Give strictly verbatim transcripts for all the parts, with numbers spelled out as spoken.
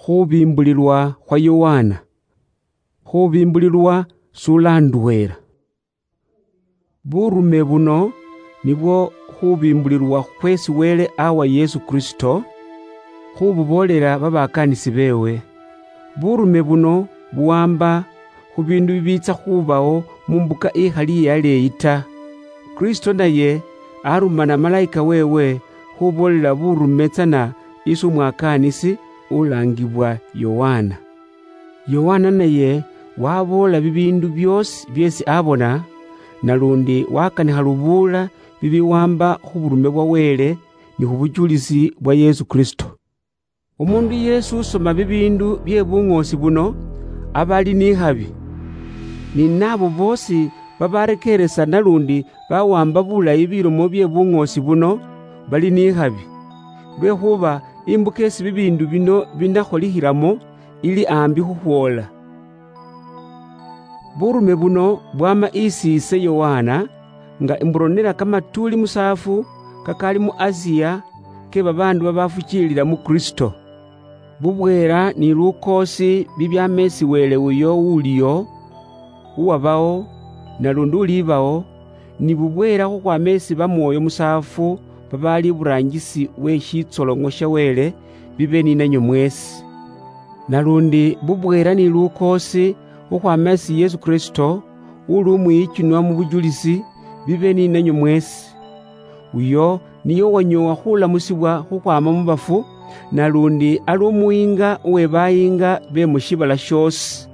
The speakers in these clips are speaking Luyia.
Khubimbulilwa khwa Yohana. Khubimbulilwa sulanduhera. Burume buno nibwo khubimbulilwa khwesi Wele awa Yesu Kristo, khububoolela babakanisi bewe. Burume buno buwamba khu bindu bibiitsa khubawo mu mbuka ikhali iyaleeyi ta. Kristo naye arumana malaika wewe khuboolela burume tsana isi umwakaanisi ulaangibwa Yohana. Yohana naye waboola bibiindu byoosi byeesi abona, nalundi wakanikha lubuula bibiwamba khu burume bwa Wele ni khu buchulisi bwa Yesu Kristo. Omundu yeesi usoma bibiindu bye buŋoosi buno, aba ali n'ikhabi. Ni naabo boosi babarekeeresa nalundi bawamba bulayi bilomo bye buŋoosi buno, bali n'ikhabi. Lwekhuba imbuka esi bibiindu bino binakholikhilamo ili ambi khukhwoola. Burume buno bwama isi ise Yohana, nga imburonera kamatuuli musaafu kakali mu Asia ke babaandu babafukiilila mu Kristo. Bubweera ni lukoosi bibyama esi Wele uyo uliyo, uwabawo, nalundi ulibawo, ni bubweera khukhwama esi bamwoyo musaafu babaali iburaangisi we shitsoloŋo sha Wele bibe ninanywe mweesi. Nalundi bubweera ni lukoosi khukhwama esi Yesu Kristo, uli umwiyichunwa mu bujulisi, bibe ninanywe mweesi. Uyo niye uwanyoowa khulamusibwa khukhwama mu bafu, nalundi ali umuyiinga uwe bayiinga be mu shiibala shoosi.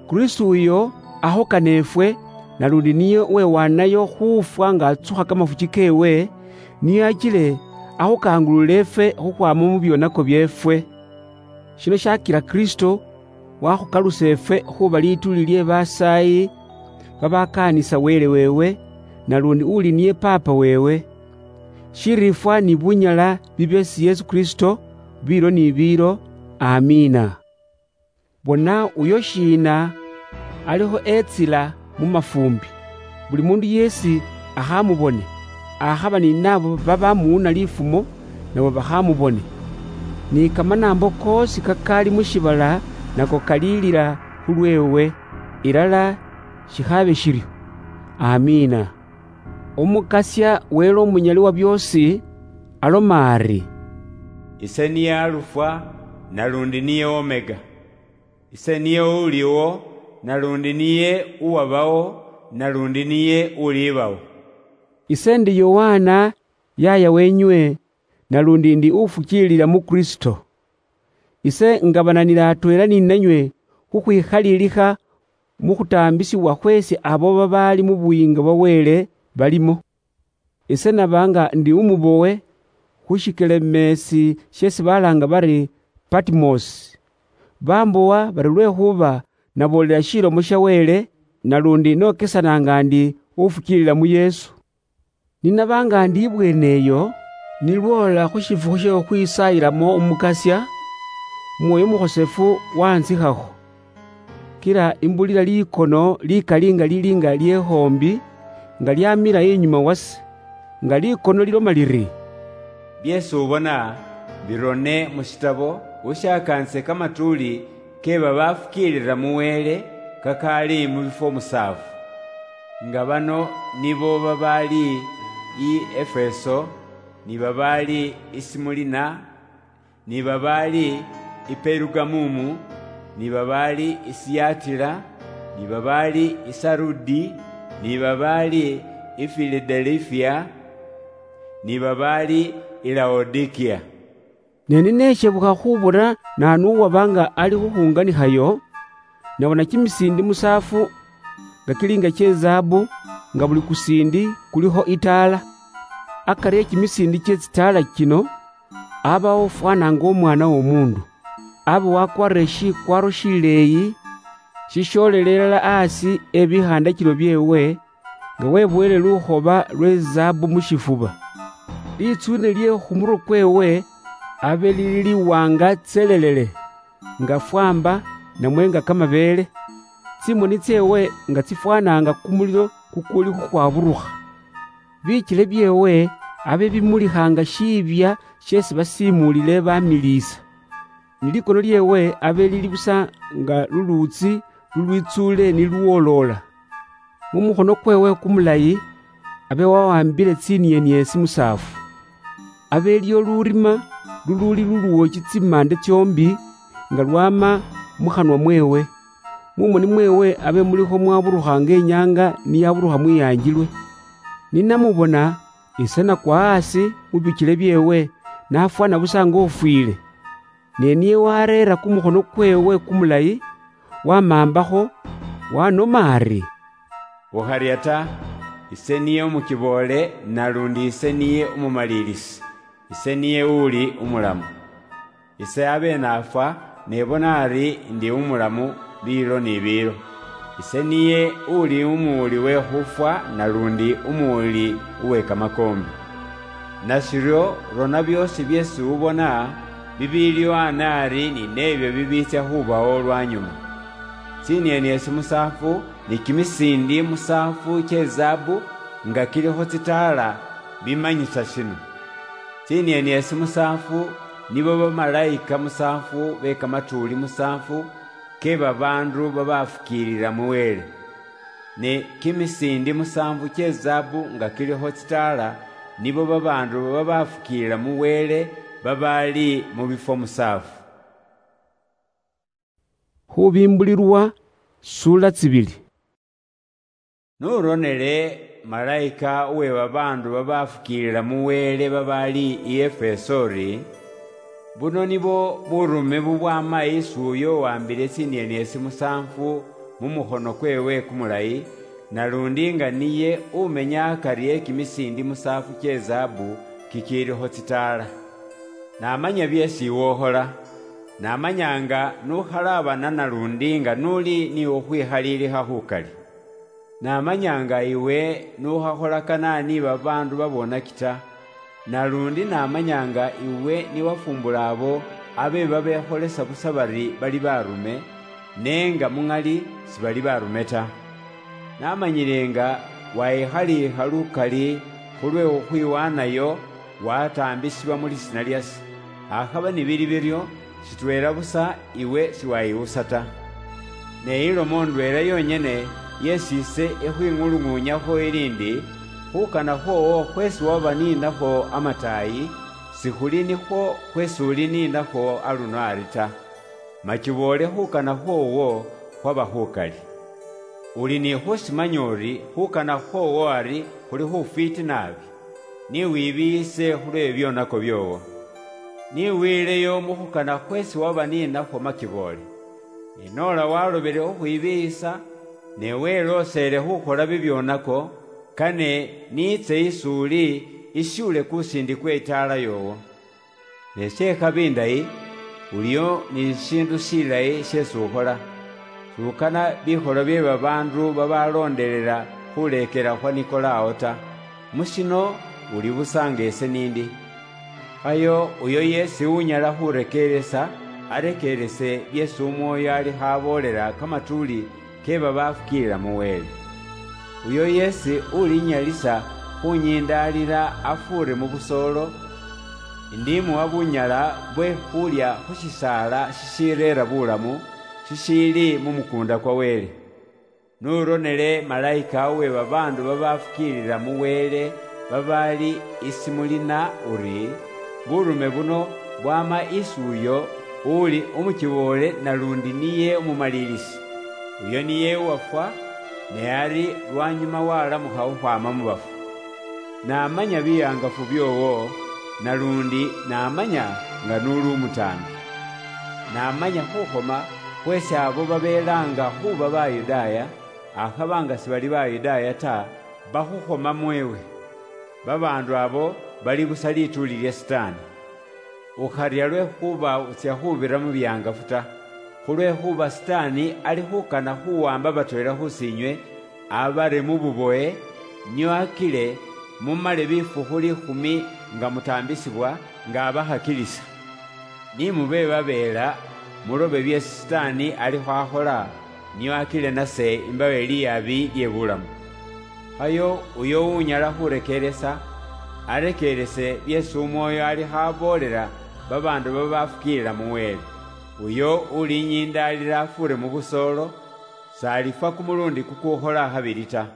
Kristo uyo akhukana efwe, nalundi niye uwewanayo khufwa nga atsukha kamafuchi kewe, niye achile akhukangulule efwe khukhwama mu byonako byeefwe. Shino shakila Kristo wakhukalusa efwe khuba lituuli lye basaayi babakaanisa Wele wewe, nalundi uli niye Paapa wewe. Shiriifwa ni bunyala bibe esi Yesu Kristo, biilo ni biilo. Amiina. Bona, uyo shiina alikho etsila mu mafumbi, buli mundu yeesi akhamubone, akhaba ni nabo babamuwuna lifumo, nabo bakhamubone. Ni kamanaambo koosi kakaali mu shiibala nako kaliilila khulweewe, ilala shikhabe shiryo. Amiina. Omukasia Wele Omunyali wa byoosi aloma ari, "Ise niye Alufa, nalundi niye Omega. Ise niye uliwo, nalundi niye uwabawo, nalundi niye ulibawo." Ise ndi Yohana, yaaya wenywe, nalundi ndi ufukiilila mu Kristo. Ise ngabananila atweela ninanywe khukhwikhalilikha mu khutaambisibwa khweesi abo babaali mu buyiinga bwa Wele balimo. Ise naba nga ndi umubowe khu shikelemeesi sheesi balaanga bari Patimosi. Bambowa bari lwekhuba naboolela shilomo sha Wele, nalundi nokesana nga ndi ufukiilila mu Yesu. Ninaba nga ndi ibweene eyo, nilwoola khu shifukhu she khukhwisaayilamo Omukasia, Mwoyo Mukhosefu wantsikhakho. Kila imbulila likono likali nga lili nga lye khoombi, nga lyamila inyuma wase, nga likono liloma liri, "Byeesi ubona, birone mu shitabo, ushakaanise kamatuuli ke babafukiilila mu Wele kakaali mu bifwo musaafu." Nga bano nibo babaali i Efeso, ni babaali i Simulina, ni babaali i Perugamumu, ni babaali i Siyatila, ni babaali i Sarudi, ni babaali i Filadelifia, ni babaali i Laodikia. Ne nineshebukha khubona naanu uwaba nga ali khukhunganikhayo, nabona kimisiindi musaafu nga kili nga kye zaabu, nga buli kusiindi kulikho itaala. Akari e kimisiindi kye tsitaala kino, abawo ufwana nga Omwana w'Omuundu. Aba wakwarire shikwaaro shileeyi, shishoolele ilala asi e bikhandakilo byeewe, nga weboyele lukhoba lwe zaabu mu shifuba. Litsuune lye khu murwe kweewe abe lili liwaanga tselelele, nga fwamba namwe nga kamabeele. Tsimoni tseewe nga tsifwanaanga kumulilo kukuli khukhwaburukha. Bikyele byeewe abe bimulikha nga shiibya sheesi basiimuulile bamiliisa. ni likono lyeewe abe lili busa nga luluutsi lulwitsuule nilwooloola. Mu mukhono kweewe kumulayi abe wawambile tsinieniesi musaafu. Abe elyo lurima luluuli luluwochi tsimande tsioombi nga lwama mu khanwa mweewe. Mu moni mweewe abe mulikho mwaburukha nga inyaanga niyaburukha mwiyanjilwe. Ninamubona, ise nakwa asi mu bichile byeewe, nafwana busa nga ufwiile. Ne niye wareera kumukhono kweewe kumulayi, wamambakho, wanoma ari, "Ukharya ta, ise niye umukiboole, nalundi ise niye umumaliilisi, ise niye uli umulamu. Ise abe nafwa, ne bona ari ndi umulamu biilo ni biilo. Ise niye uli umuwuli we khufwa, nalundi umuwuli uwe kamakoombi. Nashiryo, rona byoosi byeesi ubona, bibiiliwo anaari ni neebyo bibiitsya khubawo lwanyuma. Tsinieniesi musaafu ni kimisiindi musaafu kye zaabu nga kilikho tsitaala bimanyisa shino. Tsinieniesi musaafu nibo bamalayika musaafu be kamatuuli musaafu ke babaandu babafukiilila mu Wele. Ne kimisiindi musaafu kye zaabu nga kilikho tsitaala nibo babaandu babafukiilila mu Wele babaali mu bifwo musaafu." Khubimbulilwa, sura tsibili. Nuronele malayika uwe babaandu babafukiilila mu Wele babaali i Efeso uri, "Buno nibo burume bubwama isi uyo uwambile tsinieniesi musaanfu mu mukhono kweewe kumulayi, nalundi nga niye umenya akari e kimisiindi musaafu kye zaabu kikiilikho tsitaala. Namanya byeesi iwe ukhola. Namanya nga nukhalaabana nalundi nga nuli ni khukhwikhaliilikha khukali. Namanya nga iwe nukhakholakana ni babaandu babonaki ta, nalundi namanya nga iwe niwafumbula abo abe babekholesa busa bari bali barume, ne nga muŋali sibali barume ta. Namanyile nga wayikhaliikha lukali khulwe khukhwiwanayo, wataambisibwa mu lisiina lyase. Akhaba nibili biryo, shitweela busa iwe shiwayiwusa ta. Ne ilomo ndweela yonyene yesi ise ekhwing'ulung'unyakho ili ndi, khukana khwowo khwesi waba ninakho amataayi, sikhuli nikhwo khwesi uli ninakho aluno ari ta. Machiboole khukana khwowo khwaba khukali. Uli ni khusimanya uri khukana khwowo ari khuli khufwiiti naabi, ni wibiiyise khulwe byonako byoowo. Ni wiileyo mu khukana khwesi waba ninakhwo makiboole. Ne noola walobele khukhwibiiyisa, ne welooseele khukhola bibyonako, kane niitse isi uli, ishiule kusiindi kwe itaala yoowo. Ne she ikhabi indayi, uliyo ni shishiindu shilayi sheesi ukhola. Shukana bikholo bye babaandu babaloondelela khuleekela khwa Nikolao ta. Mu shino uli busa nga ese niindi. Khayo uyo yeesi unyala khurekeeresa, arekeerese byeesi Umwoyo alikho aboolela kamatuuli ke babafukiilila mu Wele. Uyo yeesi ulinyalisa khunyindaalila afuure mu busoolo, indimuwa bunyala bwe khulya khu shisaala shishireera bulamu, shishiili mu mukuunda kwa Wele. Nuronele malayika uwe babaandu babafukiilila mu Wele babaali isi mulina uri, burume buno bwama isi uyo uuli umukiboole nalundi niye umumaliilisi. Uyo niye uwafwa, ne ari lwanyuma walamukha khukhwama mu bafu. Namanya bihangafu byoowo, nalundi namanya nga nuli umutaambi. Namanya khukhoma khweesi abo babeelaanga khuuba Bayudaaya, akhaba nga sibali Bayudaaya ta, bakhukhomamo ewe. Babaandu abo bali busa lituuli lya Sitaani. Ukharya lwekhuba utsya khubira mu bihangafu ta, khulwekhuba Sitaani ali khukana khuwamba batweela khusiinywe abare mu buboye, nio akile mumale bifukhu liikhumi nga mutaambisibwa nga abakhakilisa. Ni mube babeela, mulobe byeesi Sitaani alikho akhola, nio akile nase imbawe liyaabi lye bulamu. Khayo uyo unyala khurekeeresa, arekeerese byeesi Umwoyo alikho aboolela babaandu babafukiilila mu Wele. Uyo ulinyindaalila afuure mu busoolo, s'alifwa kumulundi kukuukhola khabili ta.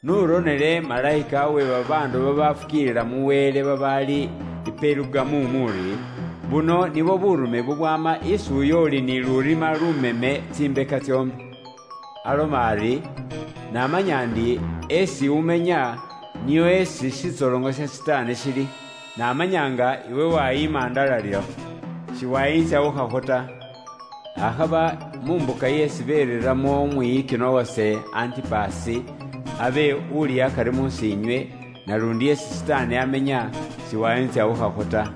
Nuronele malaika we babaandu babafukiilila mu Wele babaali i Perugamu muri, buno nibwo burume bubwama isi uyo uli ni lurima lumeme tsimbeka tsioombi. Aloma ari, namanya ndi esi umenya, niyo esi shitsolongo sha Sitaane shili. Namanya nga iwe wayiima ndalalilakho, shiwayintsawukhakho ta. Akhaba mu mbuka yesi bereramwo umwiyikino wase Antipasi, abe uli akari munsi inywe, nalundi yesi Sitaani amenya, shiwayintsawukhakho ta.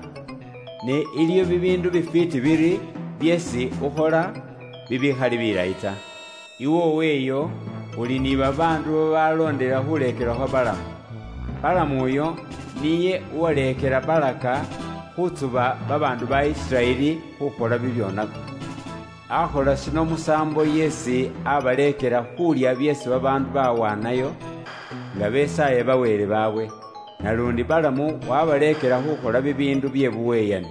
Ne iliyo bibindu bifiti biri byesi ukhola bibikhali bilayi ta. Iwe oweyo, uli ni babaandu babaloondela khuleekela khwa Balamu. Balamu uyo niye uwaleekela Balaka khutsuba babaandu ba Isiraeli khukhola bibyonako. Akhola shino musaambo yesi abaleekela khulya byeesi babaandu bawaanayo, nga besaaye baweele baabwe. Nalundi Balamu wabaleekela khukhola bibiindu bye buweyani.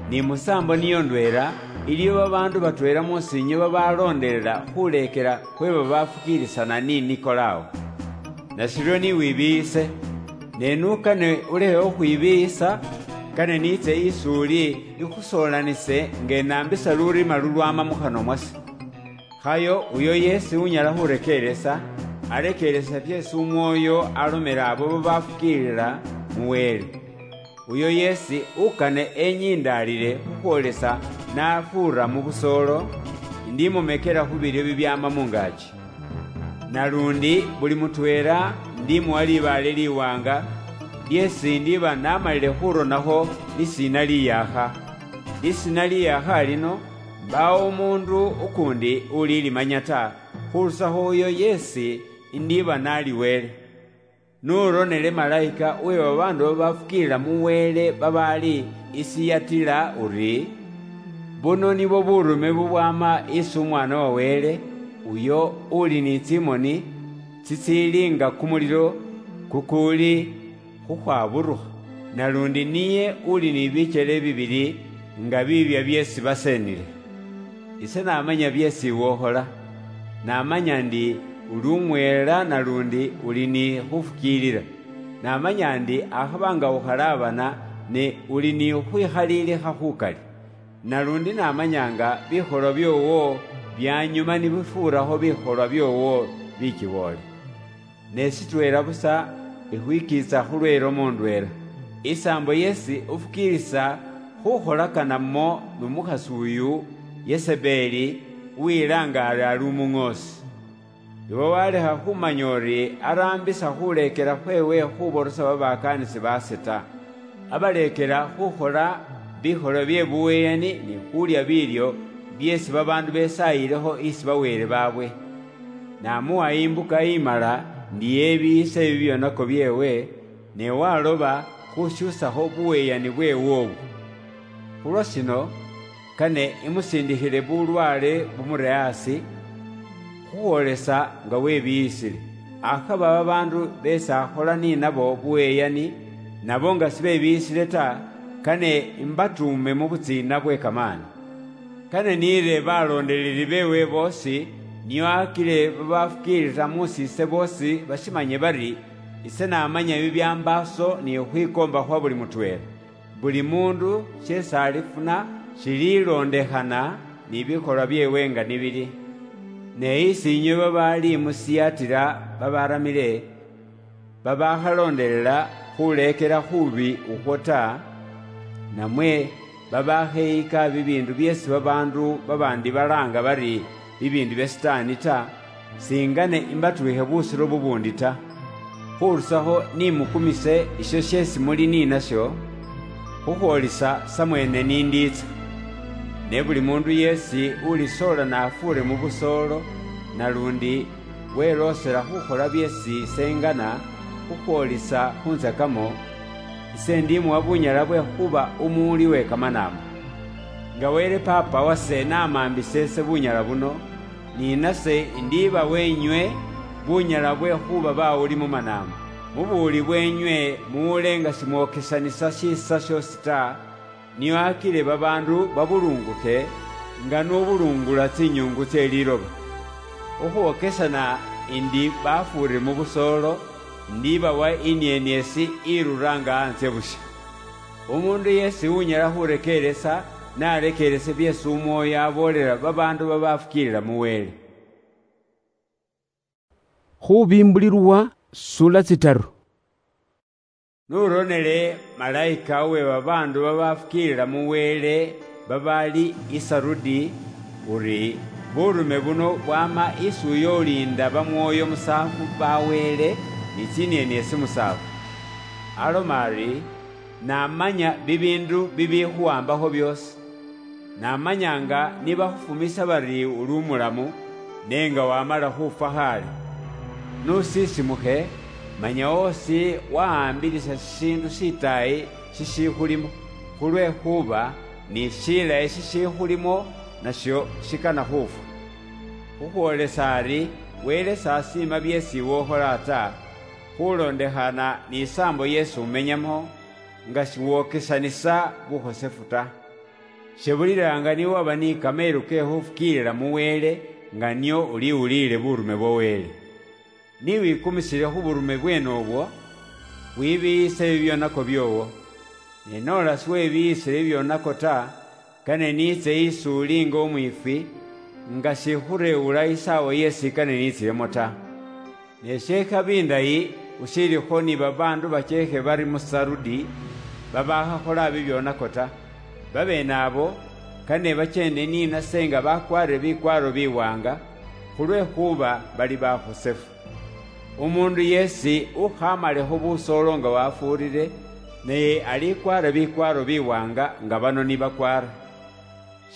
Ni musaambo niyo ndweela, iliyo babaandu batweela munsi inywe babaloondelela khuleekela khwe babafukiilisana ni Nikolao. Nashiryo ni wibiiyise, ne n'ukane ulekhe khukhwibiiyisa, kane niitse isi uli, nikhusoolanise nga enaambisa lurima lulwama mu khanwa mwase. Khayo uyo yeesi unyala khurekeeresa, arekeeresa fyeesi Umwoyo alomela abo babafukiilila mu Wele. Uyo yeesi ukane enyindaalile khukhwolesa nafuura mu busoolo, indimumekela khu bilyo bibyaama mungaaki. Nalundi buli mutweela ndimuwa libaale liwaanga, lyeesi ndiba namalile khuronakho lisiina liyaakha. Lisiina liyaakha lino, mbaawo umuundu ukuundi ulilimanya ta, khurusakho uyo yeesi indiba nali Wele. Nuronele malaika we babaandu babafukiilila mu Wele babaali i Siyatila uri, buno nibwo burume bubwama isi Umwaana wa Wele, uyo uli ni tsimoni tsitsiili nga kumulilo kukuuli khukhwaburukha, nalundi niye uli ni bikyele bibili nga biibya byeesi baseenile. Ise namanya byeesi iwe ukhola. Namanya ndi uli umweela nalundi uli ni khufukiilila. Namanya ndi akhaba nga ukhalaabana, ne uli ni khukhwikhaliilikha khukali. Nalundi namanya nga bikholwa byoowo byanyuma nibifuurakho bikholwa byoowo bikiboole. Ne sitweela busa ikhwikiitsa khulwe ilomo ndweela, isaambo yeesi ufukiilisa khukholakana mo nu mukhasi uyu Yesebeli, uwilaanga ari ali umuŋoosi. Iwe walekha khumanya uri araambisa khuleekela khweewe khuborosa babakaanisi baase ta. Abaleekela khukhola bikholwa bye buweeyani ni khulya biilyo byeesi babaandu besaayilekho isi baweele baabwe. Namuwa imbuka imala ndi yebiiyise bibyonako byeewe, ne waloba khusyusakho buweeyani bweewe obwo. Khulwa shino, kane imusindikhile bulwaale bumure asi, khukhwolesa nga webiiyisile. Akhaba babaandu beesi akhola ninabo buweeyani, nabo nga sibebiiyisile ta, kane imbatuume mu butsiina bwe kamaani. Kane niire baloondeleli beewe boosi, nio akile babafukiilila mu siise boosi bashimanye bari, ise namanya bibyambaaso ni khwikoomba khwa buli mutweela. Buli muundu sheesi alifuna shililoondekhana ni bikholwa byeewe nga nibili. Ne isi inywe babaali mu Siyatila babaramile, babakhaloondelela khuleekela khuubi ukhwo ta, namwe babakheyika bibiindu byeesi babaandu babaandi balaanga bari bibiindu bya Sitaani ta, singane imbatwiikhe busiro bubuundi ta, khurusakho nimukumise isho sheesi muli ninasho, khukhwolisa samweene nindiitsa. Ne buli muundu yeesi ulisoola nafuure mu busoolo, nalundi weloosela khukhola byeesi ise ingana khukhwolisa khuntsakamo, ise ndimuwa bunyala bwe khuba umuwuli we kamanaambo. Nga Wele Paapa wase namaambisa ise bunyala buno, ni nase indiba wenywe bunyala bwe khuba bawuli mu manaambo. Mu buwuli bwenywe muwule nga simwokesanisa shiisa shoosi ta, nio akile babaandu babulungukhe nga n'ubulungula tsinyungu tsie liloba. Okhwokesana indi bafuure mu busoolo, ndibawa inieniesi iruraanga antsye butswa. Umuundu yeesi unyala khurekeeresa, narekeerese byeesi Umwoyo aboolela babaandu babafukiilila mu Wele. Khubimbulilwa sula tsitaru. Nuronele malaika uwe babaandu babafukiilila mu Wele babaali i Sarudi, uri, burume buno bwama isi uyo uliinda bamwooyo musaafu ba Wele ni tsinieniesi musaafu. Aloma ari, namanya bibiindu bibikhuwambakho byoosi. Namanya nga nibakhufumisa bari uli umulamu, ne nga wamala khufwa khaale. Nusisimukhe, manya osi wahambirisa shishiindu shitaayi shishikhulimo, khulwekhuba ni shilayi shishikhulimo nasho shikana khufwa. Khukhwolesa ari Wele sasiima byeesi iwe ukhola ta, khulondekhana ni isaambo yeesi umenyamo, nga shiwokesanisa bukhosefu ta. Shebulilanga niwaba ni kameelu ke khufukiilila mu Wele, nga nio uliwuliile burume bwa Wele. Niwikumisile khu burume bweene obwo, wibiyise bibyonako byoowo. Ne noola siwebiyisile bibyonako ta, kane niitse isi uli nga umwiifwi, nga shikhurewula isaawa yeesi kane niitsilemo ta. Ne shekhabi indayi ushilikho ni babaandu bacheekhe bari mu Sarudi, babakhakhola bibyonako ta. Babeene abo, kane bacheende ninase nga bakwarire bikwaaro biwaanga, khulwekhuba bali bakhosefu. Umuundu yeesi ukhamalekho busoolo nga wafuurire, naye alikwaara bikwaaro biwaanga nga bano ni bakwaara.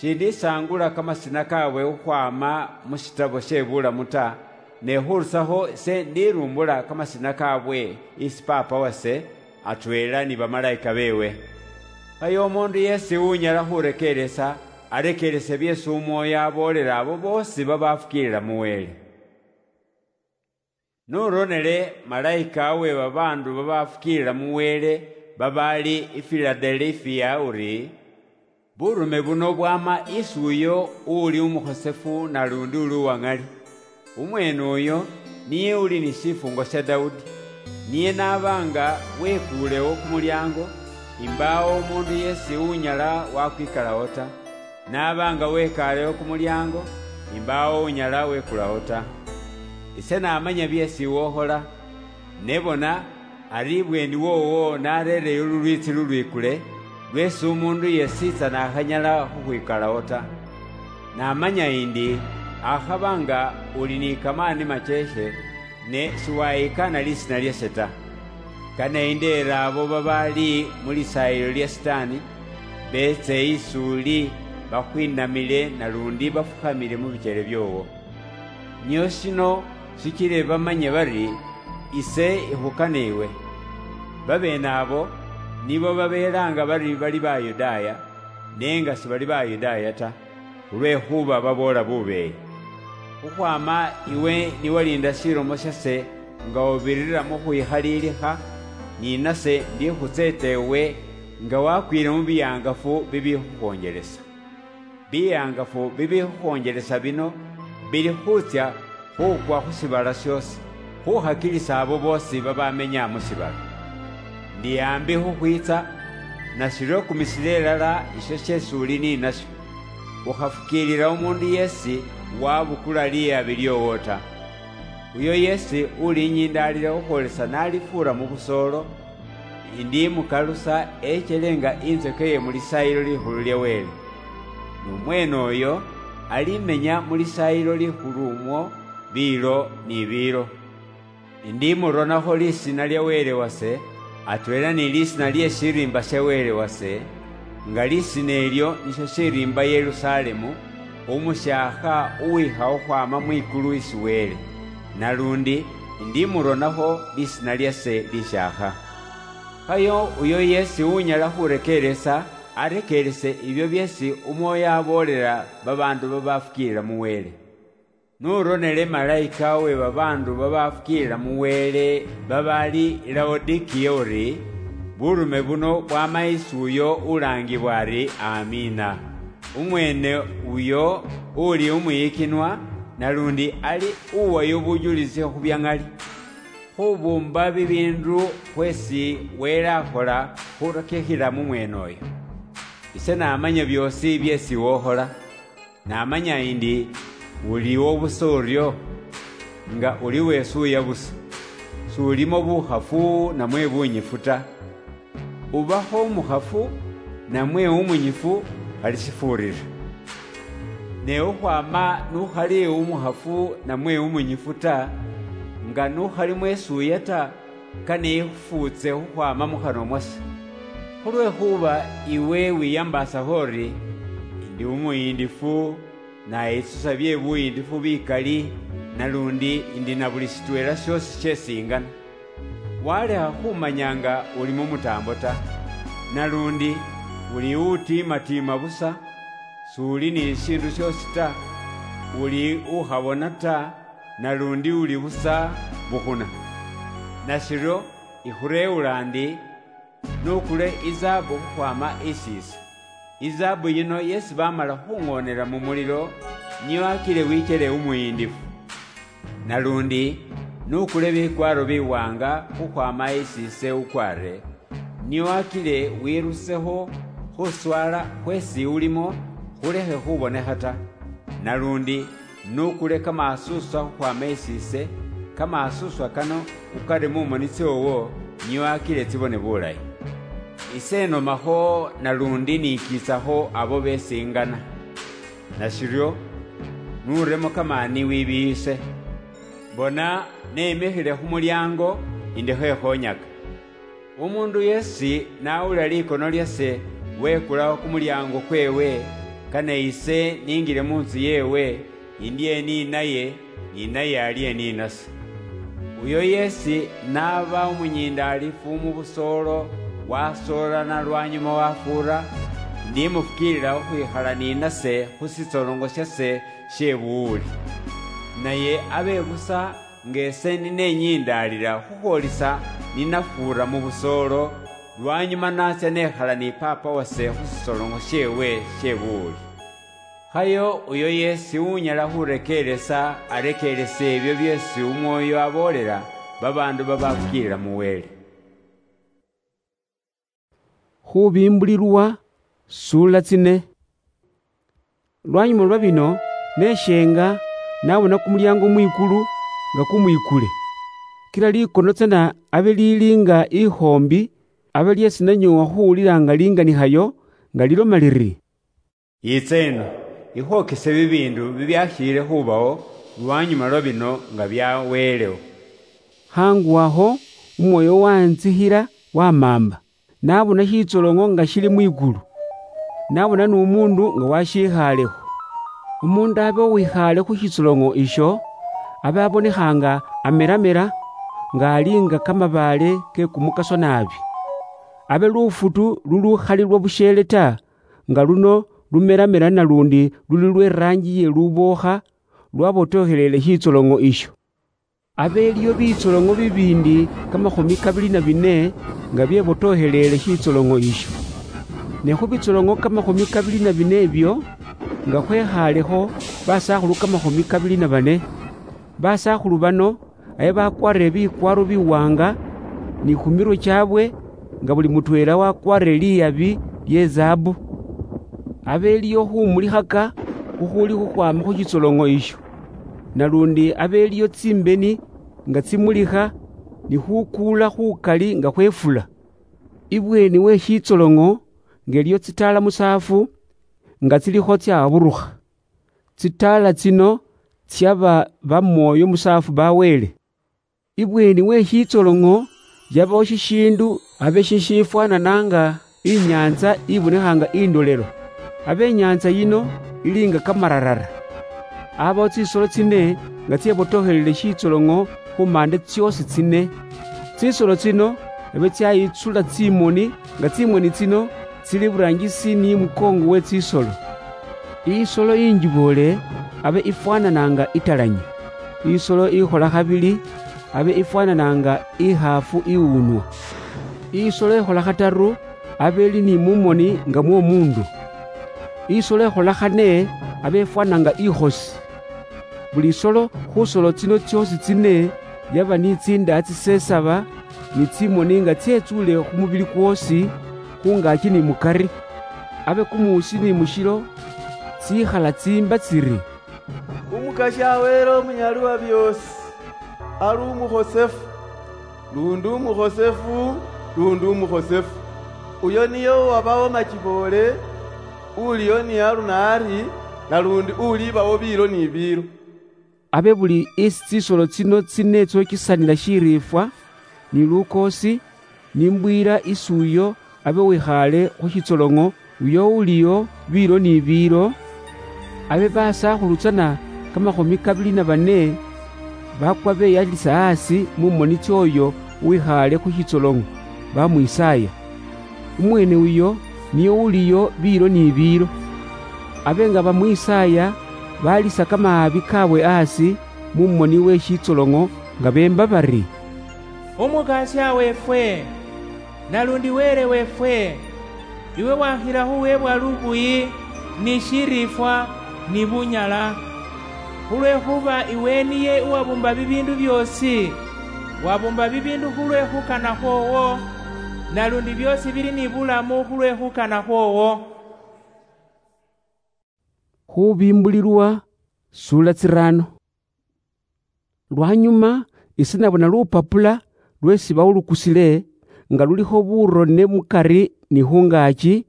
Shindisaangula kamasina kaabwe khukhwaama mu shitabo she bulamu ta, ne khurusakho ise ndirumbula kamasina kaabwe isi Paapa wase, atweela ni bamalaika beewe. Khaye umuundu yeesi unyala khurekeeresa, arekeerese byeesi Umwoyo aboolela abo boosi babafukiilila mu Wele. Nuronele malaika uwe babaandu babafukiilila mu Wele babaali i Filadelifia uri, burume buno bwama isi uyo uuli umukhosefu nalundi uli uwaŋali. Umweene uyo niye uli ni shifungo sha Daudi. Niye n'aba nga wekuulewo kumulyaango, imbaawo umuundu yeesi unyala wakwikalawo ta. N'aba nga wekaalewo kumulyaango, imbaawo unyala wekulawo ta. Ise namanya byeesi iwe ukhola. Ne bona, ari ibweeni woowo nareereyo lulwiitsi lulwikule, lweesi umuundu yesiitsa n'akhanyala khukhwikalawo ta. Namanya indi akhaba nga uli ni kamaani macheeshe, ne shiwayikaana lisiina lyashe ta. Kane indeere abo babaali mu lisaayilo lya Sitaani, beetse isi uli, bakhwinamile nalundi bafukhamile mu bikyele byoowo. Nio shino shichile bamanye bari ise ikhukana iwe. Babeene abo nibo babeelaanga bari bali Bayudaaya, ne nga sibali Bayudaaya ta, khulwekhuba baboola bubeeyi. Khukhwaama iwe niwaliinda shilomo shase nga ubirira mu khwikhaliilikha, ni nase ndikhutseeta iwe nga wakwiile mu biyaangafu bibikhukhoonjelesa. Biyaangafu bibikhukhoonjelesa bino bili khutsya khukwa khu shiibala shoosi, khukhakilisa abo boosi babamenya mu shiibala. Ndi aambi khukhwiitsa, nashiryo kumisila ilala isho sheesi uli ni nashyo. Ukhafukiilila umuundu yeesi wabukula liyabi lyoowo ta. Uyo yeesi ulinyindaalila khukhwolesa nalifuura mu busoolo, indimukalusa echele nga inzoke ye mu lisaayilo likhulu lya Wele. N'umweene oyo alimenya mu lisaayilo likhulu umwo biilo ni biilo. Indimuronakho lisiina lya Wele wase, atweela ni lisiina lye shiriimba sha Wele wase, nga lisiina ilyo nisho shiriimba Yerusalemu, umusyaakha uwiikha khukhwaama mwikulu isi Wele, nalundi indimuronakho lisiina lyase lisyaakha. Khayo uyo yeesi unyala khurekeeresa, arekeerese ibyo byeesi Umwoyo aboolela babaandu babafukiilila mu Wele. Nuronele malayika we babaandu babafukiilila mu Wele babaali i Laodikiya uri, Burume buno bwama isi uyo ulaangibwa ari Amiina. Umweene uyo uli umwiyikinwa, nalundi ali uwayo bujulisi khu bya ŋali, khubuumba bibiindu khweesi Wele akhola khurakikhila mu mweene uyo. Ise namanya byoosi byeesi wokhola. Namanya indi uliwo busa uryo, nga uli wesuuya busa, s'ulimo bukhafu namwe bunyifu ta. Ubakho umukhafu namwe umunyifu, khali shifuurira. Ne khukhwaama n'ukhali umukhafu namwe umunyifu ta, nga n'ukhali mwesuuya ta, kane ikhufuutse khukhwaama mu khanwa mwase. Khulwekhuba iwe wiyambaasakho uri, "Indi umuyiindifu, nayitsusa bye buyiindifu bikali, nalundi indi na buli shitweela shoosi sheesi ingana." Walekha khumanya nga uli mu mutaambo ta, nalundi uli utiimatiima busa, s'uli ni shishiindu shoosi ta, uli ukhabona ta, nalundi uli busa bukhuna. Nashiryo, ikhureewula ndi, n'ukule izaabu khukhwaama isiise. Izaabu yino yeesi baamala khuŋoonera mu mulilo, niyo akile wikyele umuyiindifu. Nalundi, n'ukule bikwaaro biwaanga khukhwaama isiise ukwaare, niyo akile wiirusekho khuswaala khweesi ulimo khulekhe khubonekha ta. Nalundi, n'ukule kamaasuswa khukhwaama isiise, kamaasuswa kano ukare mu moni tsoowo, nio akile tsibone bulayi. Ise nomakho nalundi nikiitsakho abo besingana. Nashiryo, nuremo kamaani wibiise. Bona, nemikhile khu mulyaango, indi khekhonyaka. Umuundu yeesi n'awulila likono lyase, wekulawo kumulyaango kweewe, kane ise niingile mu ntsu yeewe, indye ni naye, ni naye alye ni nase. Uyo yeesi n'aba umunyiindaalifu mu busoolo, wasoolana lwanyuma wafuura, ndimufukiilila khukhwikhala ni nase khu shitsolongo shase she buwuli. Naye abe busa nga ese ninenyiindaalila khukhwolisa ninafuura mu busoolo, lwanyuma natsya nekhala ni Paapa wase khu sisoloŋo sheewe she buwuli. Khayo uyo yeesi unyala khurekeeresa arekeerese ebyo byeesi Umwoyo aboolela babaandu babafukiilila mu Wele. Khubimbulilwa, suula tsine. Lwanyuma lwa bino, neshenga, nabona kumulyango mwikulu nga kumwikule. Kila likono tsana abe lili nga ikhoombi, abe lyeesi nanyoowa khuwulila nga linganikhayo, nga liloma liri, "Yitsa ino, ikhwokese bibiindu bibyakhiile khubawo lwanyuma lwa bino nga byaweelewo." Khangu akho, Umwoyo wantsikhila wamaamba. Nabona shitsoloŋo nga shili mwikulu. Nabona n'umuundu nga washikhaalekho. Umuundu abe uwikhaale khu shitsoloŋo isho, abe abonekha nga ameramera, nga ali nga kamabaale ke kumukaso naabi. Abe lufutu lulukhali lwa busheele ta, nga luno lumeramera nalundi luli lwe rangi ye lubookha, lwabotokheleele shitsoloŋo isho. Abe iliyo bitsoloŋo bibiindi kamakhumi kabili na bine nga byebotokheleele shitsoloŋo isho. Ne khu bitsoloŋo kamakhumi kabili na bine ibyo, nga khwekhaalekho basakhulu kamakhumi kabili na bane. Basakhulu bano abe bakwarire bikwaaro biwaanga, ni khu mirwe kyabwe nga buli mutweela wakwarire liyabi lye zaabu. Abe iliyo khumulikhaka khukhuli khukhwaama khu shitsoloŋo isho. Nalundi abe iliyo tsimbeni nga tsimulikha, ni khukuula khukali nga khwefula. Ibweeni we shitsoloŋo nga iliyo tsitaala musaafu nga tsilikho tsaburukha. Tsitaala tsino tsiaba bamwoyo musaafu ba Wele. Ibweeni we shitsoloŋo yabawo shishiindu abe shishifwanana nga inyaantsa ibonekha nga indolelo. Abe inyaantsa yino ili nga kamararara. Abawo tsisolo tsine nga tsebotokhelele shitsoloŋo khu maande tsyoosi tsine. Tsisolo tsino abe tsyayitsula tsimoni nga tsimoni tsino tsili iburangisi ni mukoongo we tsisolo. Isolo injiboole abe ifwanana nga italanyi. Isolo ikhola khabili abe ifwanana nga ikhaafu iwunwa. Isolo ekhola khataru, abe eli ni mumoni nga mwomundu. Isolo ekhola khane, abe efwana nga ikhosi. Buli isolo khusolo tsino tsiosi tsine yaba ni tsindaa tsisesaba, ni tsimoni nga tsietsule khu mubili kwosi, khungaki ni mukari. Abe kumuusi ni mushilo tsikhala tsimba tsiri, "Umukasya Wele Omunyali wa byoosi, ali umukhosefu, lundi umukhosefu, lundi umukhosefu. Uyo niye uwabawo machiboole, uliyo ni aruna ari, nalundi ulibawo biilo ni biilo." Abe buli isi tsisolo tsino tsine tsokisanila shiriifwa, ni lukoosi, ni mbwiira isi uyo abe wikhaale khu shitsolong'o, uyo uliyo biilo ni biilo, abe basakhulu tsana kamakhumi kabili na bane bakwa beyalisa asi mu moni tsioyo uwikhaale khu shitsolong'o, bamwisaaya. Umwene uyo niye uliyo biilo ni biilo. Abe nga bamwisaaya, balisa kamaabi kaabwe asi mu moni we shitsolong'o, nga beemba bari, "Umukasya weefwe, nalundi Wele weefwe, iwe wakhila khuweebwa lubuyi ni shiriifwa ni bunyala, khulwekhuba iwe niye uwabuumba bibiindu byoosi, wabuumba bibiindu khulwe khukana khwoowo, nalundi byoosi bili ni bulamu khulwe khukana khwoowo." Khubimbulilwa, sula tsirano. Lwanyuma ise nabona lupapula lwesi bawulukusile, nga lulikho burone mukari ni khungaki,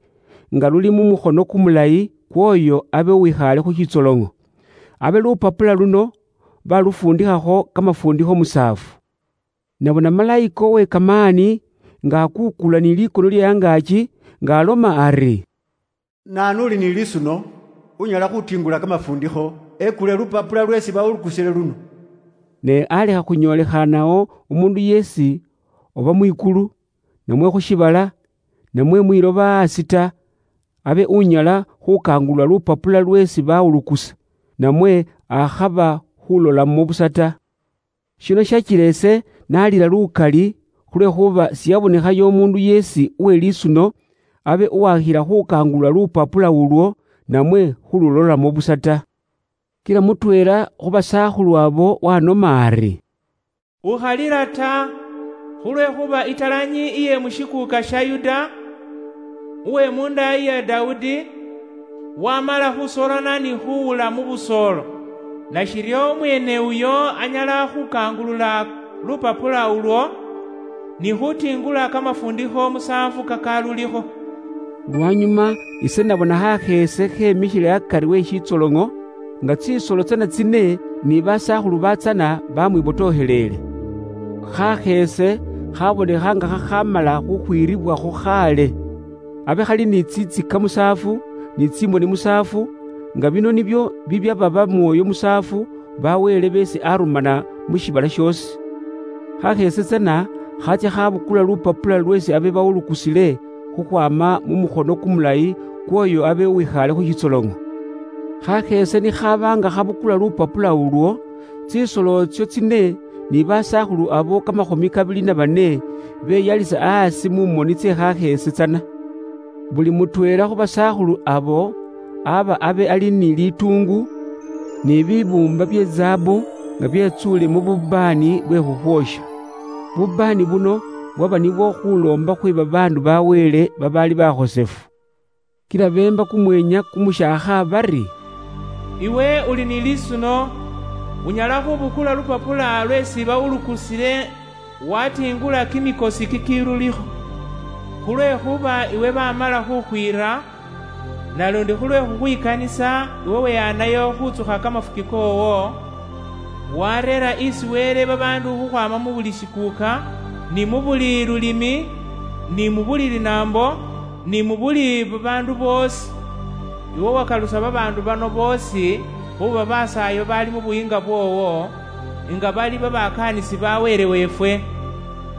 nga luli mu mukhono kumulayi kwoyo abe uwikhaale khu shitsolong'o. Abe lupapula luno balufundikhakho kamafundikho musaafu. Nabona malayika owe kamaani nga akukula ni likono lye angaaki, nga aloma ari, "Naanu uli ni lisuno, unyala khutingula kamafundikho, ekule lupapula lwesi bawulukusile luno?" Ne alekha khunyolekhanao umundu yeesi oba mwikulu, namwe khu shibala, namwe mwiloba asi ta, abe unyala khukangulula lupapula lwesi bawulukusa, namwe akhaba khulolamo busa ta. Shino shachila ese nalila lukali, khulwekhuba siyabonekhayo omundu yeesi uwe lisuno abe uwakhila khukangulula lupapula ulwo, namwe khululolamo busa ta. Kila mutweela khu basakhulu abo wanoma ari, "Ukhalila ta, khulwekhuba italanyi iye mushikuuka sha Yuda, uwe mu ndaayi ya Daudi, wamala khusolana ni khuwula mu busoolo, nashiryo umweene uyo anyala khukangulula lupapula ulwo, ni khutingula kamafundikho musaanfu kakalulikho." Lwanyuma ise nabona khakheese khemikhile akari we shitsolong'o, nga tsisolo tsana tsine ni basakhulu batsana bamwibotooheleele. Khakheese khabonekha nga khakhamala khukhwiribwakho khaale. Abe khali ni tsitsika musaafu, ni tsimoni musaafu, nga bino nibyo bibyaba bamwoyo musaafu ba Wele beesi arumana mu shibala shoosi. Khakheese tsana khatsya khabukula lupapula lweesi abe bawulukusile khukhwaama mu mukhono kumulayi kw'oyo abe uwikhaale khu shitsolong'o. Khakheese nikhaba nga khabukula lupapula ulwo, tsisolo tsyo tsine ni basakhulu abo kamakhumi kabili na bane beyalisa asi mu moni tse khakheese tsana. Buli mutweela khu basakhulu abo aba abe ali ni lituungu, ni bibuumba bye zaabu nga byetsuule mu bubaani bwe khukhwoosha. Bubaani buno bwaba nibwo khuloomba khwe babaandu ba Wele babaali bakhosefu. Kila beemba kumweenya kumushaakha bari, "Iwe uli ni lisuno, unyala khubukula lupapula lweesi bawulukusile, watiingula kimikosi kikilulikho. Khulwekhuba iwe bamala khukhwiira, nalundi khulwe khukhwikanisa iwe weyanayo khutsukha kamafuki koowo, wareera isi Wele babaandu khukhwaama mu buli shikuuka, ni mu buli lulimi, ni mu buli linaambo, ni mu buli babaandu boosi. Iwe wakalusa babaandu bano boosi khuba basaayo baali mu buyiinga bwoowo, nga bali babakaanisi ba Wele weefwe.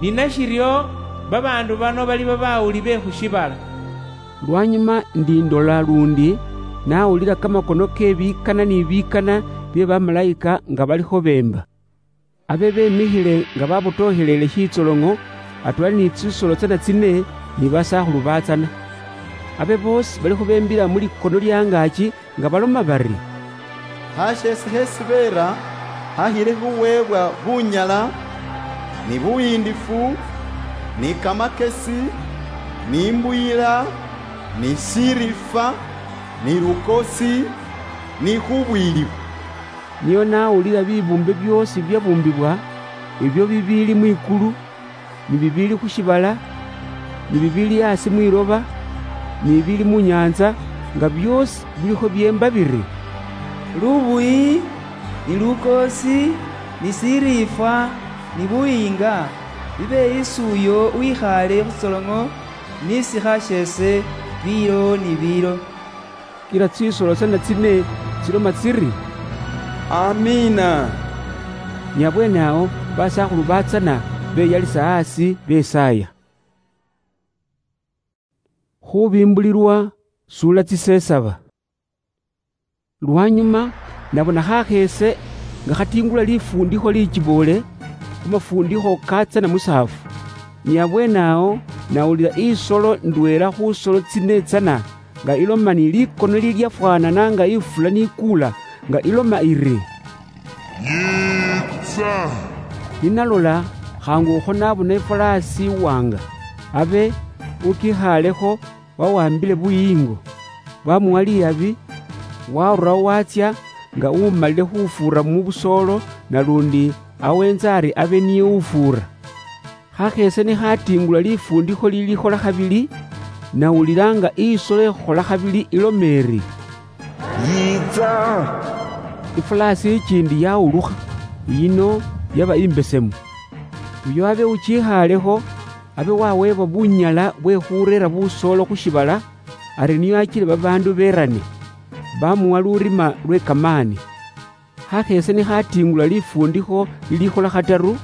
Ni nashiryo, babaandu bano bali babawuli be khu shiibala." Lwanyuma ndi ndola lundi, nawulila kamakono ke bikana ni bikana bye bamalayika nga balikho beemba. Abe bemikhile nga babotokhelele shitsolong'o, atwali ni tsisolo tsana tsine ni basakhulu batsana. Abe boosi balikho bembila mu likono lya angaaki nga baloma bari, "Khashesi khesibeera khakhile khuweebwa bunyala, ni buyiindifu, ni kamakesi, ni imbuyila, ni shirifa, ni lukosi, ni khubwilibwa." Niyo nawulila bibuumbe byoosi bibyabuumbibwa, ibyo bibiili mwikulu, ni bibiili khu shiibala, ni bibiili asi mwiloba, ni bibiili mu nyaantsa, nga byoosi bilikho byeemba biri, "Lubuyi, ni lukoosi, ni shiriifwa, ni buyiinga, bibe isi uyo uwikhaale khu shitsoloŋo ni shikha sheese biilo ni biilo." Kila tsisolo tsana tsine tsiloma tsiri, "Amiina." Ni abweene awo basakhulu batsana beyalisa asi besaaya. Khubimbulilwa sura tsisesaba. Lwanyuma nabona khakheese nga khatingula lifundikho lichiboole, khu mafundikho katsana musaafu. Ni abweene awo nawulila isolo ndweela khu solo tsine tsana nga iloma ni likono lilyafwanana nga ifula nikuula, nga iloma iri, "Yiitsa!" Ninalola, khangu ukho nabona ifalaasi iwanga. Abe ukikhaalekho wawambile buyiingo, bwamuwa liyabi, warurawo watsya nga umalile khufuura mu busoolo, nalundi awenza ari abe niye ufuura. Khakheese nikhatingula lifundikho lilikhola khabili, nawulila nga isolo ikhukhola khabili iloma iri, "Yiitsa!" Ifulaasi ichindi yawulukha, yino yaba imbesemu. Uyo abe uchikhaalekho, abe waweebwa bunyala bwe khureera busoolo khu shibala, ari niyo achile babaandu berane, bamuwa lurima lwe kamaani. Khakheese nikhatingula lifundikho lilikhola khataru,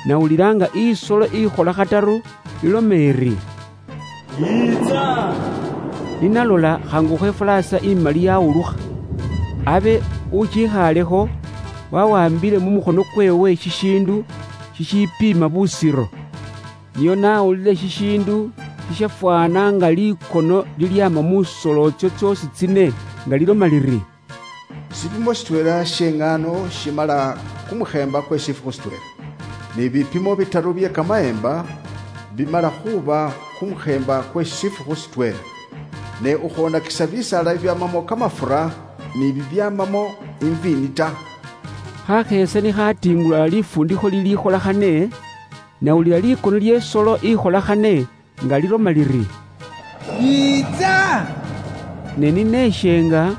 nawulila nga isolo ikhola khataru iloma iri, "Yiitsa!" Ninalola, khangukho ifulaasa imali yawulukha. Abe uchikhaalekho wawambile mu mukhono kweewe shishiindu shishipiima busiro. Niyo nawulile shishiindu shishafwana nga likono lilyaama mu solo tsio tsiosi tsine, nga liloma liri, "Shipimo shitweela shieng'ano shimala kumukheemba kwe shifukhu shitweela, ni bipimo bitaru bie kamaemba bimala khuuba kumukheemba kwe shifukhu shitweela. Ne ukhwonakisa bisaala bibiamamo kamafura ni bibiamamo imviini ta." Khakheese nikhatingula lifundikho lilikhola khane, nawulila likono lie solo ikhola khane nga liloma liri, "Yiitsa!" Ne nineshenga,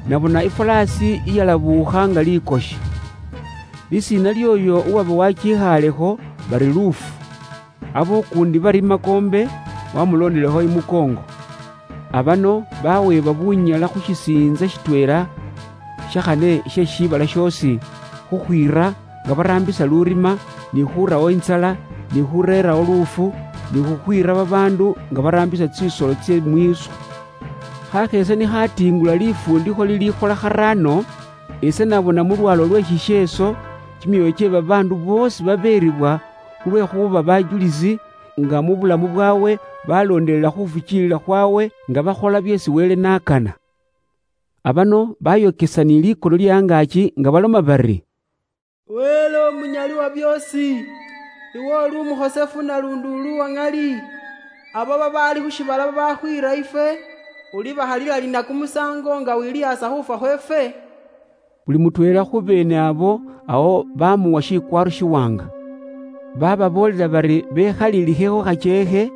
nabona ifalaasi iyalabuukha nga likoshi. Lisiina lioyo uwaba wachikhaalekho bari Lufu. Abokuundi bari Makoombe, wamulondelekho imukoongo. Abano baweebwa bunyala khu shisiintsa shitweela shakhane she shiibala shoosi, khukhwiira nga baraambisa lurima, ni khurawo intsala, ni khureerawo luufu, ni khukhwiira babaandu nga baraambisa tsisolo tsye mwiiswa. Khakheese nikhatingula lifundikho lilikhola kharaano, ise nabona mu lwalo lwe shisheeso kimyoyo kye babaandu boosi babeeribwa khulwekhuba bajulisi, nga mu bulamu bwawe baloondelela khufukiilila khwawe, nga bakhola byeesi Wele n'akana. Abano bayokesa ni likono lye angaaki nga baloma bari, "Wele Omunyali wa byoosi, iwe uli umukhosefu nalundi uli uwa ŋali. Abo babaali khu shiibala babakhwiira ifwe, ulibahalila lina kumusaango nga wilihaasa khufwa khweefwe?" Buli mutweela khu beene abo awo bamuwa shikwaaro shiwaanga. Bababoolela bari bekhalilikheho khacheekhe,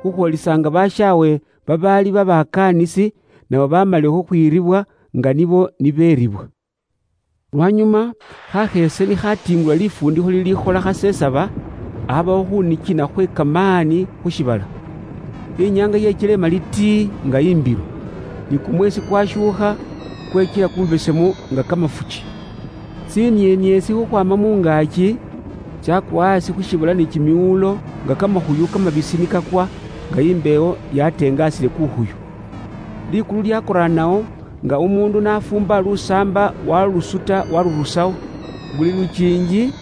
khukhwolisaanga bashaawe babaali babakaanisi, nabo bamalile khukhwiiribwa nga nibo nibeeribwa. Lwanyuma, khakheese nikhatingula lifundikho lilikhola khasesaba, abawo khunikina khwe kamaani khu shiibala. Inyaanga yechile imali tii nga imbilu, ni kumweesi kwashuukha, kwechila kumubesemu nga kamafuchi. Tsinieniesi khukhwaama mu ngaaki tsyakwa asi khu shiibala ni kimiwuulo nga kamakhuyu kamabisi nikakwa, nga imbewo yatengaasile kukhuyu. Likulu lyakoraanawo, nga umuundu nafuumba lusaamba walusuta walurusawo. Buli lukiingi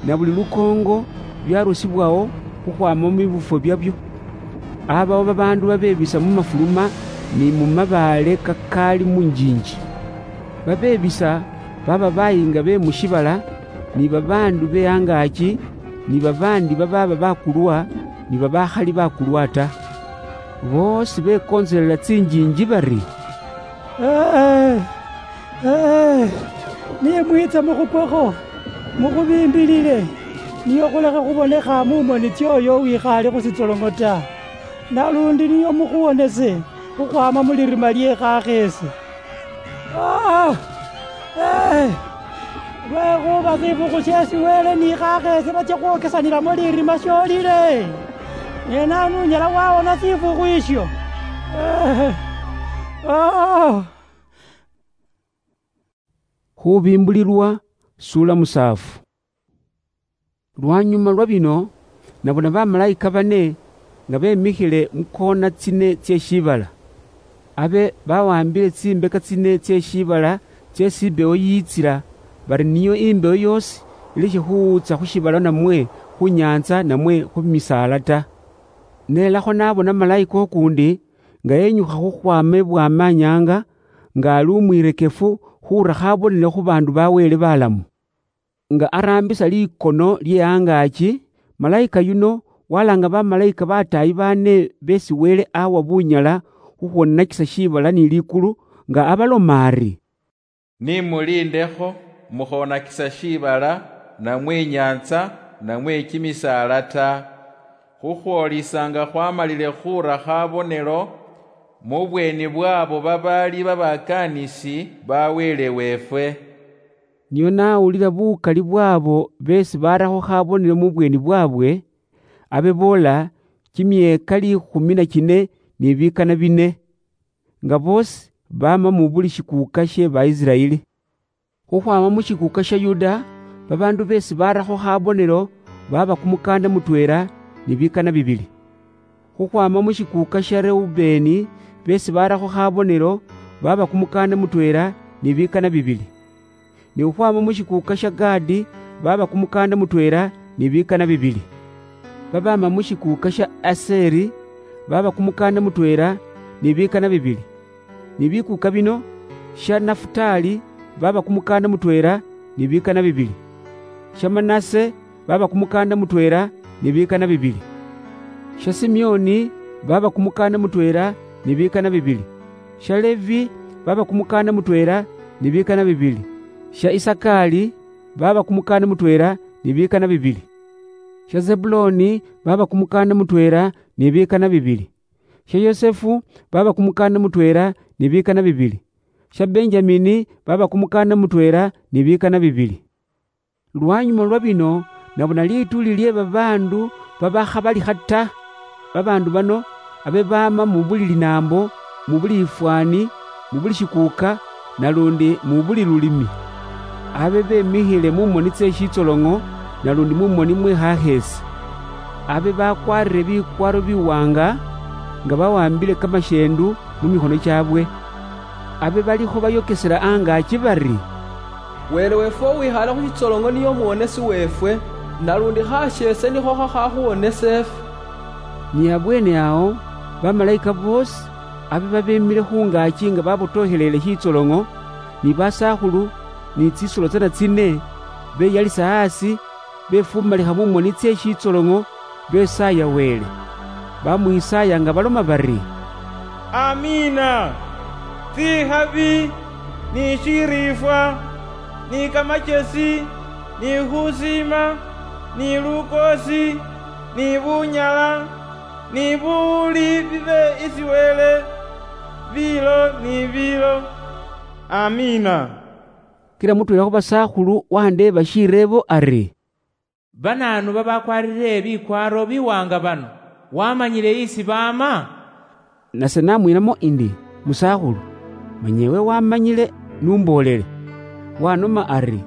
na buli lukoongo byarusibwawo, khukhwama mu bifwo byabyo. Abawo babaandu babebisa mu mafuluma ni mu mabaale kakaali mu njinji. Babebisa baba bayinga be mu shibala, ni babaandu be angaaki, ni babaandi babaaba bakulwa, ni babakhali bakulwa ta. Boosi bekontselela tsinjinji bari, "Ee, ee, nimwitsa mukhukwekho, mukhubimbilile, niyo khulekhe khubonekha mu moni tsioyo uwikhaale khu sitsolong'o ta, nalundi niyo mukhuwonese khukhwama mu lirima lie khakheese." Ah! Eh! Lwekhuba sifukhu shesi Wele ni khakheese batsia khwokesanilamo lirima sholile. Ne nanu unyala wawona sifukhu isho? Eh! Ah! Khubimbulilwa, sula musaafu. Lwanyuma lwa bino, nabona bamalayika bane nga bemikhile mu kona tsine tsie shiibala. Abe bawambile tsimbeka tsine tsie shiibala tsie tsimbewo yiitsila, bari niyo imbewo yoosi ileshe khuwuutsa khu shiibala namwe khu nyaantsa namwe khu misaala ta. Nelakho nabona malayika ukuundi nga yenyukha khukhwaama ibwaamanyaanga, nga ali umwirekefu khuura khabonelo khu baandu ba Wele balamu. Nga araambisa likono lye angaaki, malayika yuno walaanga bamalayika bataayi baane beesi Wele awa bunyala khukhwonakisa shiibala ni likulu, nga abaloma ari, "Nimulindekho, mukhonakisa shiibala, namwe inyaantsa, namwe kimisaala ta, khukhwolisa nga khwamalile khuura khabonelo mu bweeni bwabo babaali babakaanisi ba Wele weefwe." Nio nawulila bukali bwabo beesi barakho khabonelo mu bweeni bwabwe, abe boola kimyeeka liikhumi na kine ni bikana bine, nga boosi baama mu buli shikuuka shye Baisiraeli. Khukhwaama mu shikuuka sha Yuda, babaandu beesi barakho khabonelo baaba kumukaanda mutweela ni bikana bibili. Khukhwaama mu shikuuka sha Reubeeni, beesi barakho khabonelo baaba kumukaanda mutweela ni bikana bibili. Ni khukhwaama mu shikuuka sha Gaadi, baaba kumukaanda mutweela ni bikana bibili. Babaama mu shikuuka sha Aseri, baaba kumukaanda mutweela ni bikana bibili. Ni bikuuka bino, sha Nafutaali, baaba kumukaanda mutweela ni bikana bibili. Sha Manase, baaba kumukaanda mutweela ni bikana bibili. Sha Simeoni, baaba kumukaanda mutweela ni bikana bibili. Sha Levi, baaba kumukaanda mutweela ni bikana bibili. Sha Isakaali, baaba kumukaanda mutweela ni bikana bibili. Sha Zebuloni, baaba kumukaanda mutweela ni bikana bibili. Sha Yosefu, baaba kumukaanda mutweela ni bikana bibili. Sha Benjamini, baaba kumukaanda mutweela ni bikana bibili. Lwanyuma lwa bino, nabona lituuli lye babaandu babakhabalikha ta. Babaandu bano abe baama mu buli linaambo, mu buli ifwaani, mu buli shikuuka, nalundi mu buli lulimi. Abe bemikhile mu moni tse shitsoloŋo, nalundi mu moni mwe khakheesi. Abe bakwarire bikwaaro biwaanga, nga bawambile kamasheendu mu mikhono kyaabwe. Abe balikho bayokesela angaaki bari, "Wele weefwe uwikhaale khu shitsoloŋo niye omuwonesi weefwe, nalundi khasheese nikho khakhakhuwonesa efwe." Ni abweene awo, bamalayika boosi abe babemile khungaaki nga babotokheleele shitsoloŋo, ni basakhulu, ni tsisolo tsana tsine, beyalisa asi, befumalikha mu moni tse shitsoloŋo, besaaya Wele. Bamwisaaya nga baloma bari, "Amiina! Tsikhabi, ni shiriifwa, ni kamachesi, ni khusiima, ni lukoosi, ni bunyala, ni buwuli bibe isi Wele, biilo ni biilo. Amiina." Kila mutweela khu basakhulu wandeeba shireebo ari, "Banaanu babakwarire bikwaaro biwaanga bano, wamanyile isi baama?" Nase namwiinamo indi, 'Musakhulu, manya ewe wamanyile, numboolele.' Wanoma ari,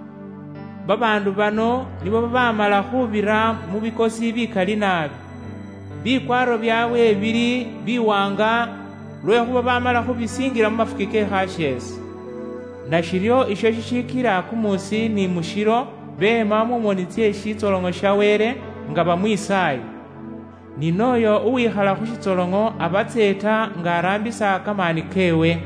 "Babaandu bano nibo babamala khubira mu bikosi bikali naabi. Bikwaaro byaabwe bili biwaanga, lwekhuba bamala khubisiingila mu mafuki ke khasheese. Nashiryo isho shishikila kumusi ni mushilo beema mu moni tsye shitsoloŋo sha Wele nga bamwisaaya." Ni noyo uwikhala khu shitsolong'o abatseeta nga arambisa kamaani kewe.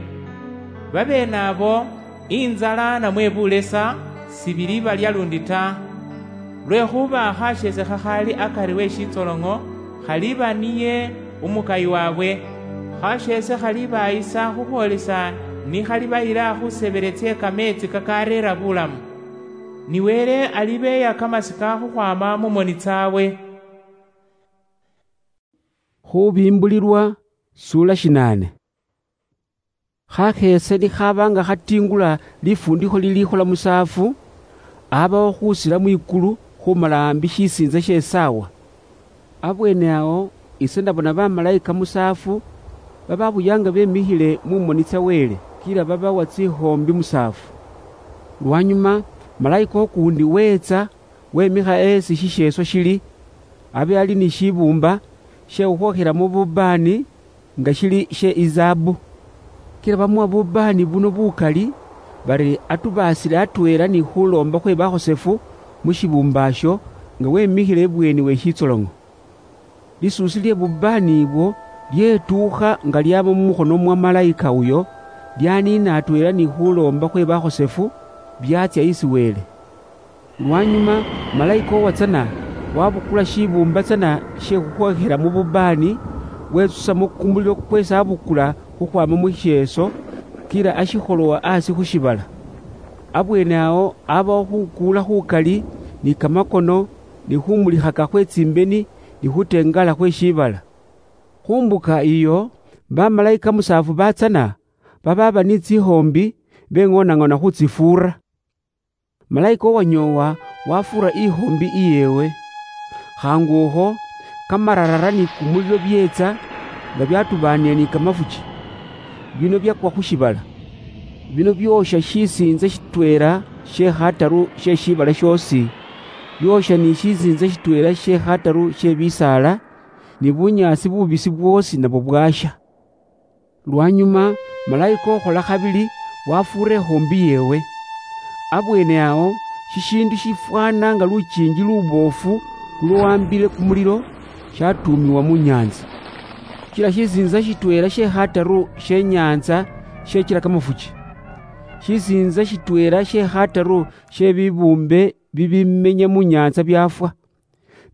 Babeene abo, inzala namwe bulesa sibili balya lundi ta. Lwekhuba khasheese khakhali akari we shitsolong'o khaliba niye umukayi wabwe. Khasheese khalibayisa khukhwolisa nikhalibayila khusebele tsie kameetsi kakareera bulamu. Ni Wele alibeeya kamasika khukhwama mu moni tsabwe. Khubimbulilwa, sula shinane. Khakheese nikhaba nga khatingula lifundikho liliikhola musaafu, abawo khusila mwikulu khumala ambi shisiintsa she saawa. Abweene awo ise ndabona bamalaika musaafu, bababuyanga bemikhile mu moni tsa Wele, kila babawa tsikhombi musaafu. Lwanyuma, malaika ukuundi weetsa, wemikha esi shisheeso shili, abe ali ni shibuumba she khukhwookhelamo bubaani nga shili she izaabu. Kila bamuwa bubaani buno bukali, bari atubaasile atweela ni khuloomba khwe bakhosefu mu shibuumba asho, nga wemikhile ibweeni we shitsolong'o. Lisuusi lye bubaani ibwo lyetuukha nga lyaama mu mukhono mwa malaika uyo, lyaniina atweela ni khuloomba khwe bakhosefu, byatsya isi Wele. Lwanyuma, malaika uwatsana wabukula shibuumba tsana she khukhwokhela mu bubaani, wetsusamo kumulilo kwesi abukula khukhwama mu shisheeso, kila ashikholowa asi khu shibala. Abweene awo abawo khukuula khukali, ni kamakono, ni khumulikhaka khwe tsimbeni, ni khutengala khwe shibala. Khu mbuka iyo, bamalaika musaafu batsana, bababa ni tsikhombi, beng'onang'ona khutsifuura. Malaika uwanyoowa wafuura ikhombi iyeewe. Khaangukho, kamararara ni kumulilo byeetsa nga byatubaanile ni kamafuki. Bino byakwa khu shibala. Bino byoosha shisiintsa shitweela she khataru she shibala shoosi, byoosha ni shisiintsa shitweela she khataru she bisaala, ni bunyaasi bubisi bwoosi nabwo bwaasha. Lwanyuma, malaika ukhola khabili wafuura ikhombi yeewe. Abweene awo, shishiindu shifwaana nga lukiingi luboofu lulwambile kumulilo shatuumiwa mu nyaantsa. Kila shisiintsa shitweela she khataru she nyaantsa shechila kamafuki. Shisiintsa shitweela she khataru she bibuumbe bibimenya mu nyaantsa byafwa,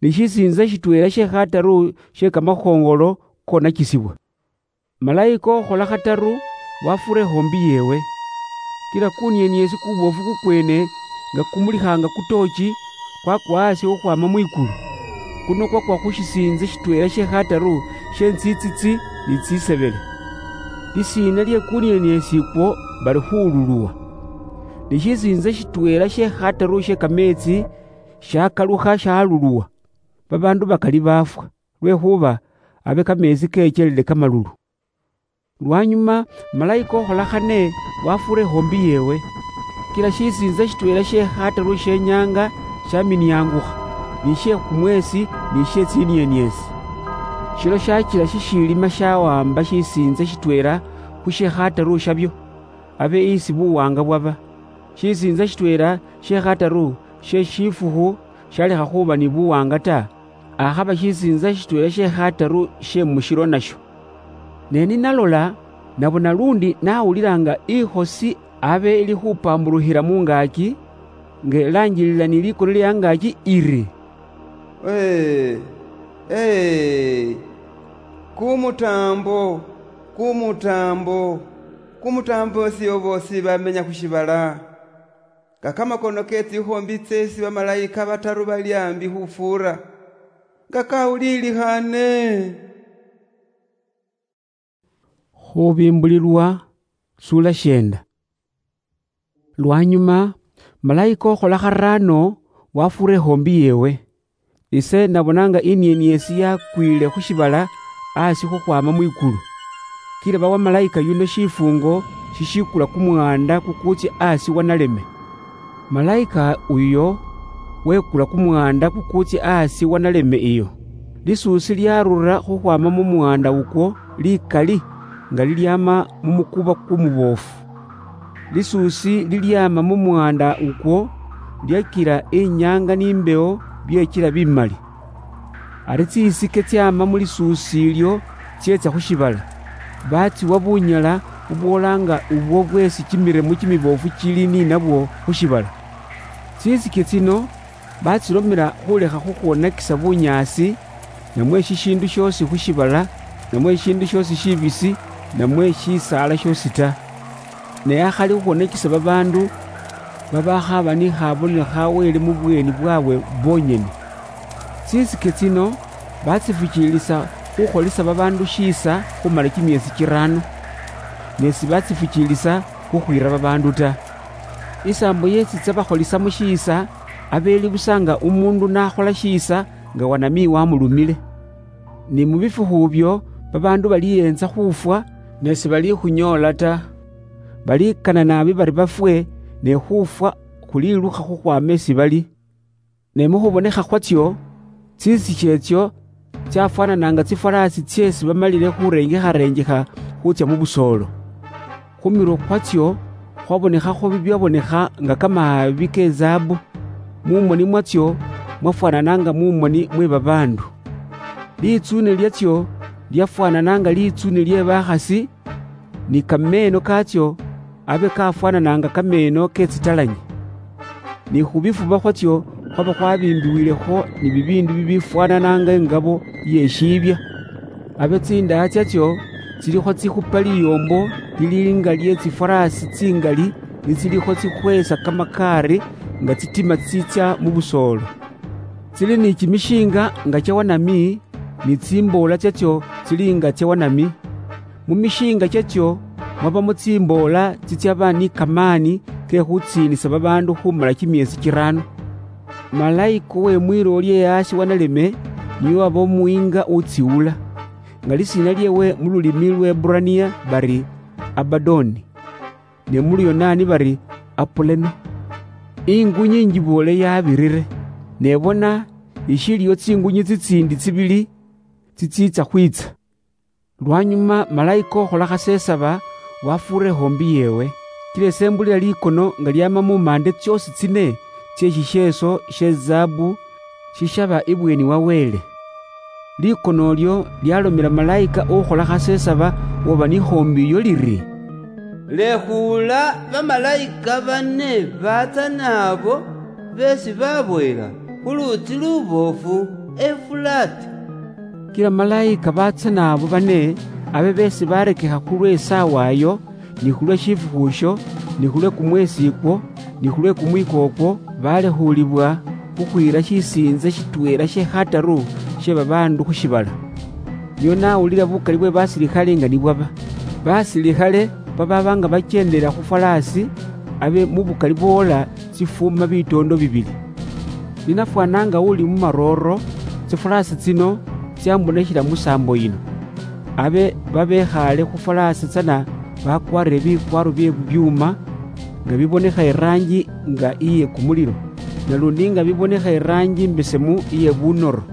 ni shisiintsa shitweela she khataru she kamakhongolo konakisibwa. Malaika ukhola khataru wafuura ikhombi yeewe. Kila kunieniesi kuboofu kukweene nga kumulikhaanga kutoochi kwakwa asi khukhwaama mwikulu. Kuno kwakwa khu shisiintsa shitweela she khataru she ntsitsitsi ni tsisebele. Lisiina lye kunieniesi ikwo bali Khululuwa. Ni shisiintsa shitweela she khataru she kameetsi shakalukha shaluluwa. Babaandu bakali baafwa, lwekhuba abe kameetsi kechelele kamalulu. Lwanyuma, malaika ukhola khane wafuura ikhombi yeewe. Kila shisiintsa shitweela she khataru she nyaanga shaminiangukha, ni she kumweesi, ni she tsinieniesi. Shilo shachila shishilima shawamba shisiintsa shitweela khu she khataru shabyo, abe isi buwaanga bwaba. Shisiintsa shitweela she khataru she shifukhu shalekha khuba ni buwaanga ta, akhaba shisiintsa shitweela she khataru she mushilo nasho. Ne ninalola, nabona lundi nawulilanga ikhosi abe ili khupambulukhila mungaaki, nga ilaanjilila ni likono lya angaaki iri, "Ee, ee, kumutaambo, kumutaambo, kumutaambo esio boosi bamenya khu shibala, nga kamakono ke tsikhombi tseesi bamalaika bataru bali ambi khufuura, nga kawulilikhane." Khubimbulilwa, sula shienda. Lwanyuma, malaika ukhola kharaano wafuura ikhombi yeewe. Ise nabona nga inieni yesi yakwiile khu shibala asi khukhwama mwikulu. Kila bawa malaika yuno shifungo shishikula kumwanda kukutsya asi wa naleme. Malaika uyo wekula kumwanda kukutsya asi wa naleme iyo. Lisuusi lyarura khukhwama mu mwanda ukwo likali nga lilyama mu mukuba kumuboofu. Lisuusi lilyama mu mwanda ukwo, lyakila inyaanga ni imbewo byechila bimali. Ari tsisike tsiama mu lisuusi ilyo tsietsa khu shivala, batsiwa bunyala bubwolanga ubwo bwesi kimiremo kimibofu kili ninabwo khu shivala. Tsisike tsino batsilomela khulekha khukhwonakisa bunyaasi, namwe shishindu shiosi khu shivala, namwe shishindu shiosi shibisi, namwe shisaala shiosi ta. Ne akhali khukhwonakisa babaandu babakhaba ni khabonelo kha Wele mu bweeni bwabwe bonyene. Tsisike tsino batsifukiilisa khukholesa babaandu shiisa khumala kimyeesi kiraano, ne sibatsifukiilisa khukhwiira babaandu ta. Isaambo yetsitsa bakholisamo shiisa, abeeli busa nga umuundu nakhola shiisa nga wanamii wamulumile. Ni mu bifukhu byo babaandu baliyeentsa khufwa, ne sibaliikhunyoola ta. Baliikana naabi bari bafwe, ne khufwa khulilukha khukhwama esi bali. Ne mu khubonekha khwatsyo, tsisike etsyo tsyafwananaanga tsifwalaasi tseesi bamalile khurengekharengekha khutsya mu busoolo. Khu mirwe khwatsyo khwabonekhakho bibyabonekha nga kamaabi ke zaabu, mu moni mwatsyo mwafwanana nga mu moni mwe babaandu. Litsuune lyatsyo lyafwanana nga litsuune lye bakhasi, ni kameeno kaatsyo abe kafwanana nga kameeno ke tsitalanyi. Ni khu bifuba khwatsyo khwaba khwabimbiwilekho ni bibiindu bibifwanana nga ingabo ye shiibya. Abe tsindaa tsatsyo tsilikho tsikhupa liyoombo lili nga lye tsifwaraasi tsingali, ni tsilikho tsikhweesa kamakaari nga tsitima tsitsya mu busoolo. Tsili ni kimishiinga nga kya wanami, ni tsimboola tsatsyo tsili nga tsya wanami. Mu mishiinga kyatsyo mwabamo tsimboola tsitsyaba ni kamaani ke khutsiinisa babaandu khumala kimyeesi kiraano. Malaika we mwilooli ye aasi wa naleme niye waba umuyiinga utsiwula, nga lisiina lyeewe mu lulimi lw'Eburania bari Abadoni, ne mu Luyonaani bari Apuleno. Ingunyi injiboole yabirire, ne bona, ishiliyo tsingunyi tsitsiindi tsibili tsitsiitsa khwiitsa. Lwanyuma malaika okhola khasesaba wafuura ehoombi yeewe, kila esembulila likono nga lyaama mu maande tsyoosi tsine tsye shisheeso she zaabu shishaba ibweeni wa Wele. Likono olyo lyalomela malaika ukhola khasesaba woba ni hoombi iyo liri, "Lekhuula bamalaika bane baatsa naabo beesi baboyela khu luutsi luboofu Efurati." Kila malaika baatsa naabo bane abe beesi barekekha khulwe saawa ayo, ni khulwe shifukhu isho, ni khulwe kumweesi ikwo, ni khulwe kumwiko ukwo, balekhuulibwa khukhwiira shisiintsa shitweela she khataru she babaandu khu shiibala. Nio nawulila bukali bwe basilikhale nga nibwaba. Basilikhale babaaba nga bakyendelela khu fwalaasi, abe mu bukali bwoola tsifuuma bitoondo bibili. Ninafwana nga uli mu marooro, tsifwalaasi tsino tsyamboneshela mu saambo yino. Abe babekhaale khu fwalaasi tsana bakwarire bikwaaro bye bibyuuma, nga bibonekha iraangi nga iye kumulilo, nalundi nga bibonekha iraangi imbesemu iye bunoro.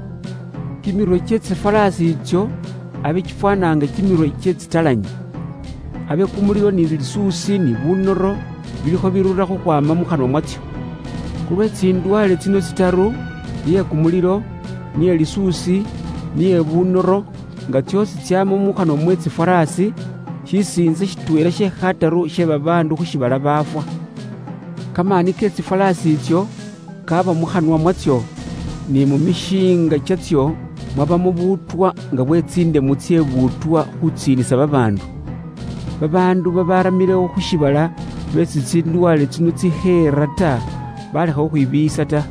Kimirwe kye tsifwalaasi itsyo abe kifwanaanga kimirwe kye tsitalanyi. Abe kumulilo ni lisuusi ni bunoro bilikho birura khukhwaama mu khanwa mwatsyo. Khulwe tsindwale tsino tsitaru, niye kumulilo, niye lisuusi, niye bunoro, nga tsyoosi tsyaama mu khanwa mwe tsifwaraasi, shisiintsa shitweela she khataru she babaandu khu shiibala baafwa. Kamaani ke tsifwaraasi itsyo kaaba mu khanwa mwatsyo, ni mu mishiinga kyatsyo mwabamo buutwa nga bwe tsindemu tsye buutwa khutsiinisa babaandu. Babaandu babaramilewo khu shiibala beesi tsindwale tsino tsikheera ta, balekha khukhwibiiyisa ta.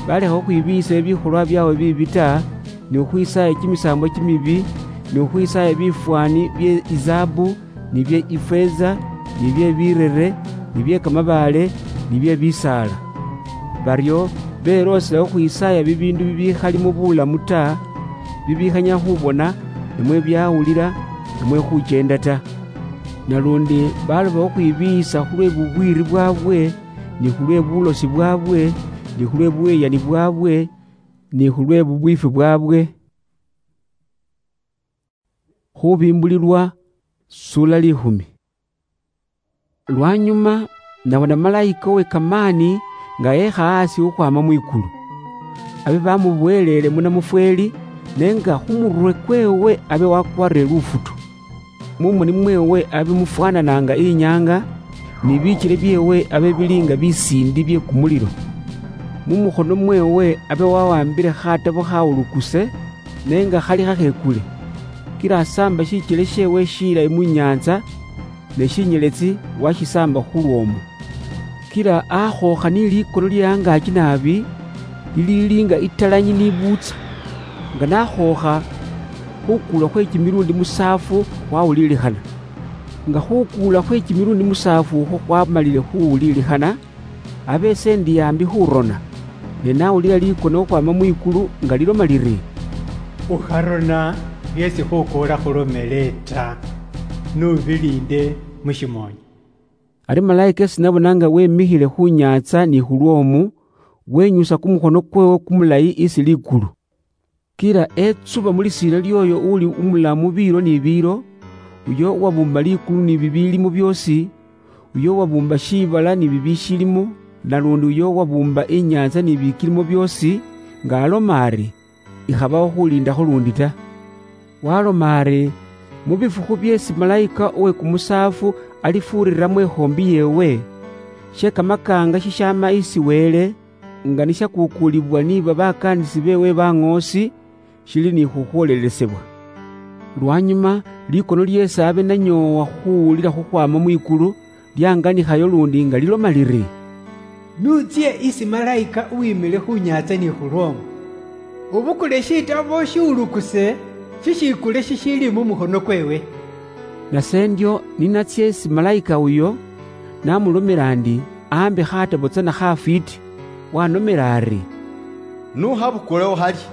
Balekha khukhwibiiyisa ebikholwa byabwe biibi ta, ni khukhwisaaya kimisaambwa kimibi, ni khukhwisaaya bifwaani bye izaabu, ni bye ifeeza, ni bye birere, ni bye kamabaale, ni bye bisaala. Baryo beloosela khukhwisaaya bibiindu bibikhalimo bulamu ta, bibikhanyala khubona, namwe byawulila, namwe khukyenda ta. Nalundi baloba khukhwibiiyisa khulwe bubwiiri bwabwe, ni khulwe bulosi bwabwe, ni khulwe buweyani bwabwe, ni khulwe bubwiifi bwabwe. Khubimbulilwa, sula likhumi. Lwanyuma, nabona malaika owe kamaani nga ekha asi khukhwama mwikulu. abe bamuboyelele munamufweli, ne nga khumurwe kwewe abe wakwarire lufutu. Mumoni mwewe abe mufwanananga inyanga, ni bichile byewe abe bili nga bisindi bye kumulilo. Mumukhono mwewe abe wawambile khatabo khawulukuse, ne nga khali khakhekule. Kila asamba shichele shewe shilayi munyanza, ne shinyeletsi washisamba khulwomu. Kila akhokha ni likono lye angachi naabi, lilili nga italanyi ni buutsa. Nga nakhokha, khukuula khwe kimilundi musaafu khwawulilikhana. Nga khukuula khwe kimilundi musaafu ukho khwamalile khuwulilikhana, abe ise ndi ambi khurona, ne nawulila likono khukhwama mwikulu nga liloma liri, "Ukharona byesi khukuula khulomele ta, nubilinde mushimoni." Ari malaika esi nabona nga wemikhile khu nyatsa ni khulwomu, wenyusa kumukhono kwewe kumulayi isi likulu. Kila etsuba mu lisiina ly'oyo uli umulamu biilo ni biilo, uyo uwabuumba likulu ni bibiilimo byoosi, uyo uwabuumba shiibala ni bibishilimo, nalundi uyo uwabuumba inyaantsa ni bikilimo byoosi, nga aloma ari, "Ikhabaho khuliindakho luundi ta." Waloma ari, "Mu bifukhu byeesi malayika uwe kumusaafu alifuuriramo ikhoombi yeewe, she kamakaanga shishaama isi Wele, nga nishakuukuulibwa ni babakaanisi beewe baŋoosi, shili ni khukhwolelesebwa." Lwanyuma, likono lyeesi abe nanyoowa khuwulila khukhwaama mwikulu, lyanganikhayo luundi nga liloma liri, "Nutsye isi malayika uwimile khu nyaatsa ni khulwomu, ubukule shitabo shiwulukuse shishiikule shishiili mu mukhono kweewe." Nase ndyo ninatsya isi malayika uyo, namulomela ndi, aambe khatabo tsana khafwiiti, wanomela ari, "Nukhabukulewo halya,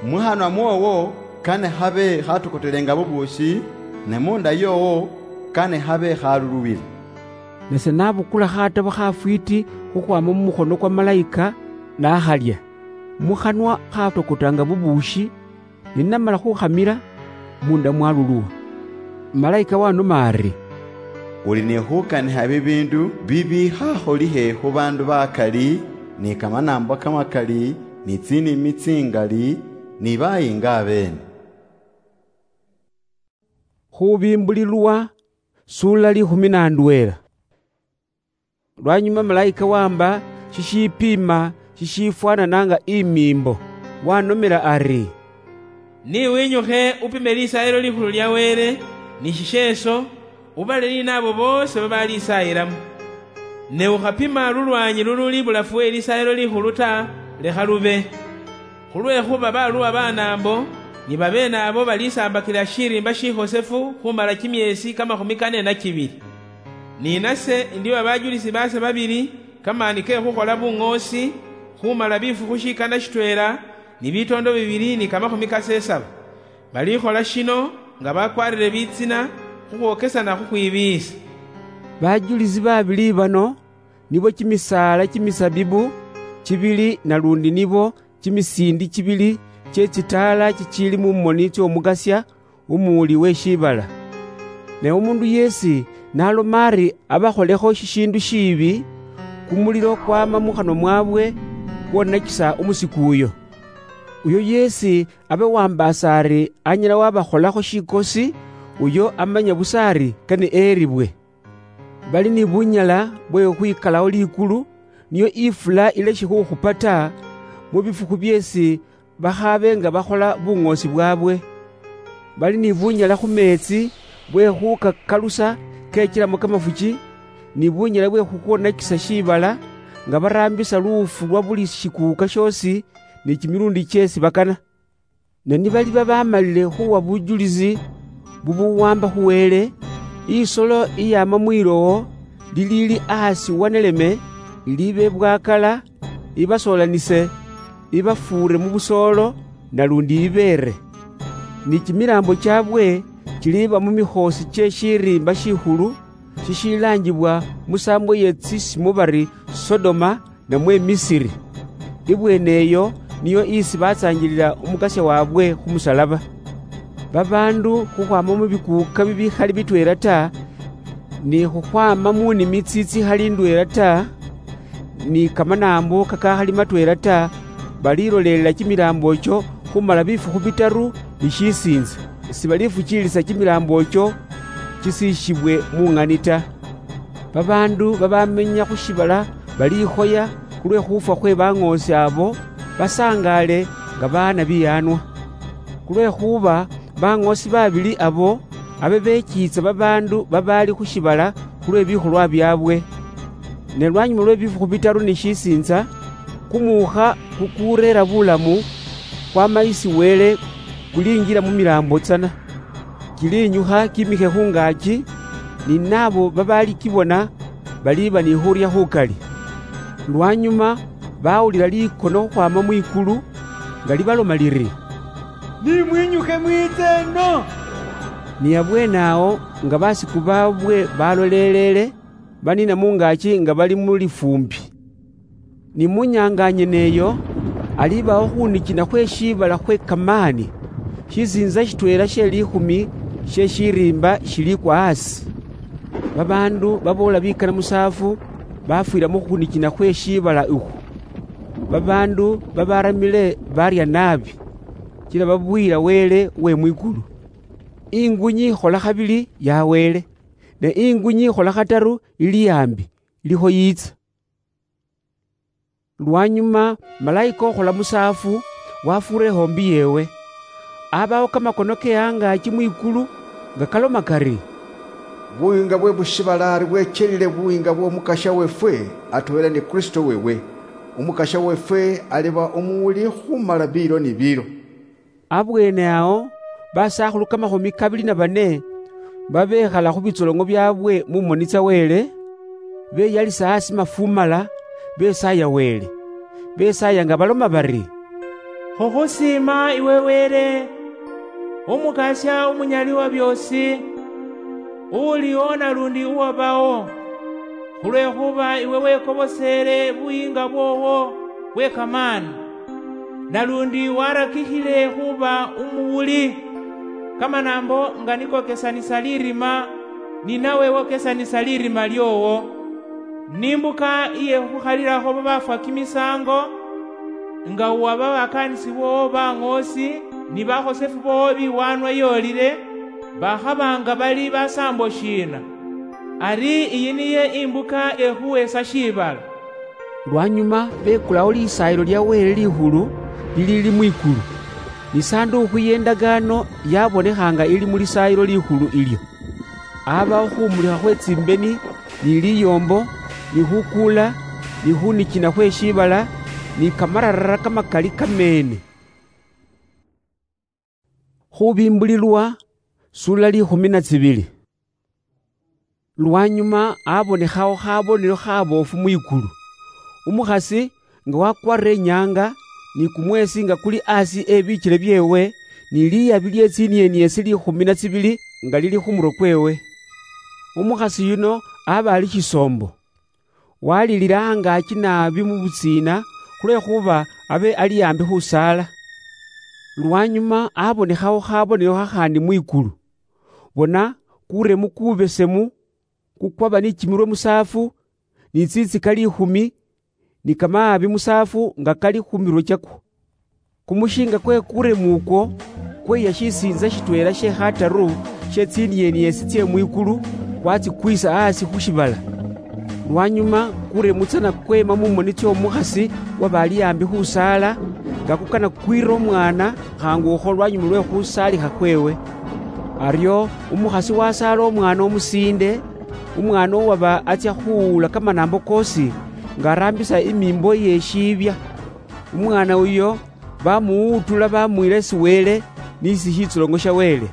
muhanwa mwoowo kane habe khatokotelenga bubuushi, ne munda yoowo kane habe khaluluwile." Nase nabukula khatabo khafwiiti khukhwama mu mukhono kwa malayika, nakhalya. Mukhanwa khatokotanga bubuushi, ne namala khukhamila, munda mwaluluwa. Malayika wanoma ari, "Uli ni khukanikha bibiindu bibi khakholikhe khu baandu bakali, ni kamanaambwa kamakali, ni tsinimi tsingali, ni bayiinga abeene." Khubimbulilwa, sula likhumi na ndweela. Lwanyuma malayika wamba shishipiima shishifwanana nga imiimbo, wanomela ari, "Ni winyukhe upime Lisaayilo Likhulu lya Wele, ni shisheeso, ubale ni naabo boosi babalisaayilamo. Ne ukhapima lulwaanyi lululi ibulafu we Lisaayilo Likhulu ta, lekha lube. Khulwekhuba baluwa banaambo, ni babeene abo balisambakila shiriimba shihosefu khumala kimyeesi kamakhumi kane na kibili. Ni nase indiwa bajulisi baase babili kamaani ke khukhola buŋoosi khumala bifukhu shikana shitweela ni bitoondo bibili ni kamakhumi kasesaba. Balikhola shino nga bakwarire bitsina khukhwokesana khukhwibiisa." Bajulisi babili bano nibo kimisaala kimisabibu kibili, nalundi nibo kimisiindi kibili kye tsitaala kikiili mu moni tsy'Omugasia, umuwuli we shiibala. Ne umuundu yeesi n'aloma ari abakholekho shishiindu shiibi, kumulilo kwama mu khanwa mwaabwe, kwonakisa umusiku uyo. Uyo yeesi abe wambaasa ari anyala wabakholakho shikosi, uyo amanya busa ari kane eeribwe. Bali ni bunyala bwe khukhwikalawo likulu, niyo ifula ileshe khukhupa ta, mu bifukhu byeesi bakhabe nga bakhola buŋoosi bwaabwe. Bali ni bunyala khu meetsi bwe khukakalusa kechilamo kamafuchi, ni bunyala bwe khukhwonakisa shiibala, nga baraambisa luufu lwa buli shikuuka shoosi ni kimilundi kyeesi bakana. Ne nibaliba bamalile khuwa bujulisi bubuwamba khu Wele, isolo iyama mwilowo liliili ahasi waneleme, ilibe bwakala, ibasoolanise, ibafuure mu busoolo, nalundi ibeere. Ni kimilaambo kyaabwe kiliiba mu mikhoosi kye shiriimba shikhulu shishilaanjibwa musaambo ye tsisimu bari Sodoma, namwe Misiri. Ibweene eyo niyo isi batsaangilila Umukasya waabwe khu musalaba. Babaandu khukhwaama mu bikuuka bibikhali bitweela ta, ni khukhwaama mu nimi tsitsikhali ndweela ta, ni kamanaambo kakakhali matweela ta, balilolelela kimilaambo ekyo khumala bifukhu bitaru ni shisiintsa, sibalifukiilisa kimilaambo ekyo kisiishibwe mu ng'ani ta. Babaandu babamenya khu shiibala balikhoya khulwe khufwa khwe baŋoosi abo, basangaale nga baana biyaanwa. Khulwekhuba baŋoosi babili abo abe bekiitsa babaandu babaali khu shiibala khulwe bikholwa byaabwe. Ne lwanyuma lwe bifukhu bitaru ni shisiintsa, kumuukha kukureera bulamu kwama isi Wele kulinjila mu milaambo tsana. Kiliinyukha kimikhe khungaaki, ni naabo babaali kibona baliiba ni khurya khukali. Lwanyuma bawulila likono khukhwaama mwikulu nga libaloma liri, "Nimwinyukhe mwiitse eno." Ni abweene awo nga basiku baabwe balolelele, baniina mungaaki nga bali mu lifuumbi. Ni mu nyaanga nyene eyo, alibawo khunikina khwe shiibala khwe kamaani, shisiintsa shitweela she liikhumi she shiriimba shilikwa asi. Babaandu baboola bikana musaafu bafwiira mu khunikina khwe shiibala ukhwo. Babaandu babaramile barya naabi, kila babwiira Wele we mwikulu. Ingunyi ikhola khabili ya Wele, ne ingunyi ikhola khataru ili ambi, ilikho yiitsa. Lwanyuma malaika okhola musaafu wafuura ehombi yeewe. Abawo kamakono ke angaaki mwikulu nga kaloma kari, "Buyiinga bwe bushibalaari bwechelile buyiinga bw'Omukasya weefwe atweela ni Kristo weewe. Omukasya weefwe aliba omuwuli khumala biilo ni biilo." Abweene awo, basakhulu kamakhumi kabili na bane babekhala khu bitsoloŋo byaabwe mu moni tsa Wele, beyalisa asi mafumala, besaaya Wele. Besaaya nga baloma bari, "Khukhusiima iwe Wele, Omukasya Omunyali wa byoosi, uliwo nalundi uwabawo, khulwekhuba iwe wekoboseele buyiinga bwoowo bwe kamaani. Nalundi warakikhile khuba umuwuli, kamanaambo nga niko kesanisa lirima, ni nawe wokesanisa lirima lyoowo. Ni imbuka iye khukhalilakho babafwa kimisaango, nga uwa babakaanisi boowo baŋoosi ni bakhosefu boowo biwaanwa yoolile, bakhaba nga bali basaambo shiina? Ari iyi niye imbuka ekhuweesa shiibala." Lwanyuma bekulawo Lisaayilo lya Wele Likhulu liliili mwikulu, ni Sanduukhu y'Endagaano yabonekha nga ili mu Lisaayilo Likhulu ilyo. Abawo khumulikha khwe tsimbeni, ni liyoombo, ni khukuula, ni khunikina khwe shiibala, ni kamararara kamakali kameene. Khubimbulilwa, sula likhumi na tsibili. Lwanyuma abonekhawo khabonelo khaboofu mwikulu. Umukhasi nga wakwarire inyaanga, ni kumweesi nga kuli asi e bikyele byeewe, ni liyabi lye tsinieniesi likhumi na tsibili nga lili khu murwe kweewe. Umukhasi yuno aba ali shisoombo. Walilila angaaki naabi mu butsiina, khulwekhuba abe ali ambi khusaala. Lwanyuma abonekhawo khabonelo khakhandi mwikulu. Bona, kuremu kubesemu, kukwaba ni kimirwe musaafu, ni tsitsika likhumi, ni kamaabi musaafu nga kali khu mirwe kyakwo. Kumushinga kwe kuremu ukwo, kweya shisiintsa shitweela she khataru she tsinieniesi tsye mwikulu, kwatsikwisa asi khu shivala. Lwanyuma kuremu tsana kweema mu moni tsy'omukhasi waba ali ambi khusaala, nga kukana kwira omwana khangu ukho lwanyuma lwe khusaalikha khweewe. Aryo umukhasi wasaala omwana omusiinde, umwana uwaba atsya khuwuula kamanaambo koosi, nga araambisa imiimbo ye shiibya. Umwana uyo bamuwuutula bamuyila isi Wele, n'isi shitsulongo sha Wele.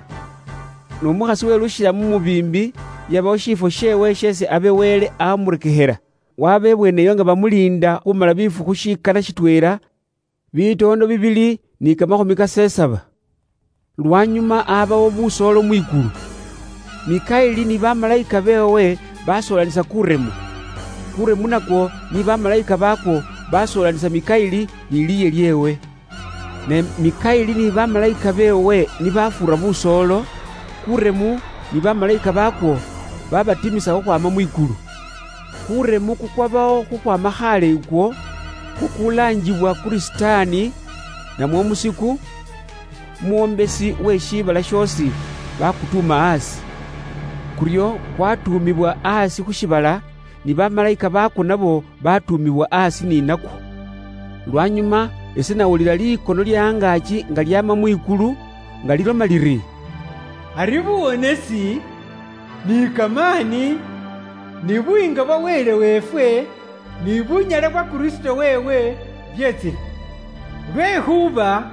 N'omukhasi welushila mu mubiimbi, yabawo shifwo sheewe sheesi abe Wele amurekekhela. Waba ebweneyo nga bamuliinda khumala bifukhu shikana shitweela, bitoondo bibili ni kamakhumi kasesaba. Lwanyuma abawo busoolo mwikulu. Mikaili ni bamalayika beewe basoolanisa kuremu. Kuremu nakwo ni bamalayika bakwo basoolanisa Mikaili ni liye lyeewe. Ne Mikaili ni bamalayika beewe nibafuura busoolo, kuremu ni bamalayika bakwo babatimisa khukhwama mwikulu. Kuremu kukwabawo khukhwama khaale ikwo, kukulaanjibwa kuri Sitaani, namwo omusiku, omwombesi we shiibala shoosi, bakutuuma aasi. Kuryo kwatuumibwa aasi khu shiibala, ni bamalaika baakwo nabo batuumibwa aasi ni nakwo. Lwanyuma ese nawulila likono lya angaaki nga lyaama mwikulu, nga liloma liri, "Ari buwonesi, ni kamaani, ni buyiinga bwa Wele weefwe, ni bunyala bwa Kristo weewe byetsile. Lwekhuba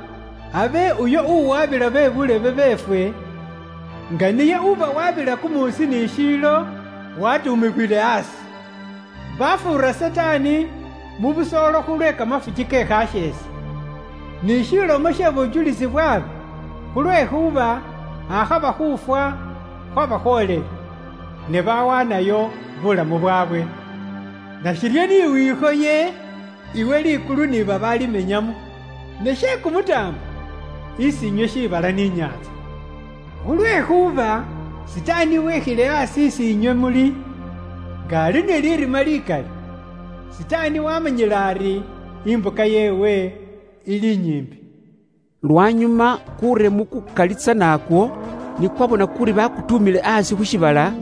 abe uyo uwabila be bulebe beefwe, nga niye uba wabila kumuusi ni shiilo, watuumibwile aasi. Bafuura Sitaani mu busoolo khulwe kamafuki ke khasheese, ni shilomo she bujulisi bwabe, khulwekhuba akhaba khufwa khwabakhoolela, ne bawanayo bulamu bwabwe. Nashiryo ni wikhoye iwe likulu ni babalimenyamo, ne she kumutaambo isi inywe shibala ni inyaatsa. Khulwekhuba Sitaani wekhile asi isi inywe muli, nga ali ne lirima likali. Sitaani wamanyile ari imbuka yeewe ili inyimbi." Lwanyuma kuremu kukali tsana akwo, ni kwabona kuri bakutuumile asi khu shibala,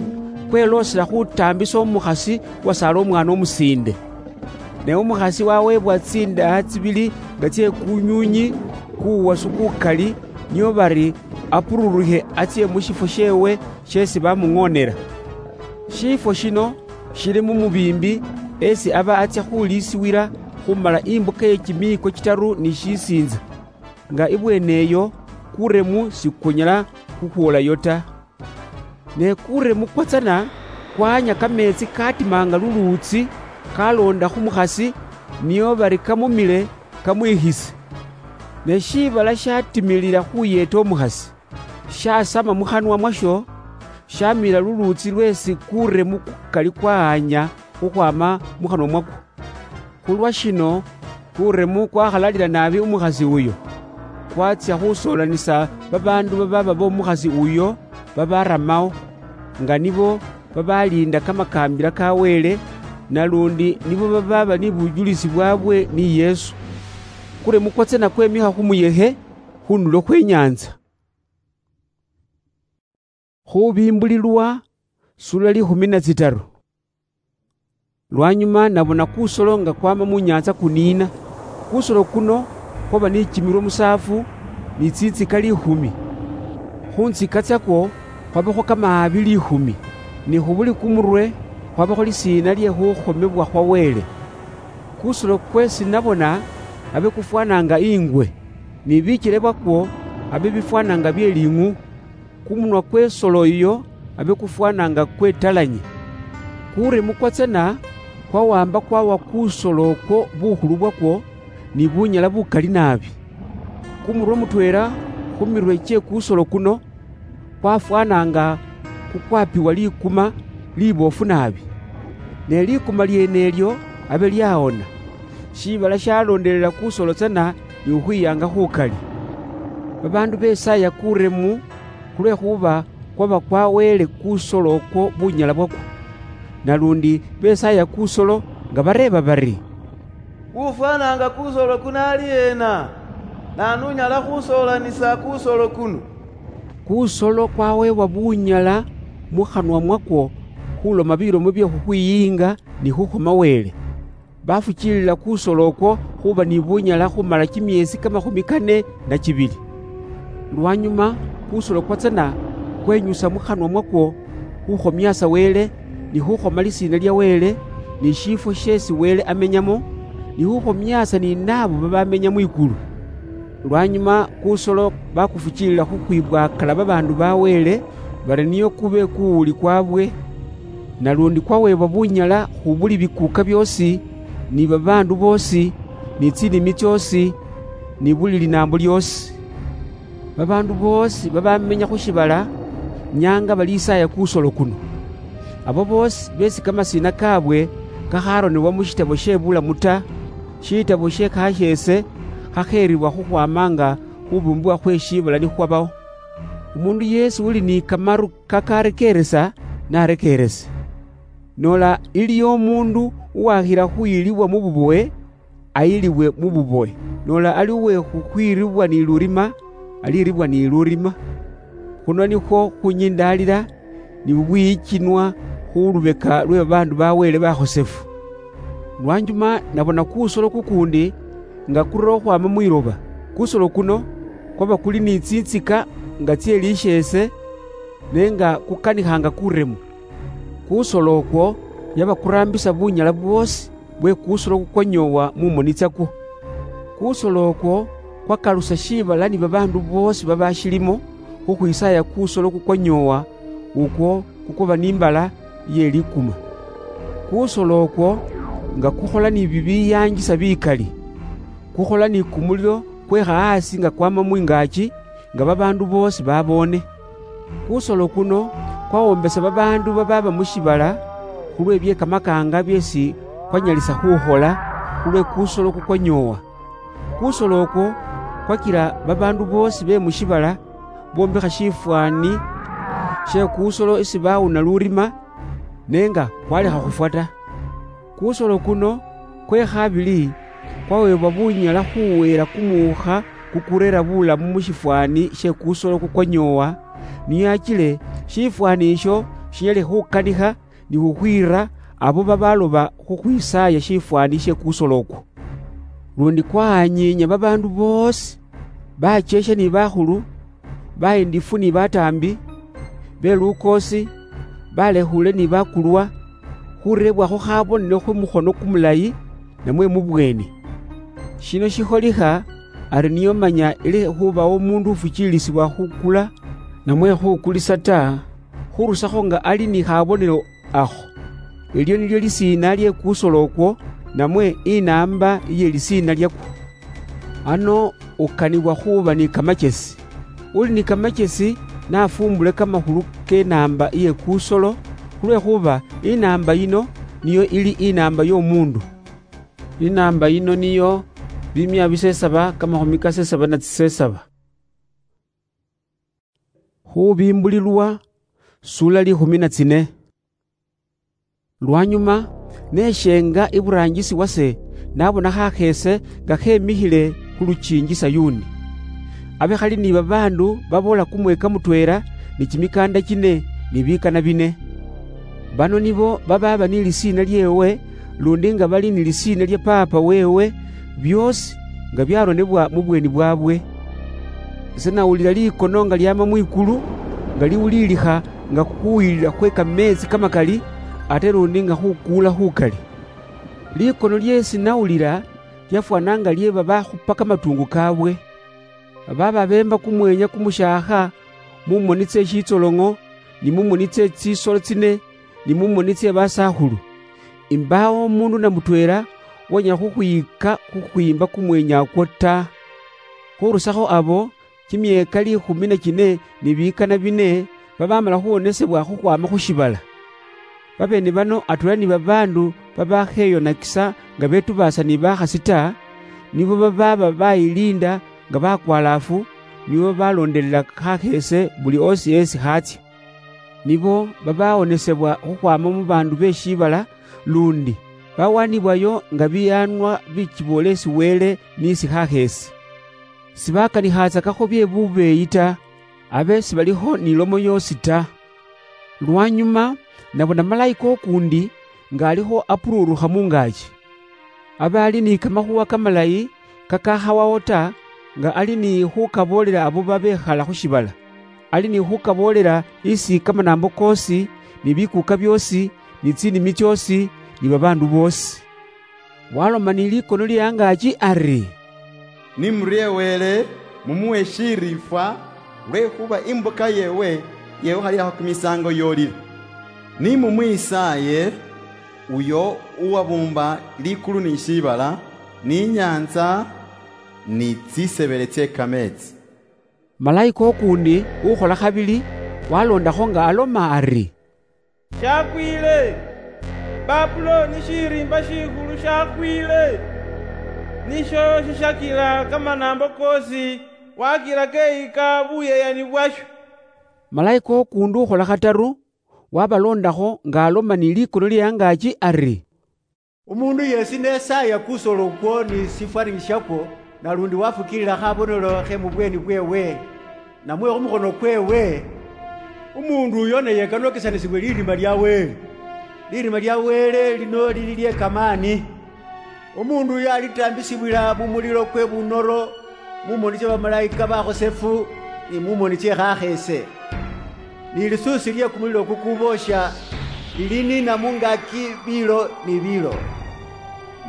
kweloosela khutaambisa umukhasi wasaala umwaana umusiinde. Ne umukhasi waweebwa tsindaha tsibili nga tsye kunyunyi kuwasu kukali, nio bari apururukhe atsye mu shifwo sheewe sheesi bamuŋoonera. Shifwo shino shili mu mubiimbi, esi aba atsya khuliisiwila khumala imbuka ye kimiiko kitaru ni shisiintsa, nga ibweene eyo kuremu sikunyala khukhwolayo ta. Ne kuremu kwatsana kwanya kameetsi katima nga luluutsi, kaloonda khu mukhasi, nio bari kamumile kamwikhise. Ne shibala shatimilila khuyeeta umukhasi, shasama mu khanwa mwasho, shamila luluutsi lweesi kuremu kukali kwahanya khukhwama mu khanwa mwakwo. Khulwa shino, kuremu kwakhalalila naabi umukhasi uyo, kwatsya khusoolanisa babaandu babaaba bomukhasi uyo babaramao, nga nibo babaliinda kamakaambila ka Wele, nalundi nibo babaaba ni bujulisi bwabwe ni Yesu. Kuremu kwatsana kwemikha khu muyekhe, khu ndulo khwe nyaantsa. Khubimbulilwa, sura likhumi na tsitaru. Lwanyuma nabona kusolo nga kwama mu nyaantsa kuniina. Kusolo kuno kwaba ni kimirwe musaafu, ni tsintsika likhumi. Khu ntsika tsakwo khwabakho kamaabi likhumi, ni khu buli kumurwe khwabakho lisiina lye khukhomebwa khwa Wele. Kusolo kwesi nabona abe kufwana nga ingwe, ni bikyele bwakwo abe bifwana nga bye ling'u. Kumunwa kwe solo iyo abe kufwana nga kwe talanyi. Kuremu kwatsana kwawamba kwawa kusolo okwo bukhulu bwakwo ni bunyala bukali naabi. Kumurwe mutweela khu mirwe kye kusolo kuno kwafwana nga kukwapiwa likuma liboofu naabi. Ne likuma lyeene ilyo abe lyawona. Shibala shaloondelela kusolo tsana ni khukhwiyaanga khukali. Babaandu besaaya kuremu, khulwekhuba kwaba kwaweele kusolo okwo bunyala bwakwo. Nalundi besaaya kusolo nga bareeba bari, "Ufwanaanga kusolo kuno ali ena? Naanu unyala khusoolanisa kusolo kuno?" Kusolo kwaweebwa bunyala mu khanwa mwakwo khuloma bilomo bye khukhwiyiinga ni khukhoma Wele. Bafukiilila kusolo okwo khuba ni bunyala khumala kimyeesi kamakhumi kane na kibili. Lwanyuma kusolo kwatsana kwenyusa mu khanwa mwakwo khukhomiasa Wele, ni khukhoma lisiina lya Wele, ni shifwo sheesi Wele amenyamo, ni khukhomiasa ni naabo babamenya mwikulu. Lwanyuma kusolo bakufukiilila khukhwibwakala babaandu ba Wele, bari niyo kube kuwuli kwabwe, nalundi kwaweebwa bunyala khu buli bikuuka byoosi, ni babaandu boosi, ni tsinimi tsyoosi, ni buli linaambo lyoosi. Babaandu boosi babamenya khu shibala nyaanga balisaaya kusolo kuno. Abo boosi beesi kamasiina kaabwe kakharonebwa mu shitabo she bulamu ta, shitabo she kasheese khakheribwa khukhwama nga khubumbibwa khwe shibala nikhwabaho. Umundu yeesi uli ni kamaru kakarekeeresa, narekeerese. Nola iliyo umuundu uwakhila khuyilibwa mu bubowe, ayilibwe mu bubowe. Nola ali uwe khukhwiribwa ni lurima, aliribwa ni lurima. Khuno nikhwo khunyindaalira ni bubwiyichinwa khu lubeka lwe babaandu ba Wele bakhosefu. Lwanyuma nabona kusolo kukuundi nga kurura khukhwama mwiloba. Kusolo kuno kwaba kuli ni tsintsika nga tsie lisheese, ne nga kukanikhanga kuremu. Kusolo okwo yaba kuraambisa bunyala bwoosi bwe kusolo kukwanyoowa mu moni tsakwo. Kusolo okwo kwakalusa shiibala ni babaandu boosi babashilimo khukhwisaaya kusolo kukwanyoowa ukwo kukwaba ni imbala ye likuma. Kusolo okwo nga kukhola ni bibiyaanjisa bikali, kukhola ni kumulilo kwekha asi nga kwama mwingaaki, nga babaandu boosi baboone. Kusolo kuno kwawombesa babaandu babaaba mu shiibala khulwe bye kamakaanga byeesi kwanyalisa khukhola khulwe kusolo kukwanyoowa. Kusolo okwo kwakila babaandu boosi be mu shiibala bombekha shifwaani she kusolo isi bawuna lurima, ne nga kwalekha khufwa ta. Kusolo kuno kwe khabili kwaweebwa bunyala khuweera kumuukha kukureera bulamu mu shifwaani she kusolo kukwanyoowa, niyo achile shifwaani isho shinyale khukanikha ni khukhwiira abo babaloba khukhwisaaya shifwaani she kusolo okwo. Lundi kwahanyiinya babaandu boosi, bacheshe ni bakhulu, bahindifu ni bataambi, be lukoosi, balekhule ni bakulwa, khurebwakho khabonelo khu mukhono kumulayi namwe mu bweeni. Shino shikholikha ari niyo manya ilekhe khubawo umuundu ufukiilisibwa khukula namwe khukulisa ta, khurusakho nga ali ni khabonelo akho. Elyo nilyo lisiina lye kusolo okwo, namwe inaamba iye lisiina lyakwo. Ano ukanibwa khuuba ni kamachesi. Uli ni kamachesi nafumbule kamakhulu ke naamba iye kusolo, khulwekhuba inaamba yino niyo ili inaamba y'omuundu. Inaamba yino niyo bimia bisesaba kamakhumi kasesaba na tsisesaba. Khubimbulilwa, sula likhumi na tsine. Lwanyuma, neshenga iburaangisi wase, nabona khakheese nga khemikhile khu lukiingi Sayuni. Abe khali ni babaandu baboola kumweeka mutweela ni kimikaanda kine ni bikana bine. Bano nibo babaaba ni lisiina lyeewe, lundi nga bali ni lisiina lya Paapa weewe, byoosi nga byaronebwa mu bweeni bwaabwe. Ise nawulila likono nga lyaama mwikulu, nga liwuliilikha nga khukhuyilila khwe kameetsi kamakali, ate lundi nga khukuula khukali. Likono lyeesi nawulila lyafwana nga lye babakhupa kamatungu kaabwe. Babaaba beemba kumweenya kumushaakha mu moni tse shitsoloŋo, ni mu moni tse tsisolo tsine, ni mu moni tse basakhulu. Imbaawo omuundu na mutweela uwanyala khukhwiika khukhwiimba kumweenya okwo ta. Khurusakho abo, kimyeeka liikhumi na kine ni biikana bine babamala khuwonesebwa khukhwaama khu shiibala. Babeene bano atweela ni babaandu babakheyonakisa nga betubaasa ni bakhasi ta, nibo babaaba bayiliinda nga bakwalaafu, nibo babaloondelela khakheese buli osi esi khatsya. Nibo babawonesebwa khukhwaama mu baandu be shiibala, lundi bawanibwayo nga biyaanwa bikiboolesi Wele ni sikhaakha esi. Sibakanikhatsakakho bye bubeeyi ta, abe sibalikho ni lomo yoosi ta. Lwanyuma, nabona malaika ukuundi nga alikho apuruurukha mungaaki. Abe ali ni kamakhuwa kamalayi kakakhawawo ta, nga ali ni khukaboolela abo babekhala khu shiibala. Ali ni khukaboolela isi kamanaambo koosi, ni bikuuka byoosi, ni tsinimi tsyoosi, ni babaandu boosi. Waloma ni likono lye angaaki ari, "Ni murie Wele, mumuwe eshiriifwa, lwekhuba imbuka yeewe yewukhalilaho kimisaango yoolile. Ni mumwisaaye, uyo uwabuumba likulu ni shiibala, ni inyaantsa, ni tsisebele tsye kameetsi." Malaika ukuundi ukhola khabili waloondakho nga aloma ari, "Shakwiile! Babuloni shiriimba shikhulu shakwiile! Nisho shishakila kamanaambo koosi, wakila keyika buyeyani bwasho." Malaika ukuundi ukhola khataru wabaloondakho nga aloma ni likono lye angaaki ari, Umundu yesi nesaya kusolo kwo ni sifwani shakwo, nalundi wafukilila khabonelo khe mubweni bwewe, namwe khumukhono kwewe, umundu uyo naye kanokesanisibwe lirima lya Wele. Lirima lya Wele lino lili lye kamani. Umundu uyo alitambisibwila mumulilo kwe bunoro, mumoni tsia bamalaika bakhosefu, ni mumoni tsie khakhese. Ni lisuusi lye kumulilo kukuboosha liliniina mungaki biilo ni biilo.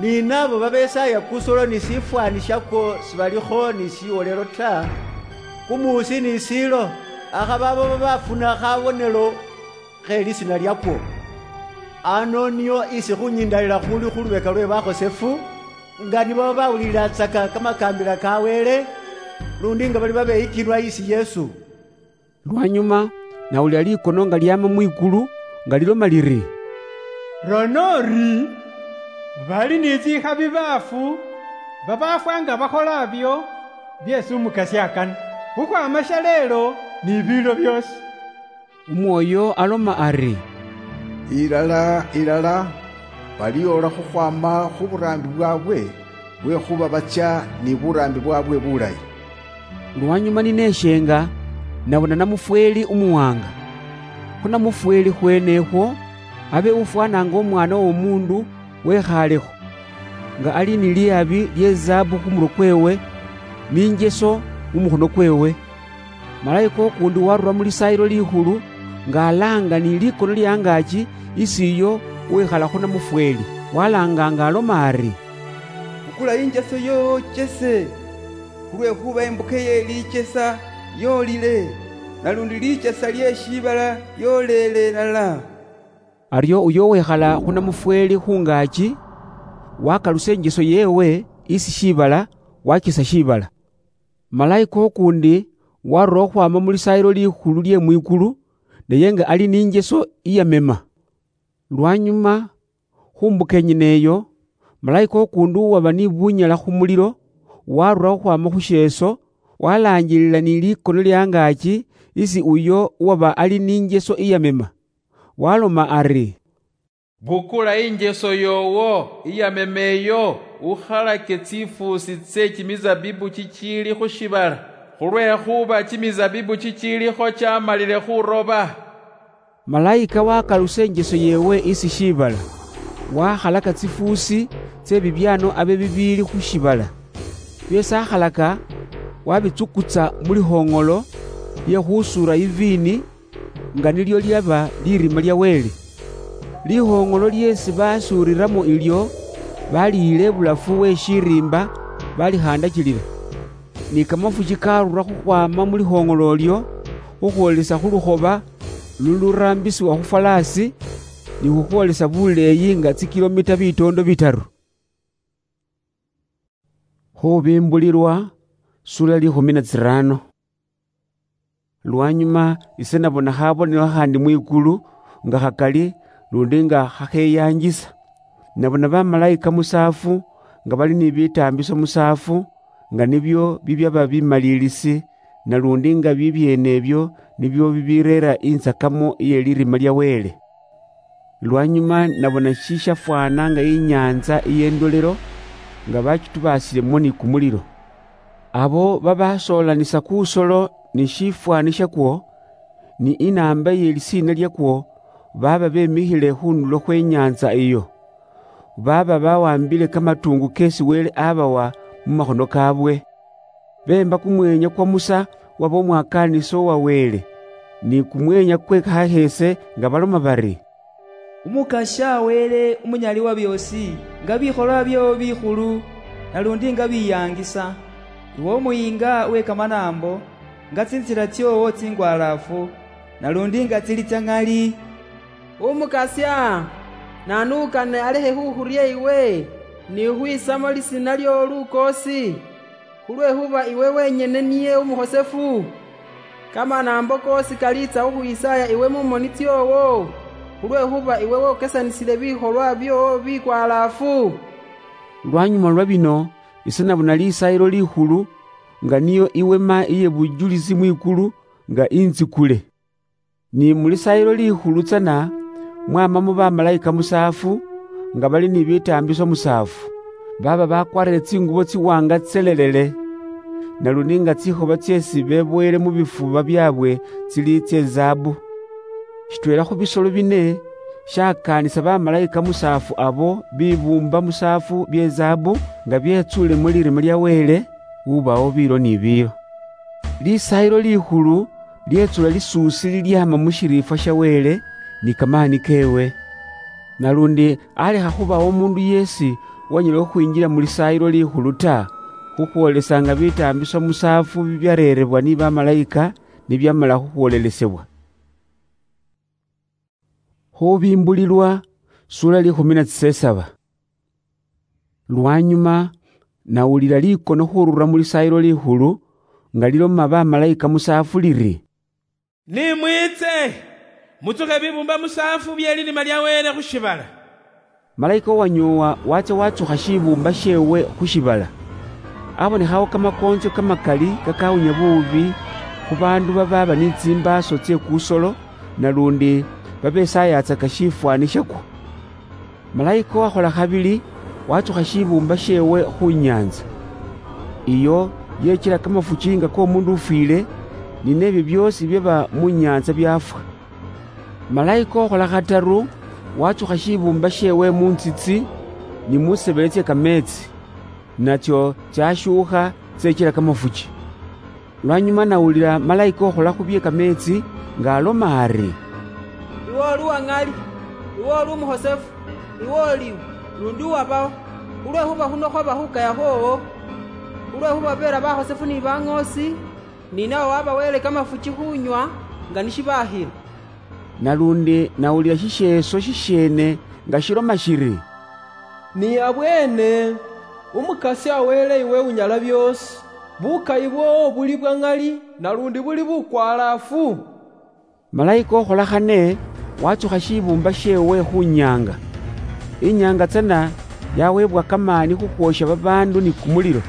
Ni nabo babesaaya kusolo ni sifwaani shakwo sibalikho ni shiwolelo ta, kumuusi ni siilo, akhaba abo babafuna khabonelo khe lisina lyakwo. Ano nio isi khunyindalila khuli khu lubeka lwe bakhosefu, nga nibo bawulililatsaka kamakaambila ka Wele, lundi nga bali babeyikilwa isi Yesu. Lwanyuma, nawulila likono nga lyama mwikulu, nga liloma liri, "Rona ori, bali ni tsikhabi baafu, babafwa nga bakhola abyo, byeesi Umukasya akana, khukhwama shaleelo ni biilo byoosi." Umwoyo aloma ari, "Ilala, ilala, baliyoola khukhwama khu buraambi bwaabwe, lwekhuba bacha ni buraambi bwaabwe bulayi." Lwanyuma ninesheenga, nabona namufweeli umuwaanga. Khu namufweeli khweenekhwo, abe ufwanaanga Umwaana w'Omuundu wekhaalekho, nga ali ni lihabi lye zaabu khu murwe kweewe, ni injeso mu mukhono kweewe. Malaika ukuundi warura mu Lisaayilo Likhulu, nga alaanga ni likono lye angaaki isi iyo uwikhala khu namufweeli, walaanga nga aloma ari, "Bukula injeso yoowo chese, khulwekhuba imbuka ye lichesa yoolile, nalundi lichesa lye shiibala lyoleele ilala." Aryo uyo uwikhala khu namufweeli khungaaki wakalusa injeso yeewe isi shiibala, wachisa shiibala. Malaika ukuundi warura khukhwaama mu Lisaayilo Likhulu lye mwikulu, naye nga ali ni injeso iyamema. Lwanyuma, khu mbuka yenyene eyo, malaika ukuundi uwaba ni bunyala khu mulilo, warura khukhwaama khu sheeso, walaangilila ni likono lye angaaki isi uyo uwaba ali ni injeso iyamema, waloma ari, "Bukula injeso yoowo iyamema eyo, ukhalake tsifuusi tsye kimizabibu kikiili khu shiibala, khulwekhuba kimizabibu kikiilikho kyamalile khuroba." Malaika wakalusa injeso yeewe isi shiibala, wakhalaka tsifuusi tsye bibyaano abe bibiili khu shiibala. Byeesi akhalaka, wabitsukutsa mu likhoong'olo lye khusuura iviini, nga nilyo lyaba lirima lya Wele. Likhoong'olo lyeesi basuuriramo ilyo baliyila ibulafu we shiriimba, balikhandakilila. Ni kamafuki karura khukhwaama mu likhoong'olo ilyo, khukhwolesa khu lukhoba luluraambisiwa khu falaasi, ni khukhwolesa buleeyi nga tsikilomita bitoondo bitaru. Khubimbulilwa, sura likhumi na tsirano. Lwanyuma ise nabona khabonelo khandi mwikulu, nga khakali, lundi nga khakheyanjisa. Nabona bamalaika musaafu, nga bali ni bitaambiso musaafu, nga nibyo bibyaba bimalilisi, nalundi nga bibyeene ebyo nibyo bibireera intsakamo iye lirima lya Wele. Lwanyuma nabona shishafwana nga inyanza iy'endolelo, nga bachitubaasile mumoni kumulilo. Abo babasoolanisa kusolo ni shifwani shakwo, ni inamba iye lisiina lyakwo, baba bemikhile khundulo khwe nyanza iyo. Baba bawambile kamatungu kesi Wele abawa mu makhono kabwe. Bemba kumwenya kwa Musa waba umwakaanisi wa Wele, ni kumwenya kwe kahese nga baloma bari, "Umukasya Wele Umunyali wa byoosi, nga bikholwa byoowo bikhulu, nalundi nga biyaangisa, iwe umuyiinga we kamanaambo, nga tsintsila tsyowo tsingwalaafu, nalundi nga tsili tsya ŋali. Umukasya, naanu ukane alekhe khukhurya iwe, ni khukhwisamo lisiina lyoowo lukoosi? Khulwekhuba iwe wenyene niye umukhosefu. Kamanaambo koosi kaliitsa khukhwisaaya iwe mu moni tsyoowo, khulwekhuba iwe wokesanisile bikholwa byoowo bikwalaafu." Lwanyuma lwa bino, ise nabona Lisaayilo Likhulu, nga niyo iwema iye bujulisi mwikulu, nga intsikule. Ni mu Lisaayilo Likhulu tsana mwamamo bamalaika musaafu, nga bali ni bitaambiso musaafu, baaba bakwarire tsingubo tsiwaanga tselelele, nalundi nga tsikhoba tseesi beboyele mu bifuba byaabwe tsili tsezahabu. Shitweela khu bisolo bine shakaanisa bamalayika musaafu abo bibuumba musaafu byezahabu nga byetsuule mu lirima lya Wele, ubawo biilo ni biilo. Lisaayilo likhulu lyetsula lisuusi lilyaama mu shiriifwa sha Wele ni kamaani keewe. Nalundi alekha khubawo omundu yeesi uwanyala khukhwinjila mu lisaayilo likhulu ta, khukhwoolesa nga bitaambiso musaafu bibyareerebwa ni bamalayika nibyamala khukhwoolelesebwa. Khubimbulilwa, sura likhumi na tsisesaba. Lwanyuma, nawulila likono khurura mu lisaayilo likhulu, nga liloma bamalayika musaafu liri, "Nimwitse, mutsukhe bibumba musaafu bye linima lya Wele khu shibala." Malayika uwanyoowa watsya watsukha shibuumba sheewe khu shibala. Abonekhawo kamakoontsyo kamakali kakawunya buubi khu baandu babaaba ni tsimbaaso tsye kusolo, nalundi babesaayaatsaka shifwaani shakwo. Malayika uwakhola khabili watsukha shibuumba sheewe khu nyaantsa. Iyo yechila kamafuchi nga k'omundu ufwiile, ni neebyo byoosi byaba mu nyaantsa byaafwa. Malayika uwakhola khataru watsukha shibuumba sheewe mu ntsitsi ni mu tsisebele tsye kameetsi, natsyo tsyashuukha tseechila kamafuchi. Lwanyuma nawulila malayika ukhola khu bye kameetsi nga aloma ari, "Iwe oli uwa ŋali, iwe oli umuhosefu, iwe oliwo, lundi uwabawo, khulwekhuba khuno khwaba khukaya khwowo, khulwekhuba beera bahosefu ni baŋoosi, ni nawe wabawele kamafuchi khunywa nga nishibahila." Nalundi nawulila shisheeso shisheene nga shiloma shiri, "Ni abweene, Umukasya Wele iwe Unyala Byoosi, bukayi bwoowo buli bwa ŋali, nalundi buli bukwalaafu." Malayika ukhola khane watsukha shibuumba sheewe khu nyaanga. Inyaanga tsana yaweebwa kamaani khukhwoosha babaandu ni kumulilo.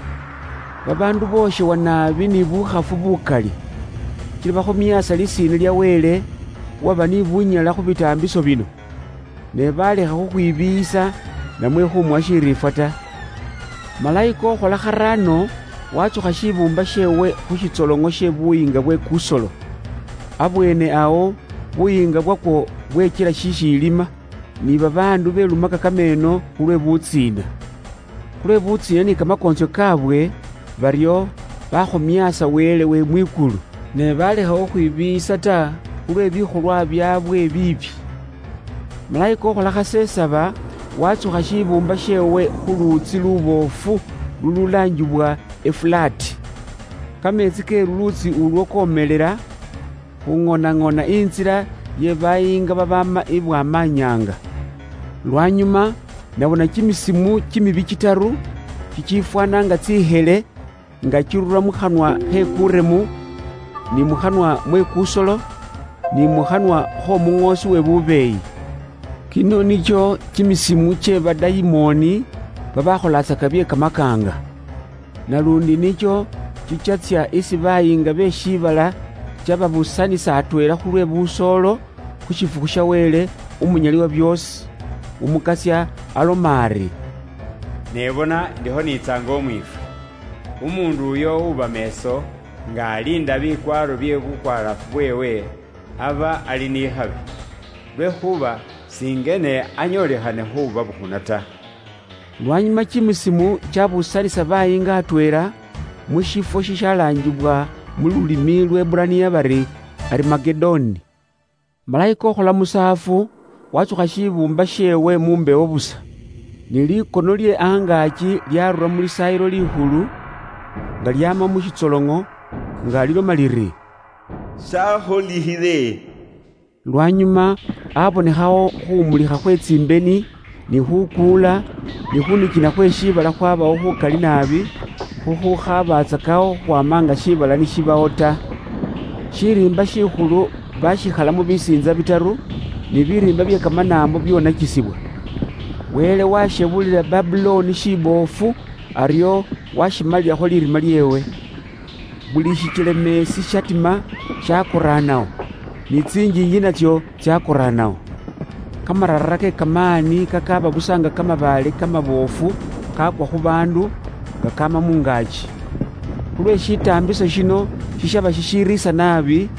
Babaandu booshewa naabi ni bukhafu bukali. Kila bakhumiasa lisiina lya Wele, uwaba ni bunyala khu bitaambiso bino. Ne balekha khukhwibiiyisa namwe khumuwa shiriifwa ta. Malayika ukhola kharaano watsukha shibuumba sheewe khu shitsoloŋo she buyiinga bwe kusolo. Abweene awo buyiinga bwakwo bwechila shishiilima, ni babaandu belumaka kameeno khulwe butsiina. Khulwe butsiina ni kamakoontsyo kaabwe, baryo bakhomiasa Wele we mwikulu, ne balekha khukhwibiiyisa ta khulwe bikholwa byaabwe biibi. Malayika ukhola khasesaba watsukha shibuumba sheewe khu luutsi luboofu lululaanjibwa Efulaati. Kameetsi ke luluutsi ulwo komelela, khung'onaŋona intsila ye bayiinga babaama ibwama nyaanga. Lwanyuma, nabona kimisimu kimibi kitaru, kichifwana nga tsihele, nga kirura mu khanwa khe kuremu, ni mu khanwa mwe kusolo, ni mu khanwa khomuŋoosi we bubeeyi. Kino nikyo kimisimu kye badayimooni babakholaatsaka bye kamakaanga. Nalundi nicho chichatsya isi bayiinga be shiibala chababusanisa atweela khulwe busoolo khu shifukhu sha Wele Umunyali wa byoosi, Umukasya aloma ari, "Ne bona, ndiho niitsaanga omwiifwe. Umuundu uyo uba meeso, nga aliinda bikwaaro bye bukwalaafu bweewe, aba ali n'ikhabi, lwekhuba singene anyoolekhane khubabukhuna ta." Lwanyuma kimisimu kyabusanisa bayiinga atweela mu shifwo shishalaanjibwa mu lulimi lw'Eburaniya bari Arimagedoni. Malayika ukhola musaafu watsukha shibuumba sheewe mu mbewo busa, ni likono lye angaaki lyarura mu lisaayilo likhulu, nga lyaama mu shitsoloŋo, nga liloma liri, "Shakholikhile." Lwanyuma abonekhawo khumulikha khwe tsimbeni, ni khukuula, ni khunikina khwe shiibala khwabawo khukali naabi, khukhukhabatsakawo khukhwama nga shiibala nishibawo ta. Shiriimba shikhulu bashikhalamo bisiintsa bitaru, ni biriimba bye kamanaambo byonakisibwa. Wele washebulila Babuloni shiboofu, aryo washimalilakho lirima lyeewe. Buli shichelemeesi shatima shakoraanawo, ni tsinjinji natsyo tsakoraanawo. Kamarara ke kamaani kakaaba busa nga kamabaale kamaboofu kakwa khu baandu nga kaama mungaaki. Khulwe shitaambiso shino shishaba shishiriisa naabi,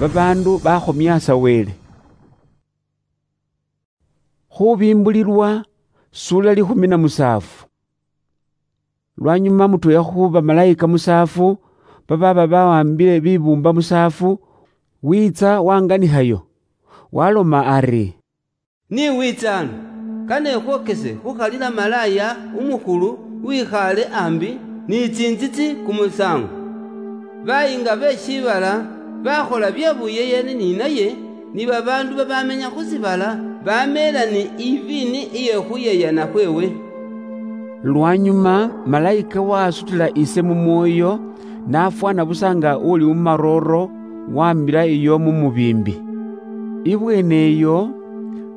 babaandu bakhomiasa Wele. Khubimbulilwa, sula likhumi na musaafu. Lwanyuma mutweela khu bamalayika musaafu, bababa bawambile bibuumba musaafu, wiitsa wanganikhayo, waloma ari, "Ni wiitsa ano, kane ekhwokese khukhalila malaaya umukhulu wikhaale ambi ni tsinzitsi kumusaango." Bayinga be shiibala bakhola bye buyeyani ni naye, ni babaandu babamenya khu shiibala bameela ni iviini iye khuyeyana khweewe. Lwanyuma malayika wasutila ise mu mwoyo, nafwana busa nga uli mu marooro, wamila iyo mu mubiimbi. Ibweene eyo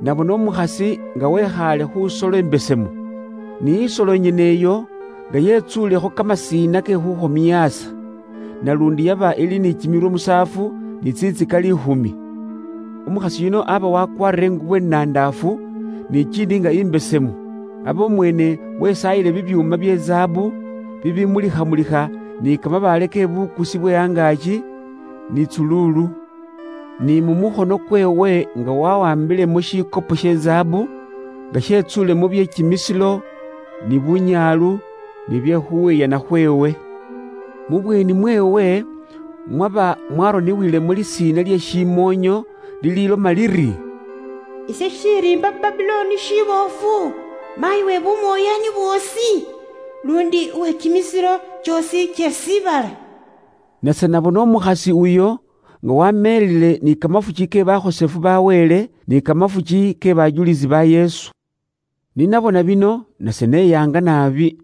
nabona umukhasi nga wekhaale khu solo imbesemu, ni isolo inyene eyo nga yetsuulekho kamasiina ke khukhomyaasa, nalundi yaba ili ni kimirwe musaafu ni tsitsika liikhumi. Umukhasi yuno aba wakwarire ingubo inandaafu, ni chiindi nga imbesemu. Aba umweene wesaayile bibyuuma bye zaabu bibimulikha-mulikha ni kamabaale ke bukusi bwe angaaki ni tsuluulu, ni mu mukhono kweewe nga wawambilemo shikopo she zaabu, nga shetsuulemo bye kimisilo, ni bunyaalu, ni bye khuweyana khweewe. Mu bweeni mweewe mwaba mwaroniwilemo lisiina lye shimoonyo lililoma liri, "Ise shiriimba Babuloni shiboofu, maayi we bumwoyani bwoosi, lundi uwe kimisiro kyoosi kye shiibala." Nase nabona umukhasi uyo nga wameelile ni kamafuki ke bakhosefu ba Wele ni kamafuki ke bajulisi ba Yesu. Ni nabona bino, nase neyaanga naabi.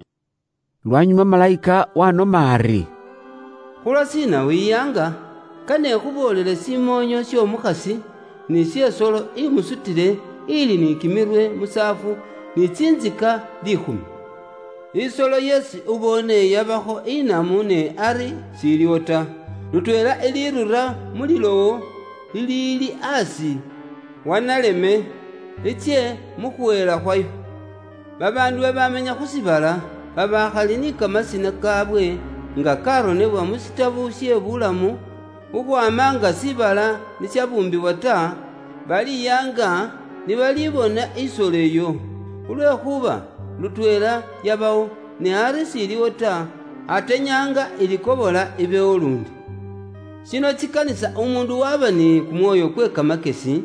Lwanyuma malayika wanoma ari, "Khulwashiina wiyaanga? Kane ekhuboolele shimoonyo sh'omukhasi ni sh'esolo imusutile, ili ni kimirwe musaafu ni tsinzika liikhumi. Isolo yeesi uboone yabakho inamu ne ari shiliwo ta, lutweela ilirura mu lilowo liliili asi wa naleme, litsye mu khuheela khwayo." Babaandu babamenya khu shiibala, babakhali ni kamasina kaabwe nga karonebwa mu shitabu shye bulamu, khukhwama nga shiibala nishabuumbibwa ta, baliyaanga nibalibona isolo eyo, khulwekhuba lutweela yabawo, ne ari shiliwo ta, atenyaanga ilikobola ibewo lundi. Shino chikanisa umundu waba ni kumwoyo kwe kamakesi,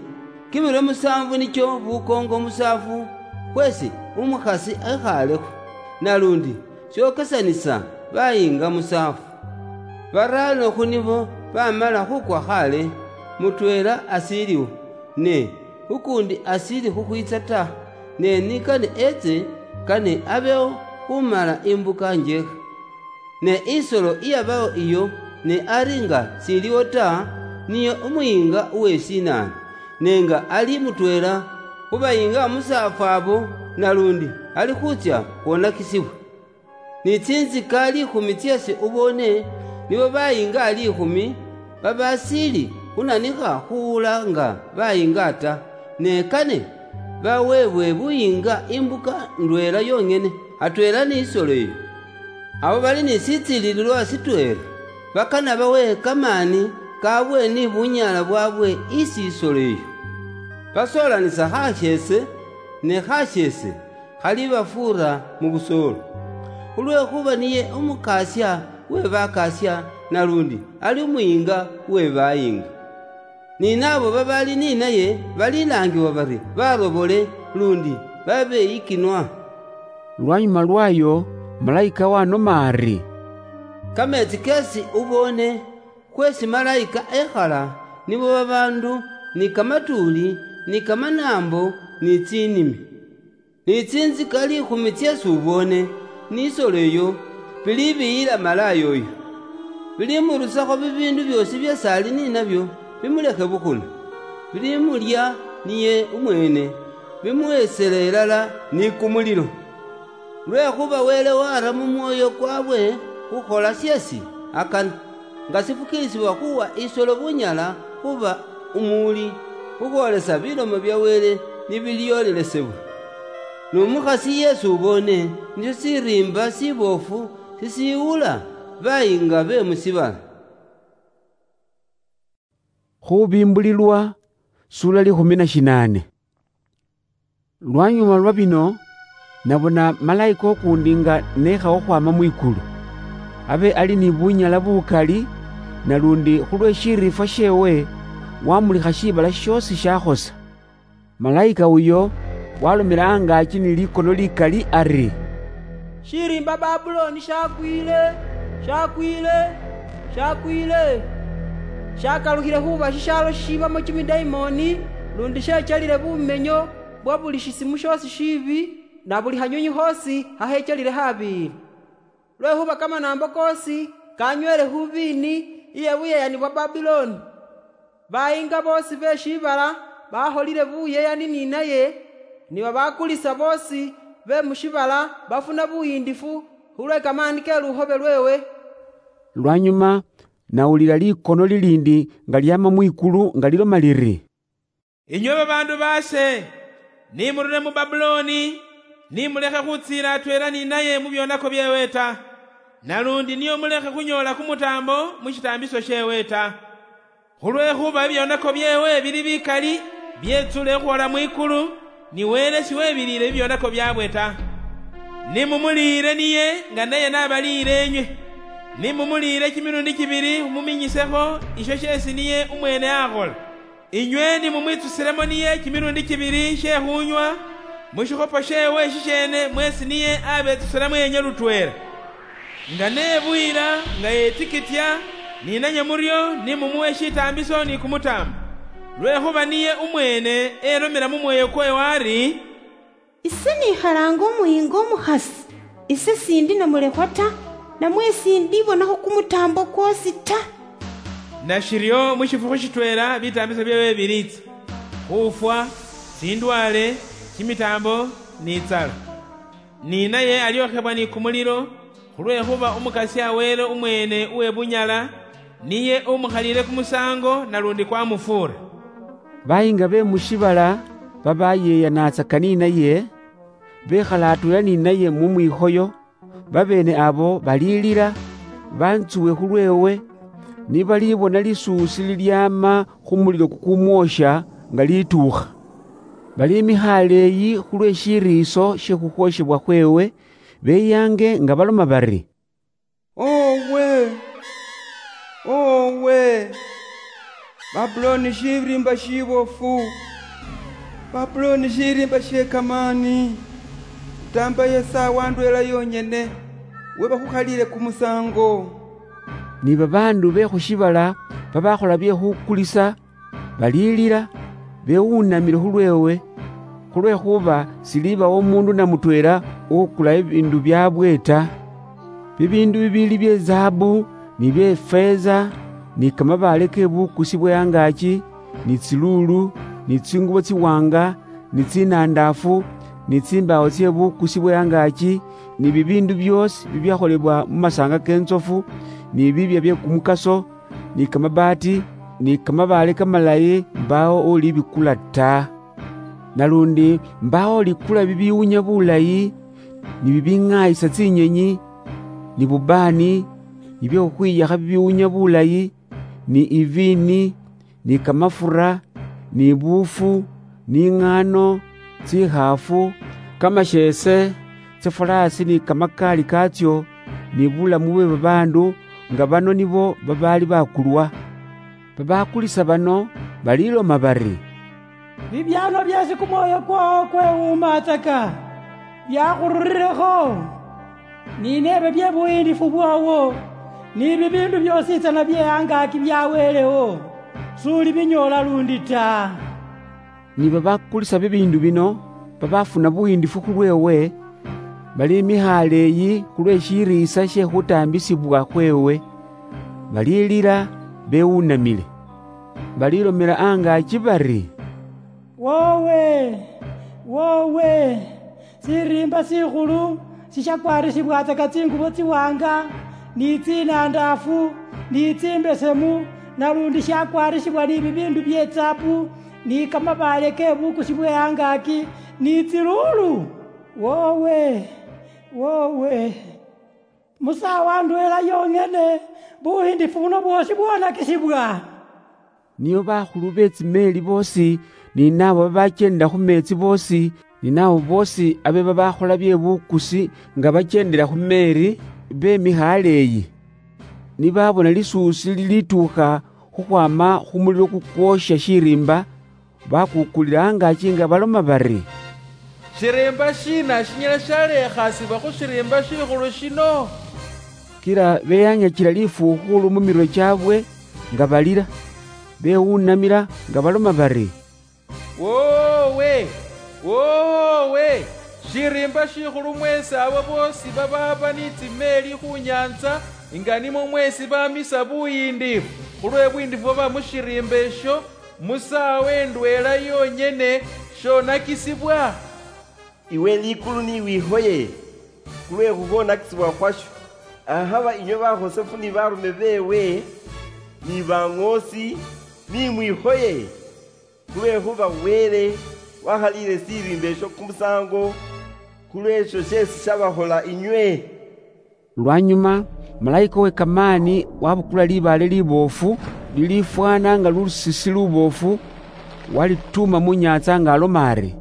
kimirwe musaanvu nikyo bukoongo musaafu khweesi umukhasi ekhaalekho, nalundi shiokesanisa bayiinga musaafu. Baraano khu nibo bamala khukwa khale, mutweela ashiiliwo, ne ukuundi ashiili khukhwiitsa ta, ne nikane etse, kane abewo khumala imbuka njeekha. Ne isolo iyabawo iyo, ne ari nga shiliwo ta, niye umuyiinga uwe shinaanu, ne nga ali mutweela khu bayiinga musaafu abo, nalundi ali khutsya khwonakisibwa. Ni tsinzika liikhumi tseesi uboone, nibo bayiinga liikhumi, babashiili khunanikha khuwula nga bayiinga ta, ne kane baweebwe buyiinga imbuka ndweela yong'ene, atweela ni isolo eyo. Abo bali ni shitsiilililwa shitweela, bakana bawe kamaani kaabwe ni bunyaala bwaabwe isi isolo eyo. Basoolanisa khasheese ne khasheese khalibafuura mu busoolo. Khulwekhuba niye umukaasia we bakaasia, nalundi ali umuyiinga we bayiinga. Ni naabo babali ni naye balilaangibwa bari barobole, lundi babeyikinwa. Lwanyuma lwayo, malayika wanoma ari, "Kameetsi keesi uboone, khweesi malayika ekhala, nibo babaandu ni kamatuuli, ni kamanaambo, ni tsinimi. Ni tsinzika liikhumi tseesi uboone, ni isolo eyo, bili biyila malaaya oyo. Bilimurusakho bibiindu byoosi byeesi ali ni nabyo, bimulekhe bukhuna. Bilimulya niye umweene, bimuhesele ilala ni kumulilo. Lwekhuba Wele wara mu mwoyo kwabwe khukhola sheesi akana, nga sifukiilisibwa khuwa isolo bunyala khuba umuwuli, khukhwolesa bilomo bya Wele, nibiliolelesebwa. Nomukhasi yesi ubone nisho siriimba sibofu sisiwula bayinga be musibala. Khubimbulilwa, sura likhumi na shinane. Lwanyuma lwa bino, nabona malaika ukundi nga nekha ukhwama mwikulu. Abe ali ni bunyala bukali, nalundi khulwe shiriifwa shewe, wamulikha shibala shiosi shakhosa. Malaika uyo walomela angaaki ni likono likali ari, "Shiriimba Babuloni shakwile, shakwile, shakwile! Shakalukhile khuba shishaalo shishibamo kimidaimoni, lundi shechelile bumenyo bwa buli shisimu shoosi shiibi, na buli khanywinywi khoosi khahechelile khabiili. Lwekhuba kamanaambo koosi kanyweele khu viini iye buyeyani bwa Babuloni. Bayinga boosi be shiibala bakholile buyeyani ni naye, ni babakulisa boosi be mu shiibala bafuna buyiindifu khulwe kamaani ke lukhobe lweewe." Lwanyuma nawulila likono liliindi nga lyaama mwikulu nga liloma liri, "Inywe babaandu baase, nimurule mu Babuloni, nimulekhe khutsiila atweela ni naye mu byonako byeewe ta, nalundi niyo mulekhe khunyoola kumutaambo mu shitaambiso sheewe ta. Khulwekhuba ebyonako byeewe bili bikali, byetsule khukhwola mwikulu, ni Wele siwebiliile bibyonako byaabwe ta. Nimumuliile niye nga naye nabaliile enywe. Nimumuliile kimilundi kibili muminyisekho isho sheesi niye umweene akhola. Inywe ni mumwitsusilemo niye kimilundi kibili she khunywa mu shikhopo sheewe shisheene, mwesi niye abetsusilamo yenywe lutweela. Nga nebuyila, nga yetikitya, ni nanywe muryo ni mumuwe shitaambiso ni kumutaambo, lwekhuba niye umweene elomela mu mwoyo kweewe ari, 'Ise nikhalaanga umuyiinga umukhasi, ise siindi namulekhwa ta, namwe siindibonakho kumutaambo kwoosi ta.'" Nashiryo mu shifukhu shitweela bitaambiso byeewe biliitsa, khufwa, tsindwale, kimitaambo, ni itsala. Ni naye alyokhebwa ni kumulilo, khulwekhuba Umukasya Wele umweene uwe bunyala, niye umukhaliile kumusaango nalundi kwamufuura. Bayinga be mu shiibala babayeeyanatsaka ni naye, bekhala atweela ni naye mu mwikhoyo, babeene abo baliilila, bantsuwe khulweewe, nibalibona lisuusi lilyaama khu mulilo kukumwoosha nga lituukha. Baliimikha aleeyi khulwe shiriiso she khukhwoshebwa khweewe, beyaange nga baloma bari, "Owe! Owe! Babuloni shiriimba shibofu! Babuloni shiriimba shie kamaani! Utaambayo isaawa ndweela yonyene, we bakhukhaliile kumusaango." Ni babaandu be khu shiibala babakhola bye khukulisa, baliilila, bewunamile khulweewe, khulwekhuba silibawo umuundu na mutweela uwukula ebiindu byaabwe ta. Bibiindu bibiili bye zaabu, ni bye feeza, ni kamabaale ke bukusi bwe angaaki, ni tsiluulu, ni tsingubo tsiwaanga, ni tsinaandaafu, ni tsimbaawo tsye bukusi bwe angaaki, ni bibiindu byoosi bibyakholebwa mu masaanga ke ntsofu, ni biibya bye kumukaso, ni kamabaati, ni kamabaale kamalayi, mbaawo ulibikula ta. Nalundi mbaawo ulikula bibiwunya bulayi, ni bibing'ayisa tsinyenyi, ni bubaani, ni bye khukhwiyakha bibiwunya bulayi, ni iviini, ni kamafura, ni buufu, ni ing'ano, tsikhaafu, kamasheese, tsifaraasi ni kamakaali kaatsyo, ni bulamu bwe babaandu, nga bano nibo babaali bakulwa. Babakulisa bano baliloma bari, "Bibyaano byeesi kumwoyo kwoowo kwewuumatsaka, byakhururilekho, ni neebe bye buyiindifu bwoowo, ni bibiindu byoosi tsana bye angaaki bya Welewo, s'ulibinyoola lundi ta." Ni babakulisa bibiindu bino babafuna buyiindifu khulweewe, baliimikha aleeyi khulwe shiriisa she khutaambisibwa khweewe, balilila bewunamile. Balilomela angaaki bari, "Woowe! Woowe! Siriimba sikhulu sishakwarisibwatsaka tsingubo tsiwaanga, ni tsinaandaafu, ni tsimbesemu, nalundi shakwarisibwa ni bibiindu bye tsaabu, ni kamabaale ke bukusi bwe angaaki, ni tsiluulu. Wowe, wowe! Mu saawa ndweela yong'ene, buhindiffu buno bwoosi bwonakisibwa. Nio bakhulu be tsimeeli boosi, ni naabo babakyendela khu meetsi boosi, ni naabo boosi abeba bakhola bye bukusi nga bakyendela khu meeri, bemikha aleeyi. Ni babona lisuusi lilituukha khukhwama khu mulilo kukwoosha shiriimba, bakukulila angaaki nga baloma bari, "Shiriimba shiina shinyala shaleekhasibwa khu shiriimba shikhulu shino?" Kila beyanyakila lifuukhulu mu mirwe kyabwe nga balila, bewunamila nga baloma bari, "Woowe! Woowe! Shiriimba shikhulu mweesi abo boosi babaaba ni tsimeeli khu nyaantsa, nga nimwo mweesi bamisa buyiindifu khulwe bwiindifu bwaba mu shiriimba esho, mu saawa endweela yonyene shonakisibwa." Iwe likulu ni wihoye khulwe khukhwonakisibwa khwasho. Ahaba inywe bakhosefu ni barume beewe, ni baŋoosi, ni mwihoye, khulwekhuba Wele wakhaliile shiriimba esho kumusaango khulwesho sheesi shabakhola inywe. Lwanyuma, malaika we kamaani wabukula libaale liboofu, lilifwana nga lusisi luboofu, walituuma mu nyaantsa nga aloma ari,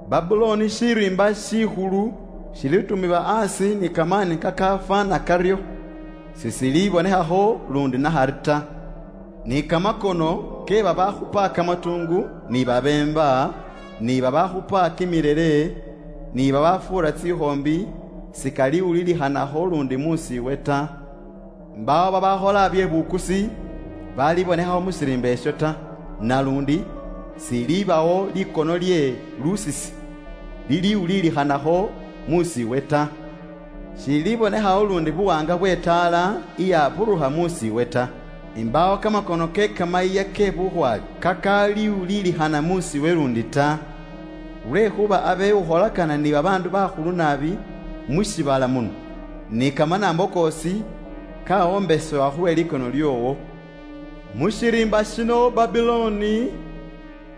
"Babuloni shiriimba shikhulu shilitumibwa asi ni kamaani kakafwana kario, sisilibonekhakho lundi nahari ta. Ni kamakono ke babakhupa kamatungu, ni babemba, ni babakhupa kimirere, ni babafuura tsikhombi, sikaliwulilikhanakho lundi musiiwe ta. Mbaawo babakhola bye bukusi balibonekhawo mu shiriimba esho ta, nalundi silibawo likono lye lusisi liliwulilikhanakho musiiwe ta. Shilibonekhawo lundi buwanga bwe taala iyaburukha musiiwe ta. Imbaawo kamakono ke kamayiya ke bukhwaale kakaliwuliilikhana musiiwe lundi ta. Lwekhuba abe ukholakana ni babaandu bakhulu naabi mu shiibala muno, ni kamanaambo koosi kawombesebwa khulwe likono lyoowo. Mu shiriimba shino Babiloni,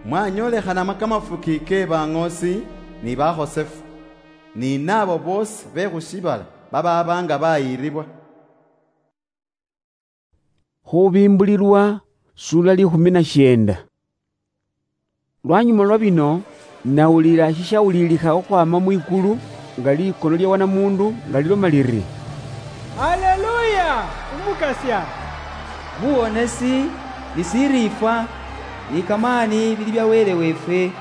mwanyolekhanamo kamafuki ke baŋoosi ni bakhosefu, ni naabo boosi be khu shiibala babaaba nga bayiiribwa." Khubimbulilwa, sura likhumi na shienda. Lwanyuma lwa bino, nawulila shishawulilikha khukhwama mwikulu, nga likono lya wanamundu, nga liloma liri, "Haleluya! Umukasya! Buwonesi, ni siriifwa, ni kamaani bili bya Wele weefwe.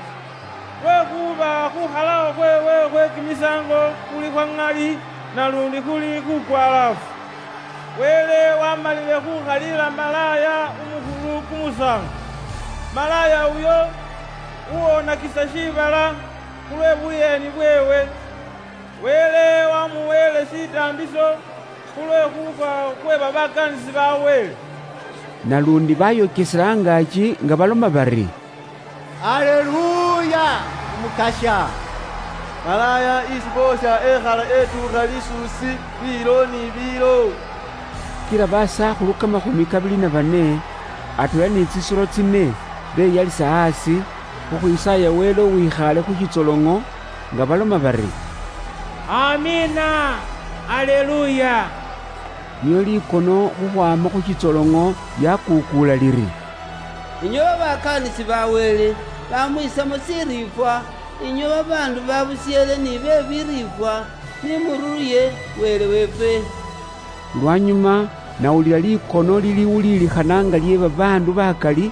Lwekhuba khukhalawo khweewe khwe kimisaango khuli khwa ŋali, nalundi khuli khukwalaafu. Wele wamalile khukhaliila malaaya umukhulu kumusaango. Malaaya uyo uwonakisa shiibala khulwe buyeeni bweewe. Wele wamuweele shitaambiso khulwe khufwa khwe babakaanisi ba Wele." Nalundi bayokesela angaaki nga baloma bari, "Haleluya! Umukasya! Malaaya isi boosha ekhala etuukha lisuusi biilo ni biilo." Kila basakhulu kamakhumi kabili na bane, atweela ni tsisolo tsine, beyalisa asi, khukhwisaaya Wele uwikhaale khu shitsoloŋo, nga baloma bari, "Amiina! Haleluya!" Nio likono khukhwama khu shitsoloŋo lyakukuula liri, "Inywe babakaanisi ba Wele, bamwisamo shiriifwa, inywe babaandu babusyeele ni be biriifwa, ni mururuye Wele weefwe." Lwanyuma, nawulila likono liliwuliilikhana nga lye babaandu bakali,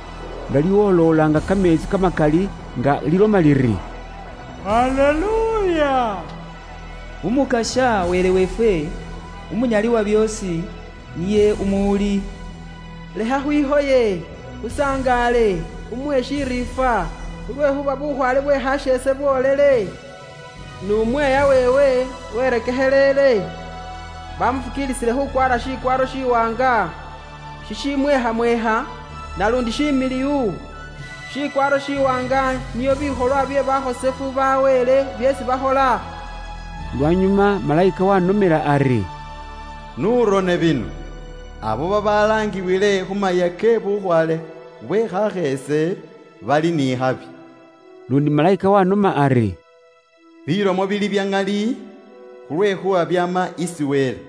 nga liwoloolanga kameetsi kamakali, nga liloma liri, "Haleluya! Umukasya Wele weefwe, Umunyali wa byoosi, niye umuwuli. Lekha khwihoye, khusangaale, khumuhe shiriifwa, khulwekhuba bukhwaale bwe khasheese bwoolele, nu mweeya weewe werekekheleele. Bamufukiilisile khukwaara shikwaaro shiwaanga, shishimweekhamweekha, nalundi shimiliwu. Shikwaaro shiwaanga nio bikholwa bye bakhosefu ba Wele byeesi bakhola." Lwanyuma malayika wanomela ari, "N'urone bino, abo babalaangiwile khu mayia ke bukhwaale bwe khakheese, bali ni habi. Lundi malaika wanoma ari, "Bilomo bili bya ng'ali, khulwekhuba byama isi Wele."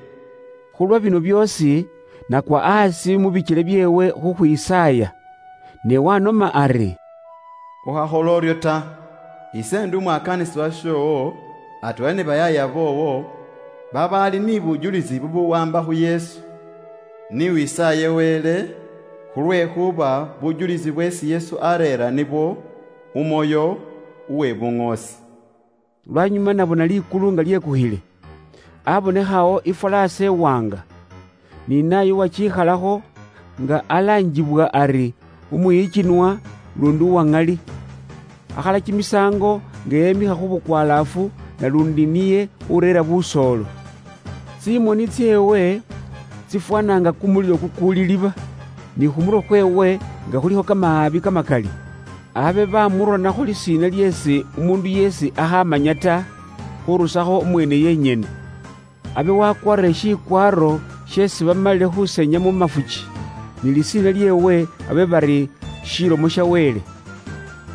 Khulwa bino byoosi, nakwa asi mu bichele byeewe khukhwisaaya. Ne wanoma ari, "Ukhakhola orio ta. Ise ndi umwakanisibwa shoowo, atweela ni bayaaya boowo, babaali ni bujulisi bubuwamba khu Yesu. Ni wisaaye Wele, khulwekhuba bujulisi bweesi Yesu areera nibwo umwoyo uwe buŋoosi." Lwanyuma nabona likulu nga lyekukhile, abonekhawo ifwalaasa iwanga, ni naye uwachikhalakho nga alanjibwa ari Umuyichinwa lundi Uwaŋali. Akhala kimisaango nga yemikha khu bukwalaafu, nalundi niye ureera busoolo. Tsimoni tseewe tsifwana nga kumulilo kukuuli liba, ni khumurwe kweewe nga khulikho kamaabi kamakali. Abe bamuronakho lisiina lyeesi umuundu yeesi akhamanya ta, khurusakho umweene yenyene. Abe wakwarire shikwaaro sheesi bamalile khusenya mu mafuchi, ni lisiina lyeewe abe bari Shilomo sha Wele.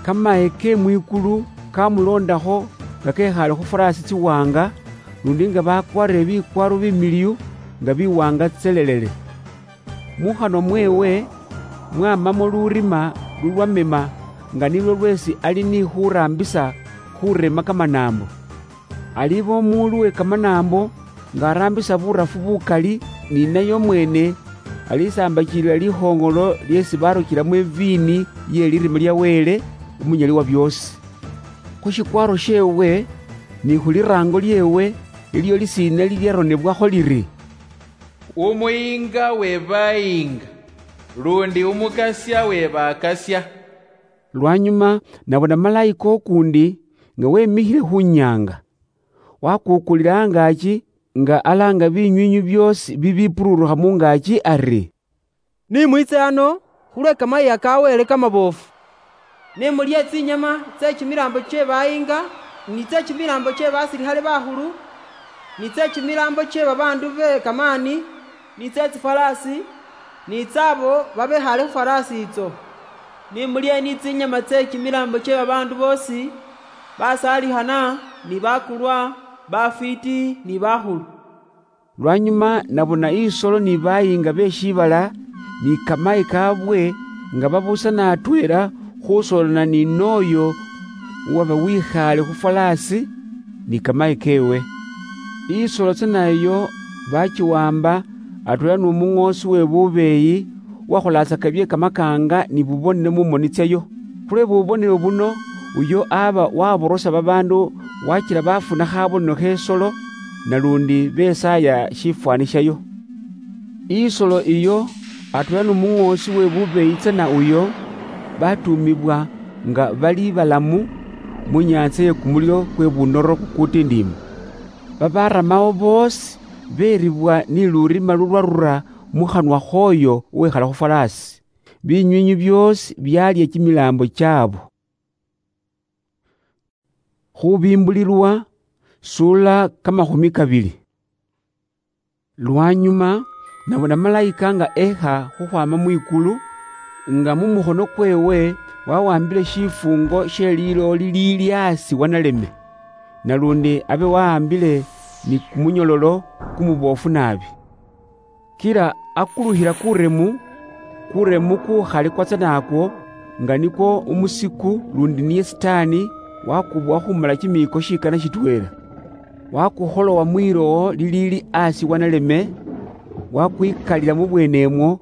Kamahe ke mwikulu kamuloondakho nga kekhaale khu faraasi tsiwaanga, lundi nga bakwarire bikwaaro bimiliyu nga biwaanga tselelele. Mukhanwa mweewe mwamamo lurima lulwamema, nga nilwo lweesi ali ni khuraambisa khurema kamanaambo. Aliba omuundu we kamanaambo nga araambisa burafu bukali, ni naye omweene alisambachilila likhoongolo lyeesi barukilamo eviini ye lirima lya Wele, Omunyali wa byoosi. Khu shikwaaro sheewe ni khu liraango lyeewe, elyo lisiina lilyaronebwakho liri, "Umuyiinga we bayiinga, lundi Umukasya we bakasia." Lwanyuma nabona malaika ukuundi nga wemikhile khu nyaanga. Wakuukulila angaaki, nga alaanga binywiinywi byoosi bibipururukha mu ngaaki ari, "Ni mwiitse ano khulwe kamayiiya ka Wele kamaboofu. Ni mulye tsinyama tse kimilaambo kye bayiinga, ni tse kimilaambo kye basilikhale bakhulu, ni tse kimilaambo kye babaandu be kamaani, ni tse tsifwalaasi, ni tsaabo babekhaale khu fwalaasi itso. Ni mulye ni tsinyama tse kimilaambo kye babaandu boosi, basaalikhana ni bakulwa, bafwiiti ni bakhulu." Lwanyuma nabona isolo ni bayiinga be shiibala ni kamahe kaabwe nga babusana atweela khusolana ni nooyo uwaba wikhaale khu fwalaasi ni kamahe keewe. Isolo tsana iyo bachiwamba atweela nu muŋoosi we bubeeyi uwakholatsaka bye kamakaanga ni bubonelo mu moni tsayo. Khulwe bubonelo buno, uyo aba waborosa babaandu wakila bafuna khabonelo khesolo, nalundi besaaya shifwani shayo. Isolo iyo atweela nu muŋoosi we bubeeyi tsana uyo, batuumibwa nga bali balamu mu nyaantsa ye kumulilo kwe bunoro kukutindiima. Babaramawo boosi beribwa ni lurima lulwarura mu khanwa khooyo uwikhala khu fwalaasi. Binywiinywi byoosi byalya kimilaambo kyaabo. Khubimbulilwa, sula kamakhumi kabili. Lwanyuma, nabona malaika nga ekha khukhwama mwikulu, nga mu mukhono kweewe wawambile shifungo she lilowo liliili asi wa naleme, nalundi abe wawambile ni kumunyololo kumuboofu naabi. Kila akulukhila kuremu, kuremu kukhali kwatsa nakwo, nga nikwo umusiku lundi niye Sitaani, wakubowa khumala kimiiko shikana shitweela. Wakukholowa mwilowo liliili asi wa naleme, wakwikalila mu bweene imwo,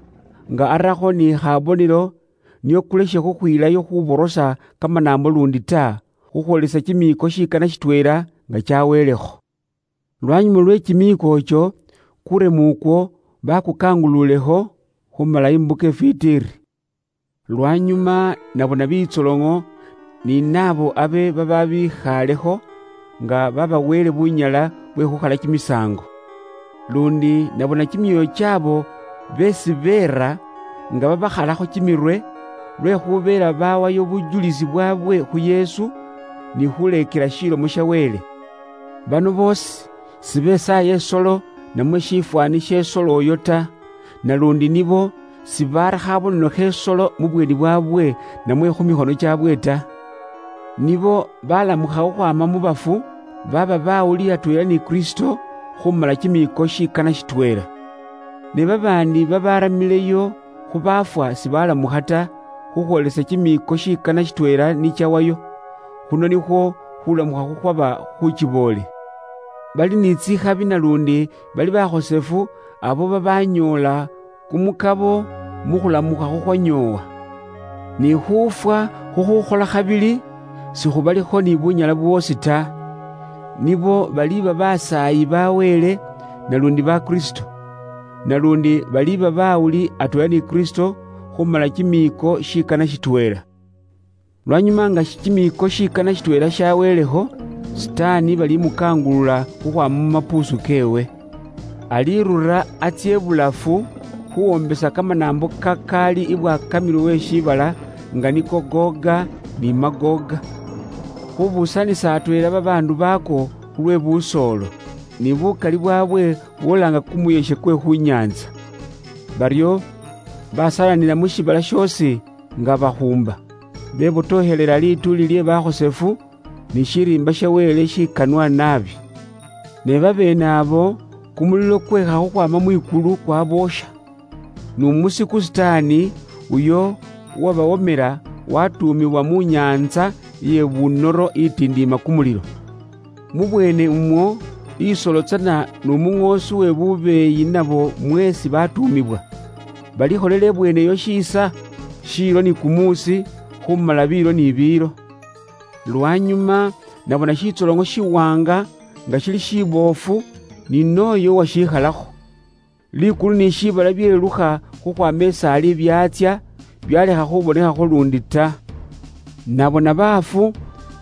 nga arakho ni khabonelo, nio kuleshe khukhwilayo khuborosa kamanaambo lundi ta, khukhwolesa kimiiko shikana shitweela nga chaweelekho. Lwanyuma lwe kimiiko icho, kuremu ukwo bakukangululekho khumala imbuka ifwiti iri. Lwanyuma nabona bitsoloŋo ni naabo abe bababikhalekho nga babaweele bunyala bwe khukhala kimisaango. Lundi nabona kimyoyo kyaabo beesi beera nga babakhalakho kimirwe, lwekhubeela bawayo bujulisi bwaabwe khu Yesu ni khuleekela shilomo sha Wele. Bano boosi sibesaaya isolo namwe shifwani she isolo oyo ta, nalundi nibo sibarakha abonono khesolo mubweni bwabwe namwe khumikhono chabwe ta. Nibo balamukha khukhwama mubafu, baba bawuli atwela ni Kristo khumala chimiiko shikana shitwela. Ne babandi babaramileyo khubafwa sibalamukha ta, khukhwolesa chimiiko shikana shitwela nichawayo. Khuno nikhwo khulamukha khukhwaba khuchiboole. Bali ni tsikhabi nalundi bali bakhosefu abo babanyoola kumukabo mukhulamukha khukhwanyoowa. Ni khufwa khukhukhola khabili, sikhubalikho ni bunyala bwosi ta. Nibo baliba basaayi ba Wele, nalundi ba Kristo. Nalundi baliba bawuli atwela ni Kristo khumala chimiiko shikana shitwela. Lwanyuma nga chimiiko shikana shitwela shaweleho, Sitaani balimukangulula khukhwama mumapuusu kewe. Alirura atsie ibulafu khuwombesa kamanaambo kakaali ibwakamirwe we shiibala, nga niko Goga ni Magoga, khubusanisa atweela babaandu bako khulwe busoolo, ni bukali bwabwe bwolanga kumuyeshe kwe khu nyaantsa. Baryo basalanira mu shiibala shoosi nga bahuumba, bebotohelela lituuli lye bakhosefu, ni shiriimba sha Wele shikanwa naabi. Ne babeene abo, kumulilo kwekha khukhwama mwikulu kwaboosha. Numusiku Sitaani, uyo uwabawomela, watuumibwa mu nyaantsa ye bunoro itindiima kumulilo. Mubwene umwo, isolo tsana numuŋoosi we bubeeyi nabo mweesi batuumibwa. Balikholela ibweene iyo shiisa, shiilo ni kumuusi, khumala biilo ni biilo. Lwanyuma nabona shitsoloŋo shiwanga nga shili shiboofu, ni nooyo uwashikhalakho. Likulu ni shiibala byelukha khukhwama isaali byatsia, byalekha khubonekhakho lundi ta. Nabona baafu,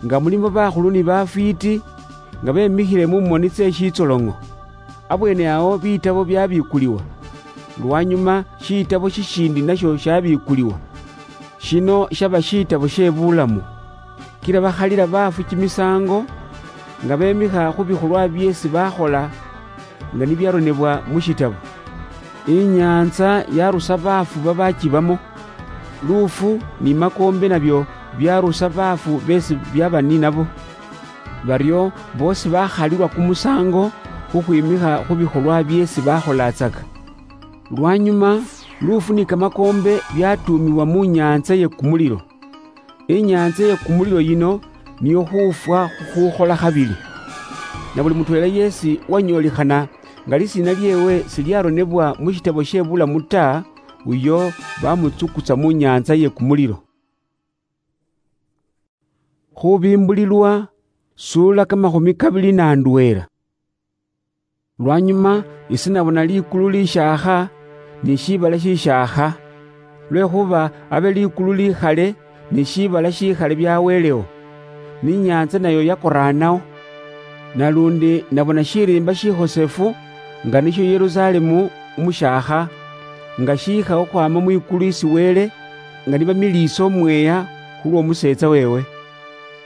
nga mulimo bakhulu ni bafwiiti, nga bemikhile mu moni tse shitsoloŋo. Abweene awo bitabo byabikuliwa. Lwanyuma shitabo shishindi nasho shabikuliwa. Shino shaba shitabo she bulamu. Kila bakhalila baafu kimisaango, nga bemikha khu bikholwa byeesi bakhola, nga nibyaronebwa mu shitabo. Inyaantsa yarusa baafu babachibamo. Luufu ni makoombe nabyo byarusa baafu beesi byaba ni nabo. Baryo boosi bakhalilwa kumusaango khukhwimikha khu bikholwa byeesi bakholatsaka. Lwanyuma, luufu ni kamakoombe byatuumibwa mu nyaantsa ye kumulilo. Inyaantsa ye kumulilo yino niyo khufwa khukhukhola khabili. Na buli mutweela yeesi uwanyoolikhana nga lisiina lyeewe silyaronebwa mu shitabo she bulamu ta, uyo bamutsukutsa mu nyaantsa ye kumulilo. Khubimbulilwa, suula kamakhumi kabili na ndweela. Lwanyuma ise nabona likulu lishaakha, ni shiibala shishaakha, lwekhuba abe likulu likhale ni shiibala shikhale byawelewo, ni inyaantsa nayo yakoraanawo. Nalundi nabona shiriimba shikhosefu, nga nisho Yerusalemu umushaakha, nga shiikha okhwama mwikulu isi Wele, nga nibamiliisa omweeya khulw'omuseetsa weewe.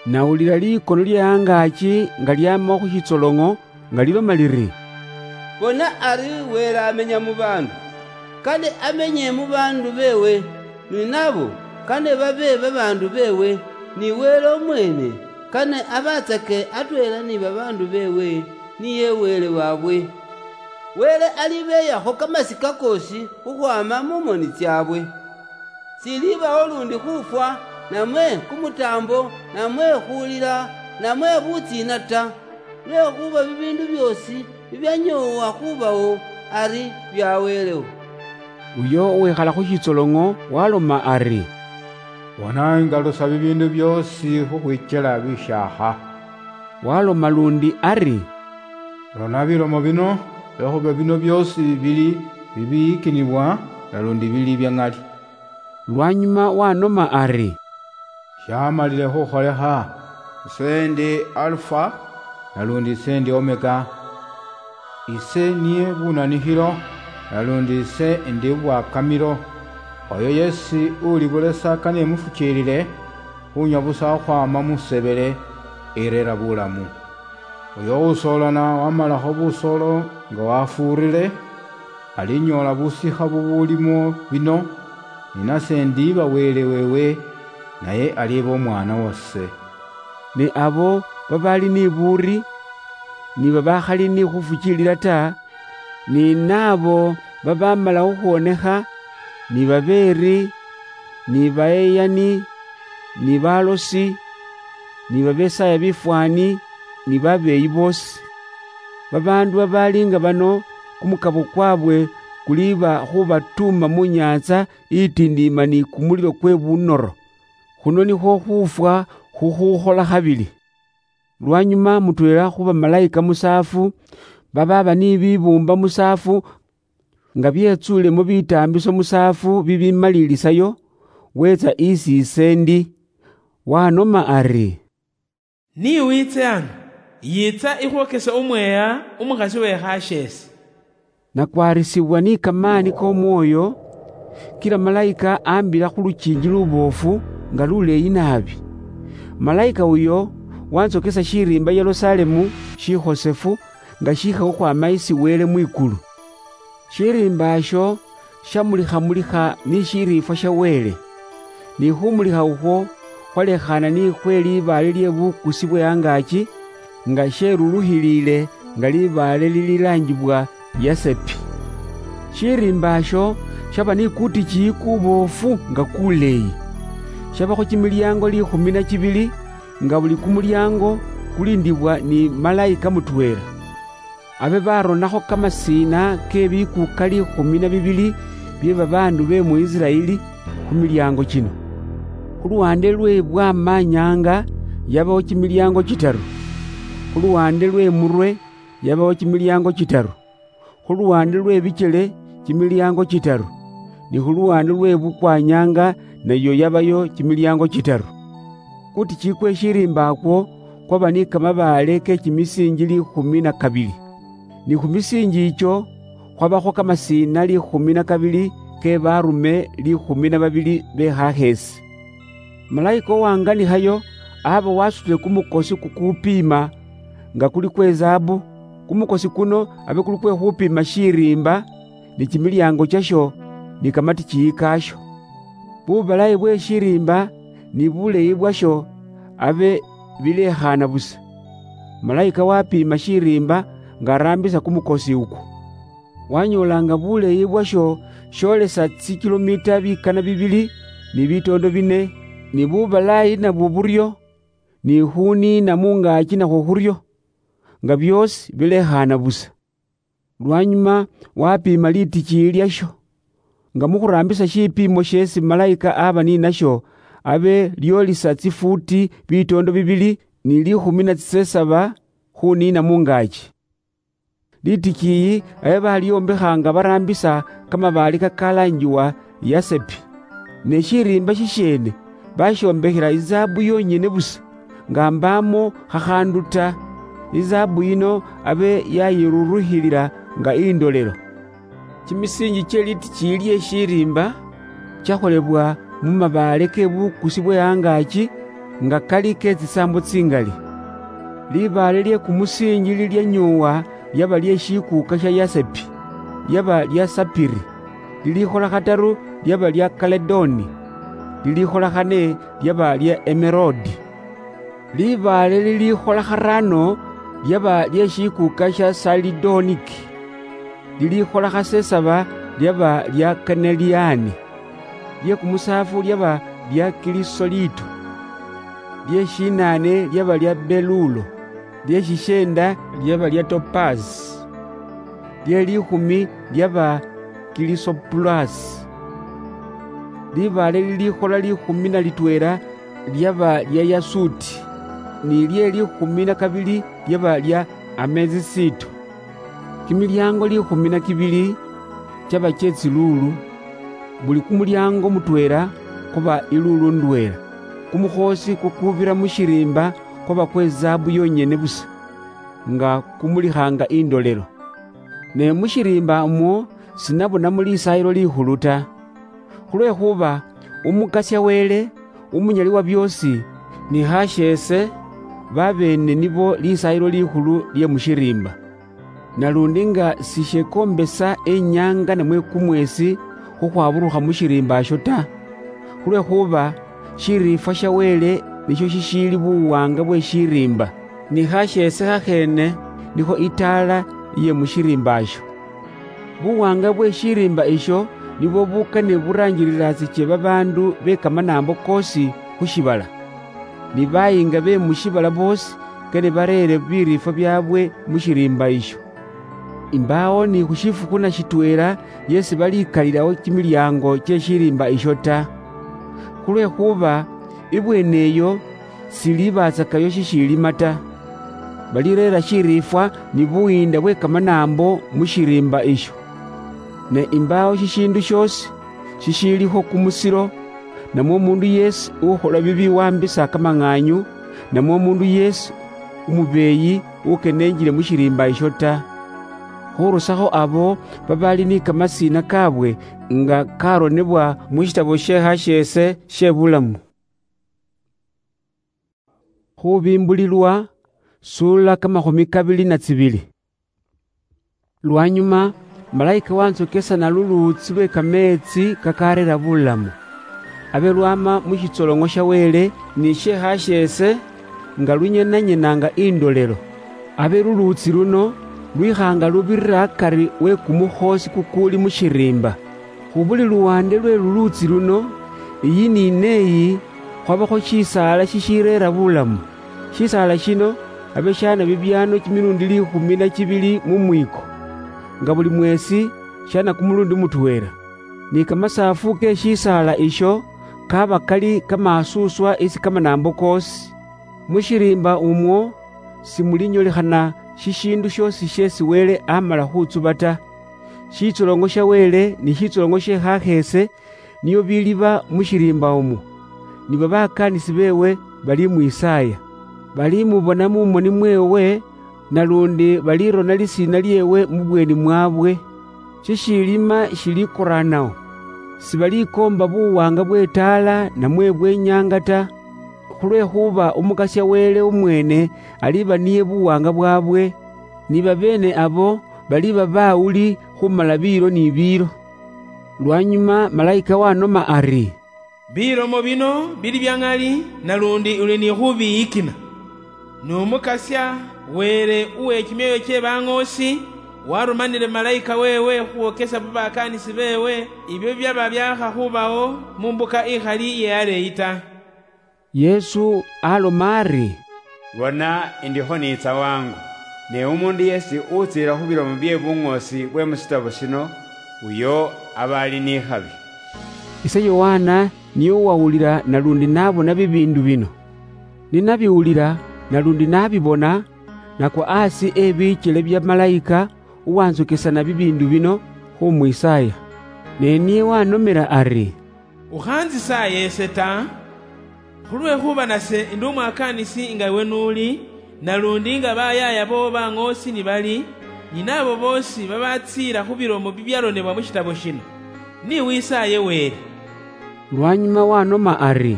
Nawulila likono lye angaaki nga lyaama khu shitsoloŋo, nga liloma liri, "Bona ari Wele amenya mu baandu, kane amenye mu baandu beewe, ni nabo kane babe babaandu beewe, ni Wele omweene kane abatsake atweela ni babaandu beewe, niye Wele waabwe. Wele alibeeyakho kamasika koosi khukhwaama mu moni tsyaabwe. Silibawo lundi khufwa, namwe kumutaambo, namwe khulila, namwe butsiina ta, lwekhuba bibiindu byoosi bibyanyoowa khubawo ari byawelewo." Uyo uwikhala khu shitsoloŋo waloma ari, "Bona, ingalusa bibiindu byoosi khukhwikyela bishaakha." Waloma lundi ari, "Lona bilomo bino, lwekhuba bino byoosi bili bibiyikinibwa, nalundi bili bya ŋali." Lwanyuma wanoma ari, "Shamalile khukholekha. Ise ndi Alufa, nalundi ise ndi Omega. Ise niye bunanikhilo, nalundi ise ndi bwakamilo. Oyo yesi ulibulesa kane mufukiilile, khunywa busa khukhwama mu sebele, irera bulamu. Oyo usoolana wamalakho busoolo nga wafuurile, Alinyoola busikha bubulimo bino, ni nase ndiiba Wele wewe, naye aliiba omwana wase. Ne abo babaali ni buuri, ni babakhali ni khufuchilila ta, ni naabo babamala khukhwonekha, ni babeeri, ni bayeyani, ni balosi, ni babesaaya bifwaani, ni babeeyi boosi. Babaandu babaali nga bano, kumukabo kwabwe kuliiba khubatuuma mu nyaantsa itindiima ni kumulilo kwe bunoro. Khuno nikhwo khufwa khukhukhola khabili. Lwanyuma mutweela khu bamalayika musaafu, babaaba ni bibuumba musaafu, nga byetsuulemo bitaambiso musaafu bibimalilisayo, weetsa isi ise ndi. Wanoma ari, "Ni wiitse ano, yiitsa ikhwokese umweeya umukhasi we khasheese." Nakwarisibwa ni kamaani k'Omwoyo, kila malayika ambila khu lukiingi luboofu nga luleeyi naabi. Malayika uyo wantsokesa shiriimba Yerusalemu shikhosefu nga shiikha khukhwaama isi Wele mwikulu. Shiriimba asho shamulikha-mulikha ni shiriifwa sha Wele, ni khumulikha ukhwo khwalekhaana ni khwe libaale lye bukusi bwe angaaki, nga sherulukhiliile nga libaale lililaangibwa yasepi. Shiriimba asho shaba ni kutikiyi kuboofu nga kuleeyi. Shabakho kimilyaango liikhumi na kibili, nga buli kumulyaango kulindibwa ni malayika mutweela. Abe baronakho kamasiina ke bikuuka liikhumi na bibili bye babaandu be mu Isiraeli khu milyaango kino. Khu luwande lwe bwamanyanga yabawo kimilyaango kitaru, khu luwande lwe murwe yabawo kimilyaango kitaru, khu luwande lwe bikyele kimilyaango kitaru, ni khu luwande lwe bukwanyanga nayo yabayo kimilyaango kitaru. Kutikiyi kwe shiriimba akwo kwaba ni kamabaale ke kimisiinji liikhumi na kabili. Ni khu misiinji icho khwabakho kamasiina liikhumi na kabili ke baarume liikhumi na babili be khakheesi. Malayika owanganikhayo aba wasutile kumukosi kukupiima nga kuli kwe zaabu, kumukosi kuno abe kuli kwe khupiima shiriimba, ni kimilyaango kyasho, ni kamatikiyi kaasho. Bubalayi bwe shiriimba ni buleeyi bwasho abe bilekhaana busa. Malayika wapiima shiriimba nga araambisa kumukosi ukwo. Wanyoola nga buleeyi bwasho sholesa tsikilomita bikana bibili ni bitoondo bine, ni bubalayi nabwo buryo, ni khuniina mungaaki nakhwo khuryo, nga byoosi bilekhaana busa. Lwanyuma wapiima litikiyi lyasho, nga mukhuraambisa shipiimo sheesi malayika aba ninasho, abe lyolisa tsifuuti bitoondo bibili ni liikhumi na tsisesaba khuniina mungaaki. Litikiyi abe balyombekha nga baraambisa kamabaale kakalaangiwa yasepi. Ne shiriimba shisheene bashiombekhela izaabu yonyene busa, nga mbaamo khakhaandu ta. Izaabu yino abe yayirurukhilila nga indolelo. Kimisiinji kye litikiyi lye shiriimba kyakholebwa mu mabaale ke bukusi bwe angaaki, nga kali ke tsisaambo tsingali. Libaale lye kumusiinji lilyanyoowa lyaba lye shikuuka sha yasepi, lyaba lya sapiri, lilikhola khataru lyaba lya kaledoni, lilikhola khane lyaba lya emerodi. Libaale lilikhola kharaano lyaba lye shikuuka sha salidoniki, lilikhola khasesaba lyaba lya kaneliani, lye kumusaafu lyaba lya kilisoliito, lye shinaane lyaba lya belulo, lye shisheenda lyaba lya topazi, lye liikhumi lyaba kilisopulasi. Libaale lilikhola liikhumi na litweela lyaba lya yasuuti, ni lye liikhumi na kabili lyaba lya amesisito. Kimilyaango liikhumi na kibili kyaba kye tsiluulu, buli kumulyaango mutweela kuba iluulu ndweela. Kumukhoosi kukubira mu shiriimba kwaba kwe zaabu yonyene busa, nga kumulikhaanga indolelo. Ne mu shiriimba umwo sinabonamo Lisaayilo Likhulu ta, khulwekhuba Umukasya Wele, Umunyali wa byoosi, ni khasheese, babeene nibo Lisaayilo Likhulu lye mu shiriimba. Nalundi nga sishekombesa enyanga namwe kumwesi khukhwaburukha mushiriimba esho ta, khulwekhuba shiriifwa sha Wele nisho shishiili buwanga bwe shiriimba, ni khasheese khakheene nikho itaala iye mushiriimba esho. Buwanga bwe shiriimba isho nibwo bukane buranjiriratsiche babaandu be kamanaambo koosi khu shibala. Ni bayinga be mu shibala boosi kane bareere biriifwa byaabwe mu shiriimba isho. Imbaawo ni khu shifukhu na shitweela yeesi balikalirawo kimilyaango kye shiriimba isho ta, khulwekhuba ibweene eyo silibatsakayo shishiilima ta. Balireera shiriifwa ni buyiinda bwe kamanaambo mu shiriimba isho. Ne imbaawo shishiindu shoosi shishiiliho kumusiro, namwe omuundu yeesi ukhola bibi wambisa kamang'aanyu, namwe omuundu yeesi umubeeyi ukenenjile mu shiriimba isho ta, khurusakho abo babaali ni kamasiina kaabwe nga karonebwa mu shitabo she hasheese she bulamu. Khubimbulilwa, suula kamakhumi kabili na tsibili. Lwanyuma, malayika wantsokesa na luluutsi lwe kameetsi kakareera bulamu. Abe lwama mu shitsolong'o sha Wele ni she hasheese, nga lunyenanyenanga indolelo. Abe luluutsi luno lwikhanga lubirira akari we kumukhoosi kukuuli mu shiriimba. Khu buli luwande lwe luluutsi luno, iyi ni neyi, khwabakho shisaala shishireera bulamu. Shisaala shino abe shaana bibiano kimilundi likhumi na chibili mu mwiko, nga buli mwesi shaana kumulundi mutweela. Ni kamasaafu ke shisaala isho kaba kali kamaasuswa isi kamanaambo koosi. Mu shiriimba umwo simulinyolekhana shishiindu shoosi sheesi Wele amala khutsuba ta. Shitsolongo sha Wele ni shitsolongo she khakheese nio biliba mu shiriimba umwo, nibo bakaanisi beewe balimwisaaya. Balimubona mu moni mweewe, nalundi balirona lisiina lyeewe mu bweeni mwaabwe. Shishiilima shilikoraanao. Sibalikoomba buwaanga bw'etaala namwe bw'enyaanga ta, khulwekhuba Umukasya Wele omweene aliba niye buwaanga bwaabwe, ni babeene abo baliba bawuli khumala biilo ni biilo. Lwanyuma malayika wanoma ari, "Bilomo bino bili bya ŋali, nalundi uli ni khubiyikina. N'Umukasya, Wele uwe kimyoyo kye baŋoosi, warumanile malayika weewe khuwokesa babakaanisi beewe ibyo byaba byaakha khubawo mu mbuka ikhali iye aleeyi ta." Yesu aloma ari, "Bona, indikho niitsa wangu, ne umuundu yeesi utsiila khu bilomo bye buŋoosi bwe mu shitabo shino, uyo aba ali ni khabi." Ise Yohana niye uwawulila nalundi nabona bibiindu bino. Ninabiwulila nalundi nabibona, nakwa asi ebiichele bya malayika uwantsokesana bibiindu bino khumwisaaya. Ne niye wanomela ari, "Ukhanzisaaya ese ta, khulwekhuba nase ndi umwakaanisi nga iwe nuuli, nalundi nga bayaaya boo baŋoosi ni bali, ni naabo boosi babatsiila khu bilomo bibyaronebwa mu shitabo shino. Ni wisaaye Wele." Lwanyuma wanoma ari,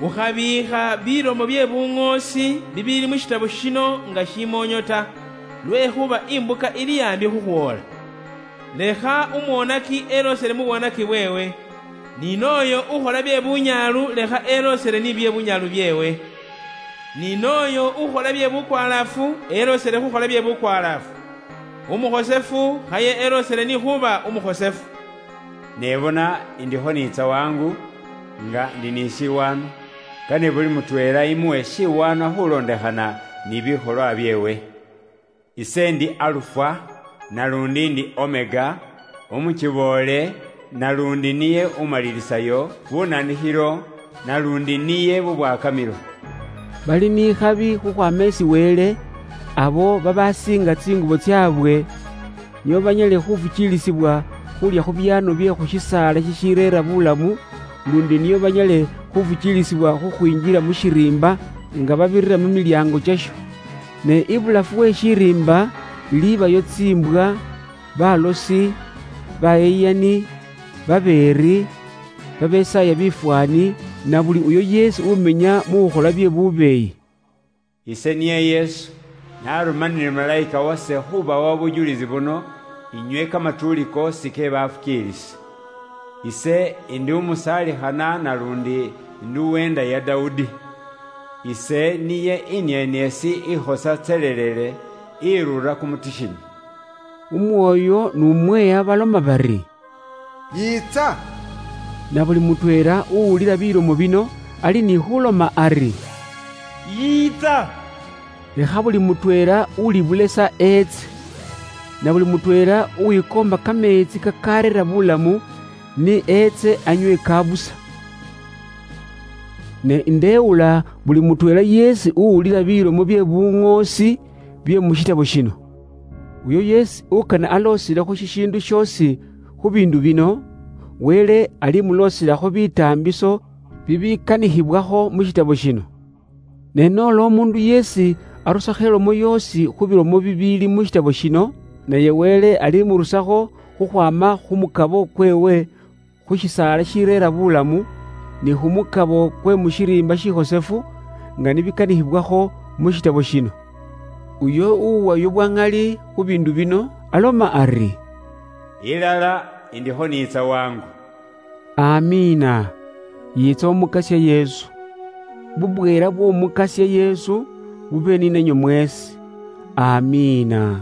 "Ukhabiikha bilomo bye buŋoosi bibiili mu shitabo shino nga shimoonyo ta, lwekhuba imbuka ili ambi khukhwoola. Lekha umwonaki elosele mu bwonaki bweewe, ni nooyo ukhola bye bunyaalu lekha elosele ni bye bunyaalu byeewe, ni nooyo ukhola bye bukwalaafu elosele khukhola bye bukwalaafu, umukhosefu khaye elosele ni khuba umukhosefu." Ne bona, indikho niitsa wangu, nga ndi ni shiwaano, kane buli mutweela imuwe shiwaano khulondekhana ni bikholwa byeewe. Ise ndi Alufa, nalundi ndi Omega, umuchiboole, nalundi niye umalilisayo, bunanikhilo, nalundi niye bubwakamilo. Bali ni khabi khukhwama esi Wele, abo babasiinga tsingubo tsyaabwe, nio banyale khufukiilisibwa khulya khu byaano bye khu shisaala shishireera bulamu, lundi nio banyale khufukiilisibwa khukhwinjila mu shiriimba nga babirira mu milyaango kyasho. Ne ibulafu we shiriimba libayo tsimbwa, balosi, bayeyani, babeeri, babesaaya bifwaani, na buli uyo yeesi umenya mu khukhola bye bubeeyi. Ise niye Yesu, Narumanire malaika wase khubawa obujulizi buno, inywe kamatuuli koosi ke bafukiilisi. Ise indi umusalikhana nalundi indi uwenda ya Daudi. Ise niye inienieesi ikhosa tselelele, irura kumutishini. Umwoyo n'umweya baloma bari, "Yiitsa!" Na buli mutweela uwulila bilomo bino ali ni khuloma ari, "Yiitsa!" Lekha buli mutweela ulibulesa eetse, na buli mutweela uwikoomba kameetsi kakareera bulamu, ni eetse anywe kabusa. Ne ndeewula buli mutweela yeesi uwulila bilomo bye buŋoosi bye mu shitabo shino. Uyo yeesi ukana aloosilekho shishiindu shoosi khu biindu bino, Wele alimuloosilakho bitaambiso bibikanikhibwakho mu shitabo shino. Ne noola omuundu yeesi arusakho elomo yoosi khu bilomo bibiili mu shitabo shino, naye Wele alimurusakho khukhwaama khu mukabo kweewe khu shisaala shireera bulamu, ni khu mukabo kwe mu shiriimba shikhosefu, nga nibikanikhibwakho mu shitabo shino. Uyo uwayo bwa ŋali khu biindu bino aloma ari, "Ilala, indikho niitsa wangu." Amiina. Yiitsa Omukasya Yesu. Bubweela bw'Omukasya Yesu bube ninenywe mweesi. Amiina.